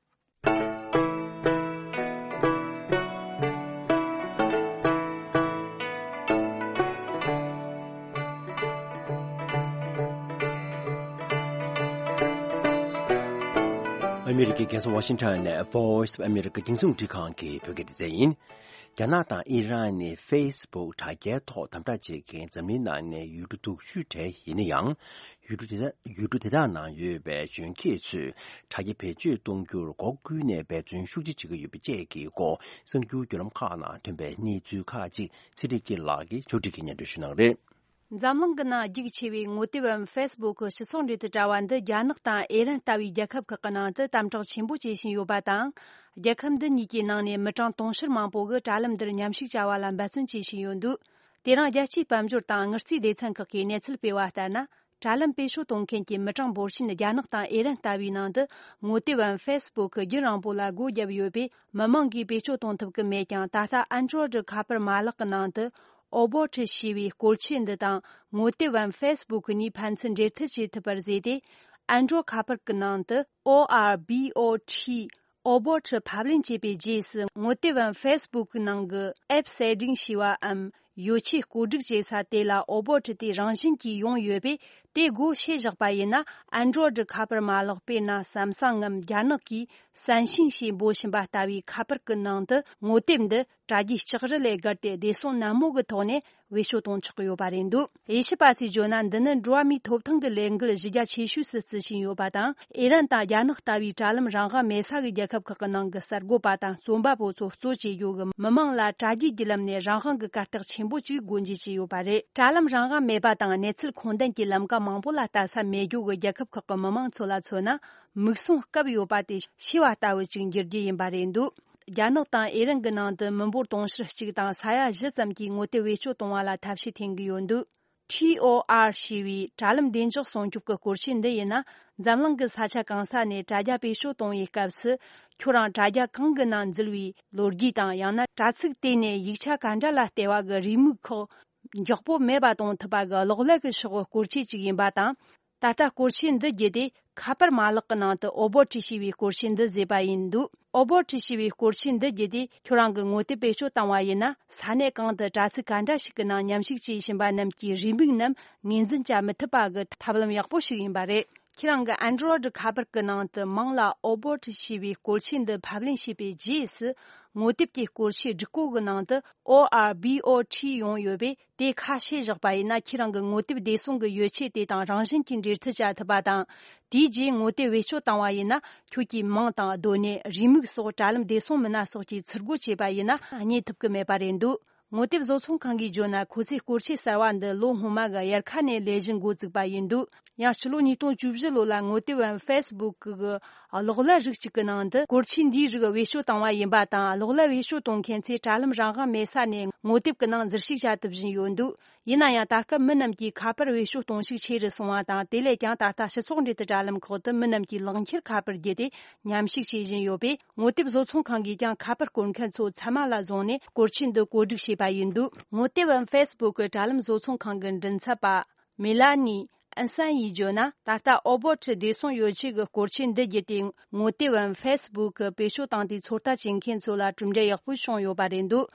ཨ་མི་རི་ཀའི་རྒྱལ་ས་ཝ་ཤིང་ཊོན་ནས་Voice of America་རྒྱང་སྲིང་རླུང་འཕྲིན་ཁང་གི་བོད་སྐད་སྡེ་ཚན་ཡིན། རྒྱ་ནག་དང་ཨི་རན་ནི་ཕེ་སི་བུག་དྲ་རྒྱའི་ཐོག་དམ་དྲག་བྱེད་མཁན་འཛམ་གླིང་ནང་ནས་ཡུལ་གྲུ་དུག་ཤོས་གྲས་ཡིན་ན་ཡང་། ཡུལ་གྲུ་དེ་དག་ཡུལ་གྲུ་དེ་དག་ནང་ཡོད་པའི་གཞོན་སྐྱེས་ཚོས་དྲ་རྒྱ་བེད་སྤྱོད་གཏོང་རྒྱུར་སྒོ་ཀུན་ནས་འབད་བརྩོན་ཤུགས་ཆེ་བྱེད་ཀྱི་ཡོད་པ་བཅས་ཀྱི་སྐོར་གསར་འགྱུར་བརྒྱུད་ལམ་ཁག་ནང་ཐོན་པའི་གནས་ཚུལ་ཁག་ཅིག་ཚེ་རིང་སྐྱིད་ལགས་ཀྱིས་ཕྱོགས་སྒྲིག་གིས་སྙན་སྒྲོན་ཞུ་གནང་རེད། འཛམ་གླིང་གི་ནང་རྒྱུགས་ཆེ་བའི་ངོ་དེབ་བམ་ཕེ་སི་བུག་གི་སྤྱི་ཚོགས་འབྲེལ་མཐུད་དྲ་བ་འདི་རྒྱ་ནག་དང་ཨེ་རན་ལྟ་བུའི་རྒྱལ་ཁབ་ཁག་གི་ནང་དུ་དམ་དྲག་ཆེན་པོ་བྱེད་བཞིན་ཡོད་པ་དང་། རྒྱལ་ཁབ་འདི་གཉིས་ཀྱི་ནང་ནས་མི་གྲངས་དུང་ཕྱུར་མང་པོ་གིས་དྲ་ལམ་འདིར་མཉམ་ཞུགས་བྱ་བ་ལ་འབད་བརྩོན་བྱེད་བཞིན་ཡོད་འདུག་དེ་རིང་རྒྱལ་སྤྱིའི་དཔལ་འབྱོར་དང་དངུལ་རྩིས་སྡེ་ཚན་ཁག་གིས་གནས་ཚུལ་སྤེལ་བ་ལྟར་ན། དྲ་ལམ་བེད་སྤྱོད་གཏོང་མཁན་གྱི་མི་གྲངས་འབོར་ཆེན་རྒྱ་ནག་དང་ཨེ་རན་ལྟ་བུའི་ནང་དུ་ངོ་དེབ་བམ་ཕེ་སི་བུག་གི་རྒྱུན་རིང་པོ་ལ་སྒོ་བརྒྱབ་ཡོད་པས། མི་མང་གིས་བེད་སྤྱོད་གཏོང་ཐུབ་ཀྱི་མེད་ཀྱང་། ད་ལྟ་ཨན་ཌྲོ་ཡིད་ཁ་པར་མ་ལག་གི་ནང་དུ་ཨོ་བོ་ཊི་ཞེས་པའི་སྐོར་ཆས་འདི་དང་ངོ་དེབ་བམ་ཕེ་སི་བུག་གཉིས་ཕན་ཚུན་འབྲེལ་མཐུད་བྱེད་ཐུབ་པར་བཟོས་ཏེ། ཨན་ཌྲོ་ཁ་པར་གྱི་ནང་དུ་ཨོ་ཨར་བྷི་ཨོ་ཊི་ཨོ་བོ་ཊི་ཕབ་ལེན་བྱས་པའི་རྗེས་སུ། ངོ་དེབ་བམ་ཕེ་སི་བུག་གི་ནང་གི་ཨེབ་གསལ་སྒྲིག་ཞེས་པའམ། ཡོ་ཆས་བཀོད་སྒྲིག་བྱེད་ས་དེ་ལ་ཨོ་བོ་ཊི་དེ་རང་བཞིན་གྱིས་ཡོང་ཡོད་པས། དེ་སྒོ་ཕྱེ་བཞག་པ་ཡིན་ན། ཨན་ཌྲོ་ཡིད་ཁ་པར་མ་ལག་དཔེར་ན་སམ་སང་ངམ་རྒྱ་ནག་གིས་三星ཞེས་འབོད་བཞིན་པ་ལྟ་བུའི་ཁ་པར་གྱི་ནང་དུ་ངོ་དེབ་འདི་དྲ་རྒྱའི་ལྕགས་རི་ལས་བརྒལ་ཏེ་བདེ་སྲུང་ནན་མོ་གི་ཐོག་ནས་བེད་སྤྱོད་གཏོང་ཆོག་གི་ཡོད་པ་རེད་འདུག་དབྱེ་ཞིབ་པ་ཚོས་བརྗོད་ན། འདི་ནི་འགྲོ་བ་མིའི་ཐོབ་ཐང་གི་ལས་འགུལ་གཞི་རྒྱ་ཆེ་ཤོས་སུ་བརྩི་བཞིན་ཡོད་པ་དང་། ཨེ་རན་དང་རྒྱ་ནག་ལྟ་བུའི་དྲ་ལམ་རང་དབང་མེད་ས་གི་རྒྱལ་ཁབ་ཁག་གི་ནང་གི་གསར་འགོད་པ་དང་རྩོམ་པ་པོ་ཚོ་གཙོ་བྱེད་རྒྱུ་གི་མི་མང་ལ་དྲ་རྒྱའི་བརྒྱུད་ལམ་ནས་རང་དབང་གི་གར་སྟེགས་ཆེན་པོ་ཅིག་སྒོ་འབྱེད་བྱས་ཡོད་པ་རེད། དྲ་ལམ་རང་དབང་མེད་པ་དང་གནས་ཚུལ་ཁུངས་ལྡན་གྱི་ལམ་ཀ་མང་པོ་ལ་ལྟ་ས་མེད་རྒྱུ་གི་རྒྱལ་ཁབ་ཁག་གི་མི་མང་ཚོ་ལ་མཚོན་ན། མིག་ཟུང་སྐབས་ཡོད་པ་དེ་ཤེས་པ་ལྟ་བུ་ཅིག་འགྱུར་རྒྱུ་ཡིན་པ་རེད་འདུག་རྒྱ་ནག་དང་ཨེ་རན་གྱི་ནང་དུ་མི་འབོར་དུང་ཕྱུར་གཅིག་དང་ས་ཡ་བཞི་ཙམ་གྱིས་ངོ་དེབ་བེད་སྤྱོད་གཏོང་བ་ལ་ཐབས་ཤེས་འཐེན་གྱི་ཡོད་འདུག་ཊི་ཨོ་ཨར་ཞེས་པའི་དྲ་ལམ་བདེ་འཇགས་སྲུང་སྐྱོབ་ཀྱི་སྐོར་ཆས་འདི་ཡིན་ན། འཛམ་གླིང་གི་ས་ཆ་གང་ས་ནས་དྲ་རྒྱ་བེད་སྤྱོད་གཏོང་བའི་སྐབས་སུ། ཁྱོད་རང་དྲ་རྒྱ་གང་གི་ནང་འཛུལ་བའི་ལོ་རྒྱུས་དང་། ཡང་ན་དྲ་ཚིགས་དེ་ནས་ཡིག་ཆ་ག་འདྲ་ལ་བལྟས་པ་གི་རེའུ་མིག་ཁག་མགྱོགས་པོ་མེད་པ་གཏོང་ཐུབ་པ་གི་གློག་ཀླད་ཀྱི་ཤོག་བུ་སྐོར་ཆས་ཅིག་ཡིན་པ་དང་། ད་ལྟ་སྐོར་ཆས་འདི་བརྒྱུད་དེ་ ཁ་པར་མ་ལག་གི་ནང་དུ་ཨོ་བོ་ཊི་ཞེས་པའི་སྐོར་ཆས་འདི་བཟོས་པ་ཡིན་འདུག་ཨོ་བོ་ཊི་ཞེས་པའི་སྐོར་ཆས་འདི་བརྒྱུད་དེ་ཁྱོད་རང་གི་ངོ་དེབ་བེད་སྤྱོད་བཏང་བ་ཡིན་ན། ས་གནས་གང་དུ་དྲ་ཚིགས་ག་འདྲ་ཞིག་གི་ནང་མཉམ་ཞུགས་བྱེད་བཞིན་པ་རྣམས་ཀྱི་རེའུ་མིག་རྣམས་ངོས་འཛིན་བྱ་མི་ཐུབ་པ་གི་ཐབས་ལམ་ཡག་པོ་ཞིག་ཡིན་པ་རེད། ཁྱེད་རང་གི་Android་ཁ་པར་གྱི་ནང་དུ་མིང་ལ་ཨོ་བོ་ཊི་ཞེས་པའི་སྐོར་ཆས་འདི་ཕབ་ལེན་བྱས་པའི་རྗེས་སུ། ངོ་དེབ་ཀྱི་སྐོར་ཆས་སྒྲིག་གོ་གི་ནང་དུ་ཨོ་ཨར་བྷི་ཨོ་ཊི་ཡོང་ཡོད་པས། དེ་ཁ་ཕྱེ་བཞག་པ་ཡིན་ན། ཁྱེད་རང་གི་ངོ་དེབ་བདེ་སྲུང་གི་ཡོ་ཆས་དེ་དང་རང་བཞིན་གྱིས་འབྲེལ་མཐུད་བྱ་ཐུབ་པ་དང་། དེའི་རྗེས་ངོ་དེབ་བེད་སྤྱོད་བཏང་བ་ཡིན་ན། ཁྱོད་ཀྱི་མིང་དང་སྡོད་གནས། རེའུ་མིག་སོགས། དྲ་ལམ་བདེ་སྲུང་མི་སྣ་སོགས་ཀྱིས་ཚུར་རྒོལ་བྱས་པ་ཡིན་ན། རྙེད་ཐུབ་ཀྱི་མེད་པ་རེད་འདུག་ངོ་དེབ་བཟོ་ཚོང་ཁང་གིས་བརྗོད་ན། ཁོ་ཚོས་སྐོར་ཆས་གསར་བ་འདི་ལོ་སྔོན་མ་གི་དབྱར་ཁ་ནས་ལས་གཞི་འགོ་བཙུགས་པ་ཡིན་འདུག་ཡང་ཕྱི་ལོ་ཉིས་སྟོང་བཅུ་བཞི་ལོ་ལ་ངོ་དེབ་བམ་Facebook་གི་གློག་ཀླད་རིགས་གཅིག་གི་ནང་དུ་སྐོར་ཆས་འདིའི་རིགས་བེད་སྤྱོད་བཏང་བ་ཡིན་པ་དང་། གློག་ཀླད་བེད་སྤྱོད་གཏོང་མཁན་ཚོས་དྲ་ལམ་རང་དབང་མེད་ས་ནས་ངོ་དེབ་ཀྱི་ནང་འཛུལ་ཞུགས་བྱ་ཐུབ་བཞིན་ཡོད་འདུག་ཡིན་ན་ཡང་། ད་སྐབས་མི་རྣམས་ཀྱིས་ཁ་པར་བེད་སྤྱོད་གཏོང་ཤུགས་ཆེ་རུ་སོང་བ་དང་། དེ་ལས་ཀྱང་ད་ལྟ་སྤྱི་ཚོགས་འབྲེལ་མཐུད་དྲ་ལམ་ཁག་ཏུ་མི་རྣམས་ཀྱིས་ལག་འཁྱེར་ཁ་པར་བརྒྱུད་དེ་མཉམ་ཞུགས་བྱེད་བཞིན་ཡོད་པས། ངོ་དེབ་བཟོ་ཚོང་ཁང་གིས་ཀྱང་ཁ་པར་བསྐོར་མཁན་ཚོ་ཚད་མ་ལ་བཟུང་ནས་སྐོར་ཆས་འདི་བཀོད་སྒྲིག་བྱས་པ་ཡིན་འདུག་ངོ་དེབ་བམ་Facebook་གི་དྲ་ལམ་བཟོ་ཚོང་ཁང་གི་མགྲིན་ཚབ་པ། མེ་ལ་ནི་ཨན་སན་ཡིས་བརྗོད་ན། ད་ལྟ་ཨོ་བོ་ཊི་བདེ་སྲུང་ཡོ་ཆས་ཀྱི་སྐོར་ཆས་འདི་བརྒྱུད་དེ་ངོ་དེབ་བམ་Facebook་བེད་སྤྱོད་བཏང་སྟེ་ཚོད་ལྟ་བྱེད་མཁན་ཚོ་ལ་གྲུབ་འབྲས་ཡག་པོ་བྱུང་ཡོད་པ་རེད་འདུག་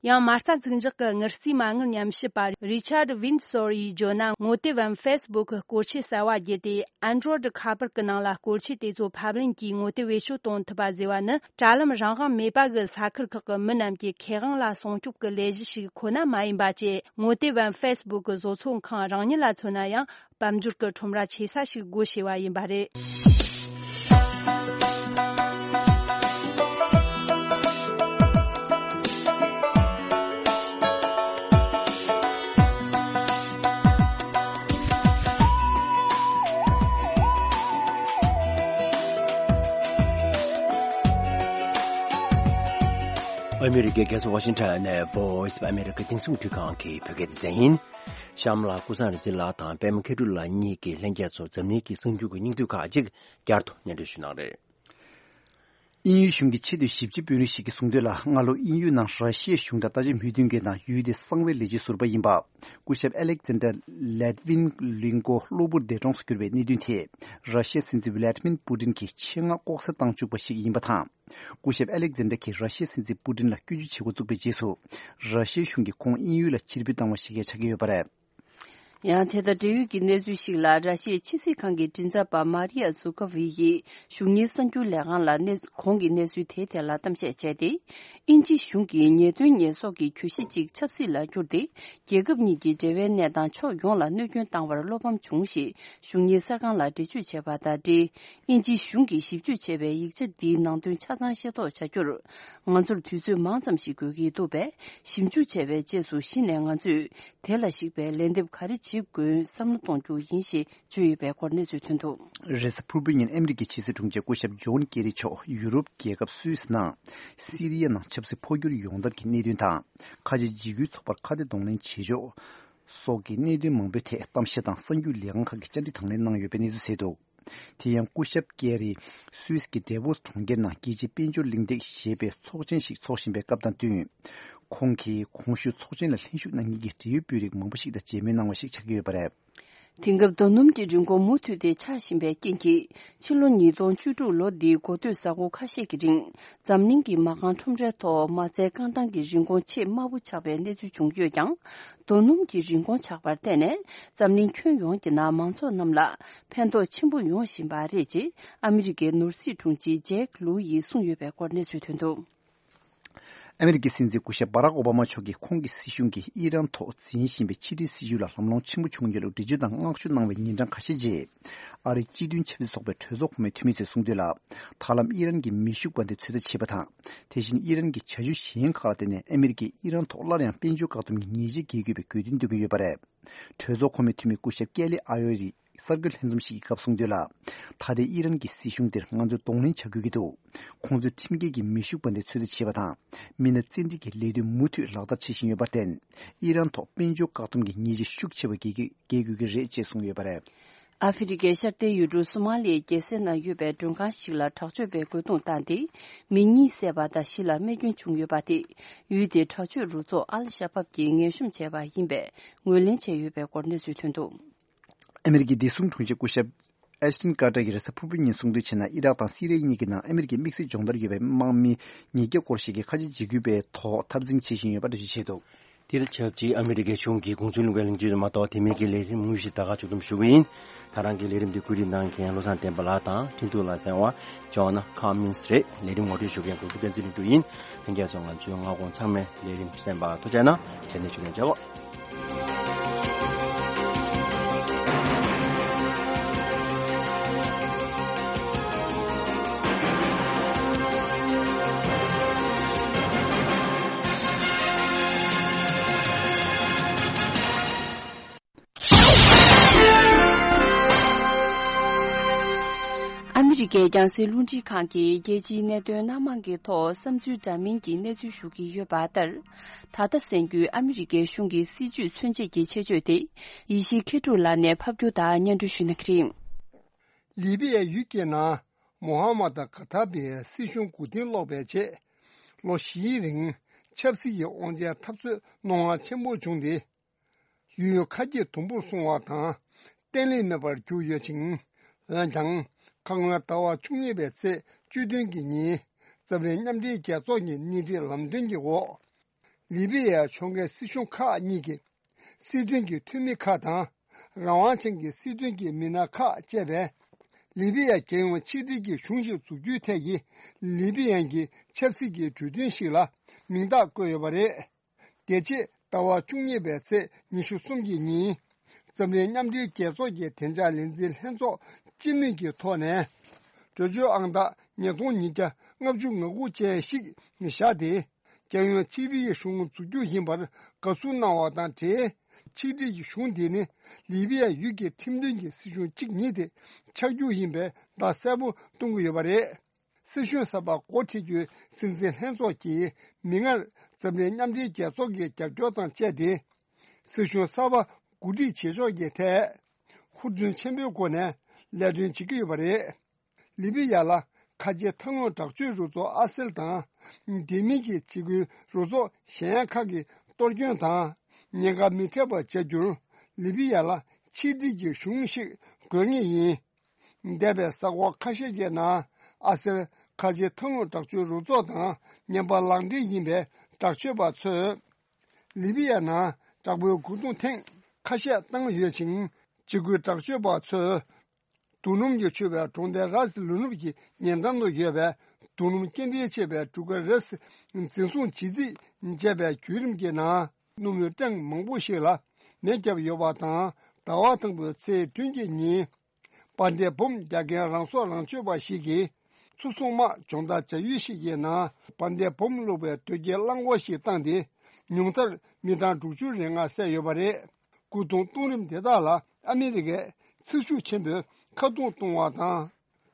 ཡང་མ་རྩ་འཛུགས་འཇོག་གི་དངུལ་རྩིས་མ་དངུལ་ཉམས་ཞིབ་པ་Richard Windsor་ཡིས་བརྗོད་ན། ངོ་དེབ་བམ་Facebook་གི་སྐོར་ཆས་གསར་བ་བརྒྱུད་དེ་Android་ཁ་པར་གྱི་ནང་ལ་སྐོར་ཆས་དེ་ཚོ་ཕབ་ལེན་གྱིས་ངོ་དེབ་བེད་སྤྱོད་གཏོང་ཐུབ་པ་ཟེར་བ་ནི། དྲ་ལམ་རང་དབང་མེད་པ་གི་ས་ཁུལ་ཁག་གི་མི་རྣམས་ཀྱི་ཁེ་དབང་ལ་སྲུང་སྐྱོབ་ཀྱི་ལས་གཞི་ཞིག་ཁོ་ན་མ་ཡིན་པ་བཅས། ངོ་དེབ་བམ་Facebook་གི་བཟོ་ཚོང་ཁང་རང་ཉིད་ལ་མཚོན་ན་ཡང་། དཔལ་འབྱོར་གྱི་ཁྲོམ་ར་ཆེ་ས་ཞིག་སྒོ་ཕྱེ་བ་ཡིན་པ་རེད། ཨ་མི་རི་ཀའི་རྒྱལ་ས་ཝ་ཤིང་ཊོན་ནས་Voice of America་རྒྱང་སྲིང་རླུང་འཕྲིན་ཁང་གི་བོད་སྐད་སྡེ་ཚན་ཡིན། གཤམ་ལ་ཀུན་བཟང་རིག་འཛིན་ལགས་དང་པད་མ་མཁས་གྲུབ་ལགས་གཉིས་ཀྱིས་ལྷན་རྒྱས་ཚོར་འཛམ་གླིང་གི་གསར་འགྱུར་གྱི་སྙིང་བསྡུས་ཁག་ཅིག་བསྐྱར་དུ་སྙན་སྒྲོན་ཞུ་གནང་རེད། དབྱིན་ཡུལ་གཞུང་གི་ཆེས་མཐོའི་ཞིབ་དཔྱོད་དཔོན་རིགས་ཤིག་གིས་གསུངས་དོན་ལ། སྔ་ལོ་དབྱིན་ཡུལ་ནང་ར་ཤི་ཡའི་གཞུང་དང་ལྟ་ཞིབ་མོས་མཐུན་མཁན་དང་ཡུལ་དེའི་གསང་བའི་ལས་བྱེད་ཟུར་པ་ཡིན་པ། སྐུ་ཞབས་Alexander Litvinenko་གློ་བུར་འདས་གྲོངས་སུ་གྱུར་པའི་གནད་དོན་ཐད། ར་ཤི་ཡའི་སྲིད་འཛིན་Vladimir Putin་གྱིས་ཆེད་མངགས་ལྐོག་ཟ་བཏང་བཅུག་པ་ཞིག་ཡིན་པ་དང་། སྐུ་ཞབས་Alexander་གྱིས་ར་ཤི་ཡའི་སྲིད་འཛིན་Putin་ལ་སྐྱོན་བརྗོད་བྱེད་འགོ་བཙུགས་པའི་རྗེས་སུ། ར་ཤི་ཡའི་གཞུང་གིས་ཁོང་དབྱིན་ཡུལ་ལ་ཕྱིར་འབུད་བཏང་བ་ཞིག་ཆགས་ཀྱི་ཡོད་པ་རེད། ཡང་དེ་དང་འབྲེལ་ཡོད་ཀྱི་གནས་ཚུལ་ཞིག་ལ། ར་ཤི་ཡའི་ཕྱི་སྲིད་ཁང་གི་མགྲིན་ཚབ་པ་Maria Zakharova་ཡིས་གཞུང་གཉེར་གསར་འགྱུར་ལས་ཁང་ལ་གནས་གོང་གི་གནས་ཚུལ་དེའི་ཐད་ལ་གཏམ་བཤད་བྱས་ཏེ། དབྱིན་ཇི་གཞུང་གིས་ཉེས་དོན་ཉེས་གསོག་གི་གྱོད་གཞི་གཅིག་ཆབ་སྲིད་ལ་བསྒྱུར་ཏེ། རྒྱལ་ཁབ་གཉིས་ཀྱི་འབྲེལ་བའི་གནས་སྟངས་ཕྱོགས་ཡོངས་ལ་གནོད་སྐྱོན་བཏང་བར་བློ་ཕམ་བྱུང་ཞེས་གཞུང་གཉེར་གསར་ཁང་ལ་འགྲེལ་བརྗོད་བྱས་པ་དང་འབྲེལ། དབྱིན་ཇིའི་གཞུང་གིས་ཞིབ་འཇུག་བྱས་པའི་ཡིག་ཆ་འདིའི་ནང་དོན་ཆ་ཚང་ཤེས་རྟོགས་བྱ་རྒྱུར། ང་ཚོར་དུས་ཚོད་མང་ཙམ་ཞིག་དགོས་ཀྱི་འདུག་པས། ཞིབ་འཇུག་བྱས་པའི་རྗེས་སུ་གཞི་ནས་ང་ཚོས་དེ་ལ་གཞིགས་པའི་ལན་འདེབས་ག་རེ་བྱེད་དགོས་བསམ་བློ་གཏོང་རྒྱུ་ཡིན་ཞེས་བརྗོད་ཡོད་པའི་སྐོར་གནས་ཚུལ་ཐོན་འདུག་རེས་གཟའ་ཕུར་བུའི་ཉིན་ཨ་མི་རི་ཀའི་ཕྱི་སྲིད་དྲུང་ཆེ་སྐུ་ཞབས་ཇོན་ཀེ་རི་མཆོག་ཡུ་རོབ་རྒྱལ་ཁབ་སུད་སི་ནང་སི་རི་ཡ་ནང་ཆབ་སྲིད་འཕོ་འགྱུར་ཡོང་ཐབས་ཀྱི་གནད་དོན་དང་། ཁ་ཆེ་འཇིགས་སྐུལ་ཚོགས་པར་ཁ་གཏད་གདོང་ལེན་བྱེད་ཕྱོགས་སོགས་ཀྱི་གནད་དོན་མང་པོའི་ཐད་གཏམ་བཤད་དང་གསར་འགྱུར་ལས་ཁང་ཁག་གིས་བཅར་འདྲི་དང་ལེན་གནང་ཡོད་པའི་གནས་ཚུལ་གསལ་འདུག་དེ་ཡང་སྐུ་ཞབས་ཀེ་རི་སུད་སི་གི་ཌེ་ཝོ་སི་གྲོང་ཁྱེར་ནང་རྒྱལ་སྤྱིའི་དཔལ་འབྱོར་གླེང་སྟེགས་ཞེས་པའི་ཚོགས་ཆེན་ཞིག་འཚོགས་བཞིན་པའི་སྐབས་དང་བསྟུན། ཁོང་གིས་གོང་ཞུས་ཚོགས་ཆེན་ལ་ལྷན་ཞུགས་གནང་མཁན་གྱི་འབྲེལ་ཡོད་དཔོན་རིགས་མང་པོ་ཞིག་དང་མཇལ་མོལ་གནང་བ་ཞིག་ཆགས་ཀྱི་ཡོད་པ་རེད། དེང་སྐབས་རྡོ་སྣུམ་གྱི་རིན་གོང་མུ་མཐུད་དེ་ཆག་བཞིན་པའི་རྐྱེན་གྱིས། ཕྱི་ལོ་ཉིས་སྟོང་བཅུ་དྲུག་ལོ་འདིའི་འགོ་སྟོད་གཟའ་འཁོར་ཁ་ཤས་ཀྱི་རིང་། འཛམ་གླིང་གི་མ་རྐང་ཁྲོམ་རའི་ཐོག་མ་རྩའི་རྐང་གྲངས་ཀྱི་རིན་གོང་ཆེས་དམའ་བོ་ཆགས་པའི་གནས་ཚུལ་བྱུང་ཡོད་ཀྱང་། རྡོ་སྣུམ་གྱི་རིན་གོང་ཆག་པར་བརྟེན་ནས། འཛམ་གླིང་ཁྱོན་ཡོངས་ཀྱི་ནང་མང་ཚོགས་རྣམས་ལ་ཕན་ཐོགས་ཆེན་པོ་ཡོང་བཞིན་པ་རེད་ཅེས་ཨ་མི་རི་ཀའི་ནོར་སྲིད་དྲུང་ཆེ་ཇེག་ལུའུ་ཡིས་གསུངས་ཡོད་པའི་སྐོར་གནས་ཚུལ་ཐོན་འདུག་ཨ་མི་རི་ཀའི་སྲིད་འཛིན་སྐུ་ཞབས་བྷ་རག་ཨོ་བྷ་མ་མཆོག་གིས་ཁོང་གི་སྲིད་གཞུང་གིས་ཨི་རན་ཐོག་འཛིན་བཞིན་པའི་ཕྱི་འབྲེལ་སྲིད་ཇུས་ལ་ལམ་ལྷོང་ཆེན་པོ་བྱུང་ཡོད་ལུགས་འགྲེལ་བརྗོད་དང་བསྔགས་བརྗོད་གནང་བའི་ཉིན་གྲངས་ཁ་ཤས་རྗེས། ཨ་རིའི་སྤྱི་མཐུན་ཆབ་སྲིད་ཚོགས་པའི་གྲོས་ཚོགས་གོང་མའི་འཐུས་མི་ཚོས་གསུངས་དོན་ལ། ད་ལམ་ཨི་རན་གྱི་མེ་ཤུགས་དཔལ་ལྡན་ཚོད་ལྟ་བྱས་པ་དང་། དེ་བཞིན་ཨི་རན་གྱི་བྱ་སྤྱོད་གཞན་ཁག་ལ་བརྟེན་ནས་ཨ་མི་རི་ཀས་ཨི་རན་ཐོག་སླར་ཡང་དཔལ་འབྱོར་བཀག་སྡོམ་གྱི་ཉེས་ཆད་འགེལ་དགོས་པའི་དགོས་འདུན་འདོན་གྱི་ཡོད་པ་རེད། གྲོས་ཚོགས་གོང་མའི་འཐུས་མི་སྐུ་ཞབས་ཀེ་ལི་ཨ་ཡོ་རི་གསར་འགོད་ལྷན་འཛོམས་ཤིག་གི་སྐབས་གསུངས་དོན་ལ། ད་ལྟའི་ཨི་རན་གྱི་སྲིད་གཞུང་དེར་ང་ཚོས་གདོང་ལེན་བྱ་དགོས་ཀྱི་འདུག་ཁོང་ཚོས་ཁྲིམས་འགལ་གྱི་མེ་ཤུགས་དཔལ་ལྡན་ཚོད་ལྟ་བྱས་པ་དང་། མི་སྣ་བཙན་ཁྲིད་ཀྱི་ལས་དོན་མུ་མཐུད་ལག་བསྟར་བྱེད་བཞིན་ཡོད་པར་བརྟེན། ཨི་རན་ཐོག་དཔལ་འབྱོར་བཀག་སྡོམ་གྱི་ཉེས་ཆད་ཤུགས་ཆེ་བ་འགེལ་དགོས་ཀྱི་རེད་ཅེས་གསུངས་ཡོད་པ་རེད། ཨ་ཧྥེ་རི་ཁའི་ཤར་མཐའི་ཡུལ་གྲུ་སོ་མ་ལིའི་རྒྱལ་སའི་ནང་ཡོད་པའི་མགྲོན་ཁང་ཞིག་ལ་དྲག་སྤྱོད་པས་རྒོལ་རྡུང་བཏང་སྟེ། མི་གཉིས་བསད་པ་དང་བཞི་ལ་རྨས་སྐྱོན་བྱུང་ཡོད་པ་དེ། ཡུལ་དེའི་དྲག་སྤྱོད་རུ་ཚོགས་ཨལ་ཤ་བབ་ཀྱིས་ངན་གཤོམ་བྱས་པ་ཡིན་པའི་ངོས་ལེན་བྱས་ཡོད་པའི་སྐོར་གནས་ཚུལ་ཐོན་འདུག་ཨ་མི་རི་ཀའི་བདེ་སྲུང་དྲུང་ཆེ་སྐུ་ཞབས་ ཨེ་ཤི་ཏིན་ཀར་ཏར་གྱིས་རེས་གཟའ་ཕུར་བུའི་ཉིན་གསུངས་དོན་བྱས་ན། ཨི་རག་དང་སི་རི་ཡ་གཉིས་ཀྱི་ནང་ཨ་མི་རི་ཀའི་དམིགས་བསལ་སྦྱོང་བརྡར་ཡོད་པའི་དམག་མི་ཉིས་བརྒྱ་སྐོར་ཞིག་གིས་ཁ་ཆེ་འཇིགས་སྐུལ་བའི་ཐོག་འཐབ་འཛིང་བྱེད་བཞིན་ཡོད་པ་འགྲེལ་བརྗོད་བྱས་འདུག་དེར་ཆབས་ཅིག་ཨ་མི་རི་ཀའི་གཞུང་གི་དགོངས་ཚུལ་གླེང་བའི་གླེང་བརྗོད་མ་གཏོགས། དེ་མིན་གྱི་ལས་རིམ་དངོས་གཞི་ད་ག་མཇུག་བསྡོམས་ཞུ་གི་ཡིན། ད་རང་གི་ལས་རིམ་འདི་བཀོད་སྒྲིག་གནང་མཁན་བློ་བཟང་བསྟན་པ་ལགས་དང་འཕྲིན་གཏོང་ལ་གསན་པ་ཇོ་ན་ཁ་མིན་སི་རེད། ལས་རིམ་ངོ་སྤྲོད་ཞུ་མཁན་གོ་བུ་བསྟན་འཛིན་ལྷུན་གྲུབ་ཡིན། ལྷན་རྒྱས་ཚོ་ང་ཚོའི་སྔ་དགོང་ཚང་མའི་ལས་རིམ་གསན་པར་ཐུགས་རྗེ་གནང་། རྗེས་ནས་ཞུ་མཁན་མཇལ་བ། ཨ་མི་རི་ཀའི་རྒྱང་སྲིང་རླུང་འཕྲིན་ཁང་གིས་རྒྱལ་སྤྱིའི་གནད་དོན་སྣ་མང་གི་ཐོག་བསམ་ཚུལ་འདྲ་མིན་གྱི་གནས་ཚུལ་ཞུ་གི་ཡོད་པ་ལྟར། ད་ལྟ་གསན་རྒྱུའི་ཨ་མི་རི་ཀའི་གཞུང་གི་སྲིད་བྱུས་མཚོན་བྱེད་ཀྱི་ཆེད་བརྗོད་དེ། ཡེ་ཤེས་མཁས་གྲུབ་ལགས་ནས་ཕབ་སྒྱུར་དང་སྙན་སྒྲོན་ཞུ་གནང་གི་རེད། ལི་བི་ཡའི་ཡུལ་གྱི་ནང་མོ་ཧ་མ་ད་ག་ཐ་པའི་སྲིད་གཞུང་མགོ་རྟིང་སློག་པའི་རྗེས། ལོ་བཞིའི་རིང་ཆབ་སྲིད་ཀྱི་དབང་ཆའི་འཐབ་རྩོད་རྣོ་ངར་ཆེན་པོ་བྱུང་སྟེ། ཡུལ་ཁ་གྱེས་དུམ་བུར་སོང་བ་དང་། བརྟན་ལྷིང་མེད་པར་གྱུར་ཡོད་ཅིང་། འོན་ཀྱང་། ཁ་སྔོན་ཟླ་བ་བཅུ་གཉིས་པའི་ཚེས་བཅུ་བདུན་གྱི་ཉིན། འཛམ་གླིང་མཉམ་འབྲེལ་རྒྱལ་ཚོགས་ཀྱི་སྣེ་ཁྲིད་ལམ་སྟོན་གྱི་འོག་ལི་བི་ཡའི་ཕྱོགས་འགལ་སྲིད་གཞུང་ཁག་གཉིས་ཀྱི་སྲིད་དོན་གྱི་འཐུས་མི་ཁག་དང་། རང་དབང་ཅན་གྱི་སྲིད་དོན་གྱི་མི་སྣ་ཁག་བཅས་པས། ལི་བི་ཡ་རྒྱལ་ཡོངས་ཆིག་སྒྲིལ་གྱི་གཞུང་ཞིག་འཛུགས་རྒྱུའི་ཐད་ཀྱི་ལི་བི་ཡན་གྱི་ཆབ་སྲིད་ཀྱི་གྲོས་མཐུན་ཞིག་ལ་མིང་རྟགས་བཀོད་ཡོད་པ་རེད། དེ་རྗེས་ཟླ་བ་བཅུ་གཉིས་པའི་ཚེས་ཉི་ཤུ་གསུམ་གྱི་ཉིན། འཛམ་གླིང་མཉམ་འབྲེལ་རྒྱལ་ཚོགས་ཀྱི་བདེ་འཇགས་ལས་འཛིན་ལྷན་ཚོགས་སྤྱི་མོས་ཀྱི་ཐོག་ནས། གྲོས་ཆོད་ཨང་རྟགས་ཉིས་སྟོང་ཉིས་བརྒྱ་ལྔ་བཅུ་ང་དགུ་ཅན་ཞིག་བཞག་སྟེ། རྒྱལ་ཡོངས་ཆིག་སྒྲིལ་གྱི་གཞུང་འཛུགས་རྒྱུ་ཡིན་པར་དགའ་བསུ་གནང་བ་དང་འབྲེལ། ཆིག་སྒྲིལ་གྱི་གཞུང་དེ་ནི་ལི་བི་ཡ་ཡུལ་གྱི་ཁྲིམས་མཐུན་གྱི་སྲིད་གཞུང་གཅིག་ཉིད་དེ་ཆགས་རྒྱུ་ཡིན་པའི་བརྡ་གསལ་པོ་གཏོང་གི་ཡོད་པ་རེད། སྲིད་གཞུང་གསར་པ་འགོ་ཁྲིད་རྒྱུའི་སྲིད་འཛིན་ལྷན་ཚོགས་ཀྱིས་མིག་སྔར་འཛམ་གླིང་མཉམ་འབྲེལ་རྒྱལ་ཚོགས་ཀྱི་རྒྱབ་སྐྱོར་དང་བཅས་ཏེ། སྲིད་གཞུང་གསར་པ་འགོ་ཁྲིད་བྱེད་ཕྱོགས་ཀྱི་ཐད། ཧུར་བརྩོན་ཆེན་པོའི་སྒོ་ནས་ལས་དོན་བྱེད་ཀྱི་ཡོད་པ་རེད། ལི་བི་ཡ་ལ་ཁ་ཆེའི་ཐབས་ལམ་དྲག་སྤྱོད་རུ་ཚོགས་ཨ་སེལ་དང་། དེ་མིན་གྱི་འཇིགས་སྐུལ་རུ་ཚོགས་གཞན་ཡང་ཁག་གི་གཏོར་སྐྱོན་དང་ཉེན་ཁ་མི་འཕྲད་པ་བྱ་རྒྱུར་ལི་བི་ཡ་ལ་ཆིག་སྒྲིལ་གྱི་གཞུང་ཞིག་དགོས་ངེས་ཡིན། འདས་པའི་གཟའ་འཁོར་ཁ་ཤས་ཀྱི་ནང་ཨ་སེལ་ཁ་ཆེའི་ཐབས་ལམ་དྲག་སྤྱོད་རུ་ཚོགས་དང་ངན་པ་ལག་འབྲེལ་ཡིན་པའི་དྲག་སྤྱོད་པ་ཚོས། ལི་བི་ཡ་ནང་དྲག་པོའི་རྒོལ་རྡུང་ཐེངས་ཁ་ཤས་བཏང་ཡོད་ཅིང་། འཇིགས་སྐུལ་དྲག་སྤྱོད་པ་ཚོས། རྡོ་སྣུམ་གྱིས་ཕྱུག་པའི་གྲོང་རྡལ་རཱས་ལུ་ནུབ་ཀྱི་ཉེ་འགྲམ་དུ་ཡོད་པའི་རྡོ་སྣུམ་སྐྱེལ་འདྲེན་བྱེད་པའི་གྲུ་ཁ་རེས་འཛིན་བཟུང་བྱེད་རྩིས་བྱས་པའི་བརྒྱུད་རིམ་གྱི་ནང་། སྣུམ་རིན་གྲངས་མང་པོ་ཞིག་ལ་མེ་བརྒྱབ་ཡོད་པ་དང་། ཟླ་བ་དང་པོའི་ཚེས་བདུན་གྱི་ཉིན། བར་མདེལ་སྦོམ་རྒྱག་མཁན་རང་སྲོག་རང་གཅོད་པ་ཞིག་གིས། མཚོ་སྲུང་དམག་སྦྱོང་བརྡར་བྱ་ཡུལ་ཞིག་གི་ནང་བར་མདེལ་སྦོམ་བླུགས་པའི་དོས་སྐྱེལ་རླངས་འཁོར་ཞིག་བཏང་སྟེ། ཉུང་མཐར་མི་གྲངས་དྲུག་ཅུ་རེ་ལྔ་བསད་ཡོད་པ་རེད། རྒོལ་རྡུང་གཏོང་རིམ་དེ་དག་ལ་ཨ་མི་རི་ཀས་ཚེ་ཤུགས་ཆེན་པོས་ཁ་རྡུང་གཏོང་བ་དང་།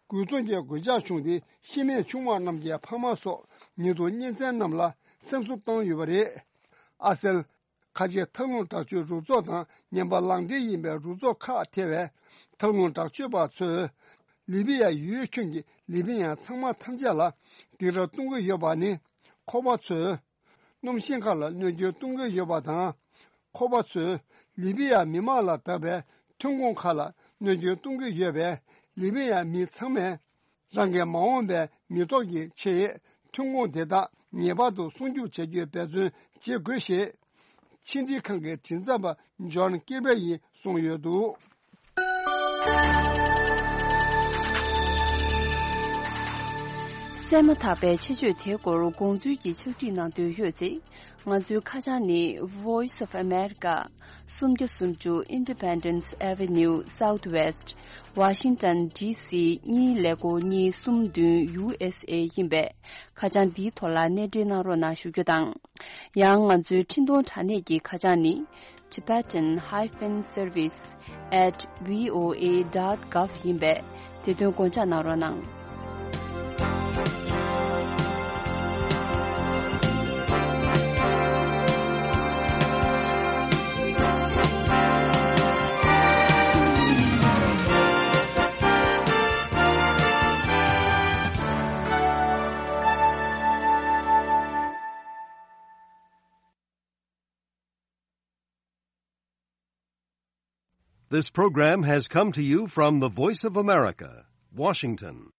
རྒོལ་རྡུང་གི་གོད་ཆག་བྱུང་སྟེ་ཤི་རྨས་བྱུང་བ་རྣམས་ཀྱི་ཕ་མ་སོགས་ཉེ་དུ་གཉེན་ཚན་རྣམས་ལ་སེམས་གསོ་བཏང་ཡོད་པ་རེད། ཨ་སེལ། ཁ་ཆེའི་ཐབས་ལམ་དྲག་སྤྱོད་རུ་ཚོགས་དང་ངན་པ་ལག་འབྲེལ་ཡིན་པའི་རུ་ཚོགས་ཁག་ཐེ་བའི་ཐབས་ལམ་དྲག་སྤྱོད་པ་ཚོས་ལི་བི་ཡ་ཡུལ་ཁྱོན་གྱི་ལི་བི་ཡན་ཚང་མ་ཐམས་ཅད་ལ་སྡིགས་ར་གཏོང་གི་ཡོད་པ་ནི། ཁོ་པ་ཚོས་སྣུམ་ཤིང་ཁག་ལ་གནོད་སྐྱོན་གཏོང་གི་ཡོད་པ་དང་། ཁོ་པ་ཚོས་ལི་བི་ཡ་མི་དམངས་ལ་བཏབ་པའི་ཐོན་ཁུངས་ཁག་ལ་གནོད་སྐྱོན་གཏོང་གི་ཡོད་པས། ལི་བི་ཡ་མི་ཚང་མས། རང་གི་མ་འོངས་པའི་མི་ཐོག་གི་ཆེད་ཐོན་ཁུངས་དེ་དག་ངེས་པར་དུ་སྲུང་སྐྱོབ་བྱ་རྒྱུའི་འབད་བརྩོན་བྱེད་དགོས་ཞེས། ཕྱི་འབྲེལ་ཁང་གི་མགྲིན་ཚབ་པ་ཇོན་ཀིར་པེར་ཡིས་གསུངས་ཡོད་འདུག། གསན་མ་ཐག་པའི་ཆེད་བརྗོད་དེའི་སྐོར་དགོངས་ཚུལ་གྱི་ཕྱག་བྲིས་གནང་འདོད་ཡོད་ཚེ། ང་ཚོའི་ཁ་བྱང་ནི། Voice of America། སུམ་བརྒྱ་སུམ་ཅུ་Independence Avenue Southwest། Washington D C གཉིས་ཀླད་ཀོར་གཉིས་གསུམ་བདུན་U S A ཡིན་པས། ཁ་བྱང་འདིའི་ཐོག་ལ་གནས་འབྲེལ་གནང་རོགས་གནང་ཞུ་རྒྱུ་དང་། ཡང་ང་ཚོའི་འཕྲིན་གཏོང་དྲ་གནས་ཀྱི་ཁ་བྱང་ནི། Tibetan hyphen service at V O A dot gov ཡིན་པས། དེ་དོན་དགོངས་འཇགས་གནང་རོགས་གནང་། This program has come to you from the Voice of America, Washington.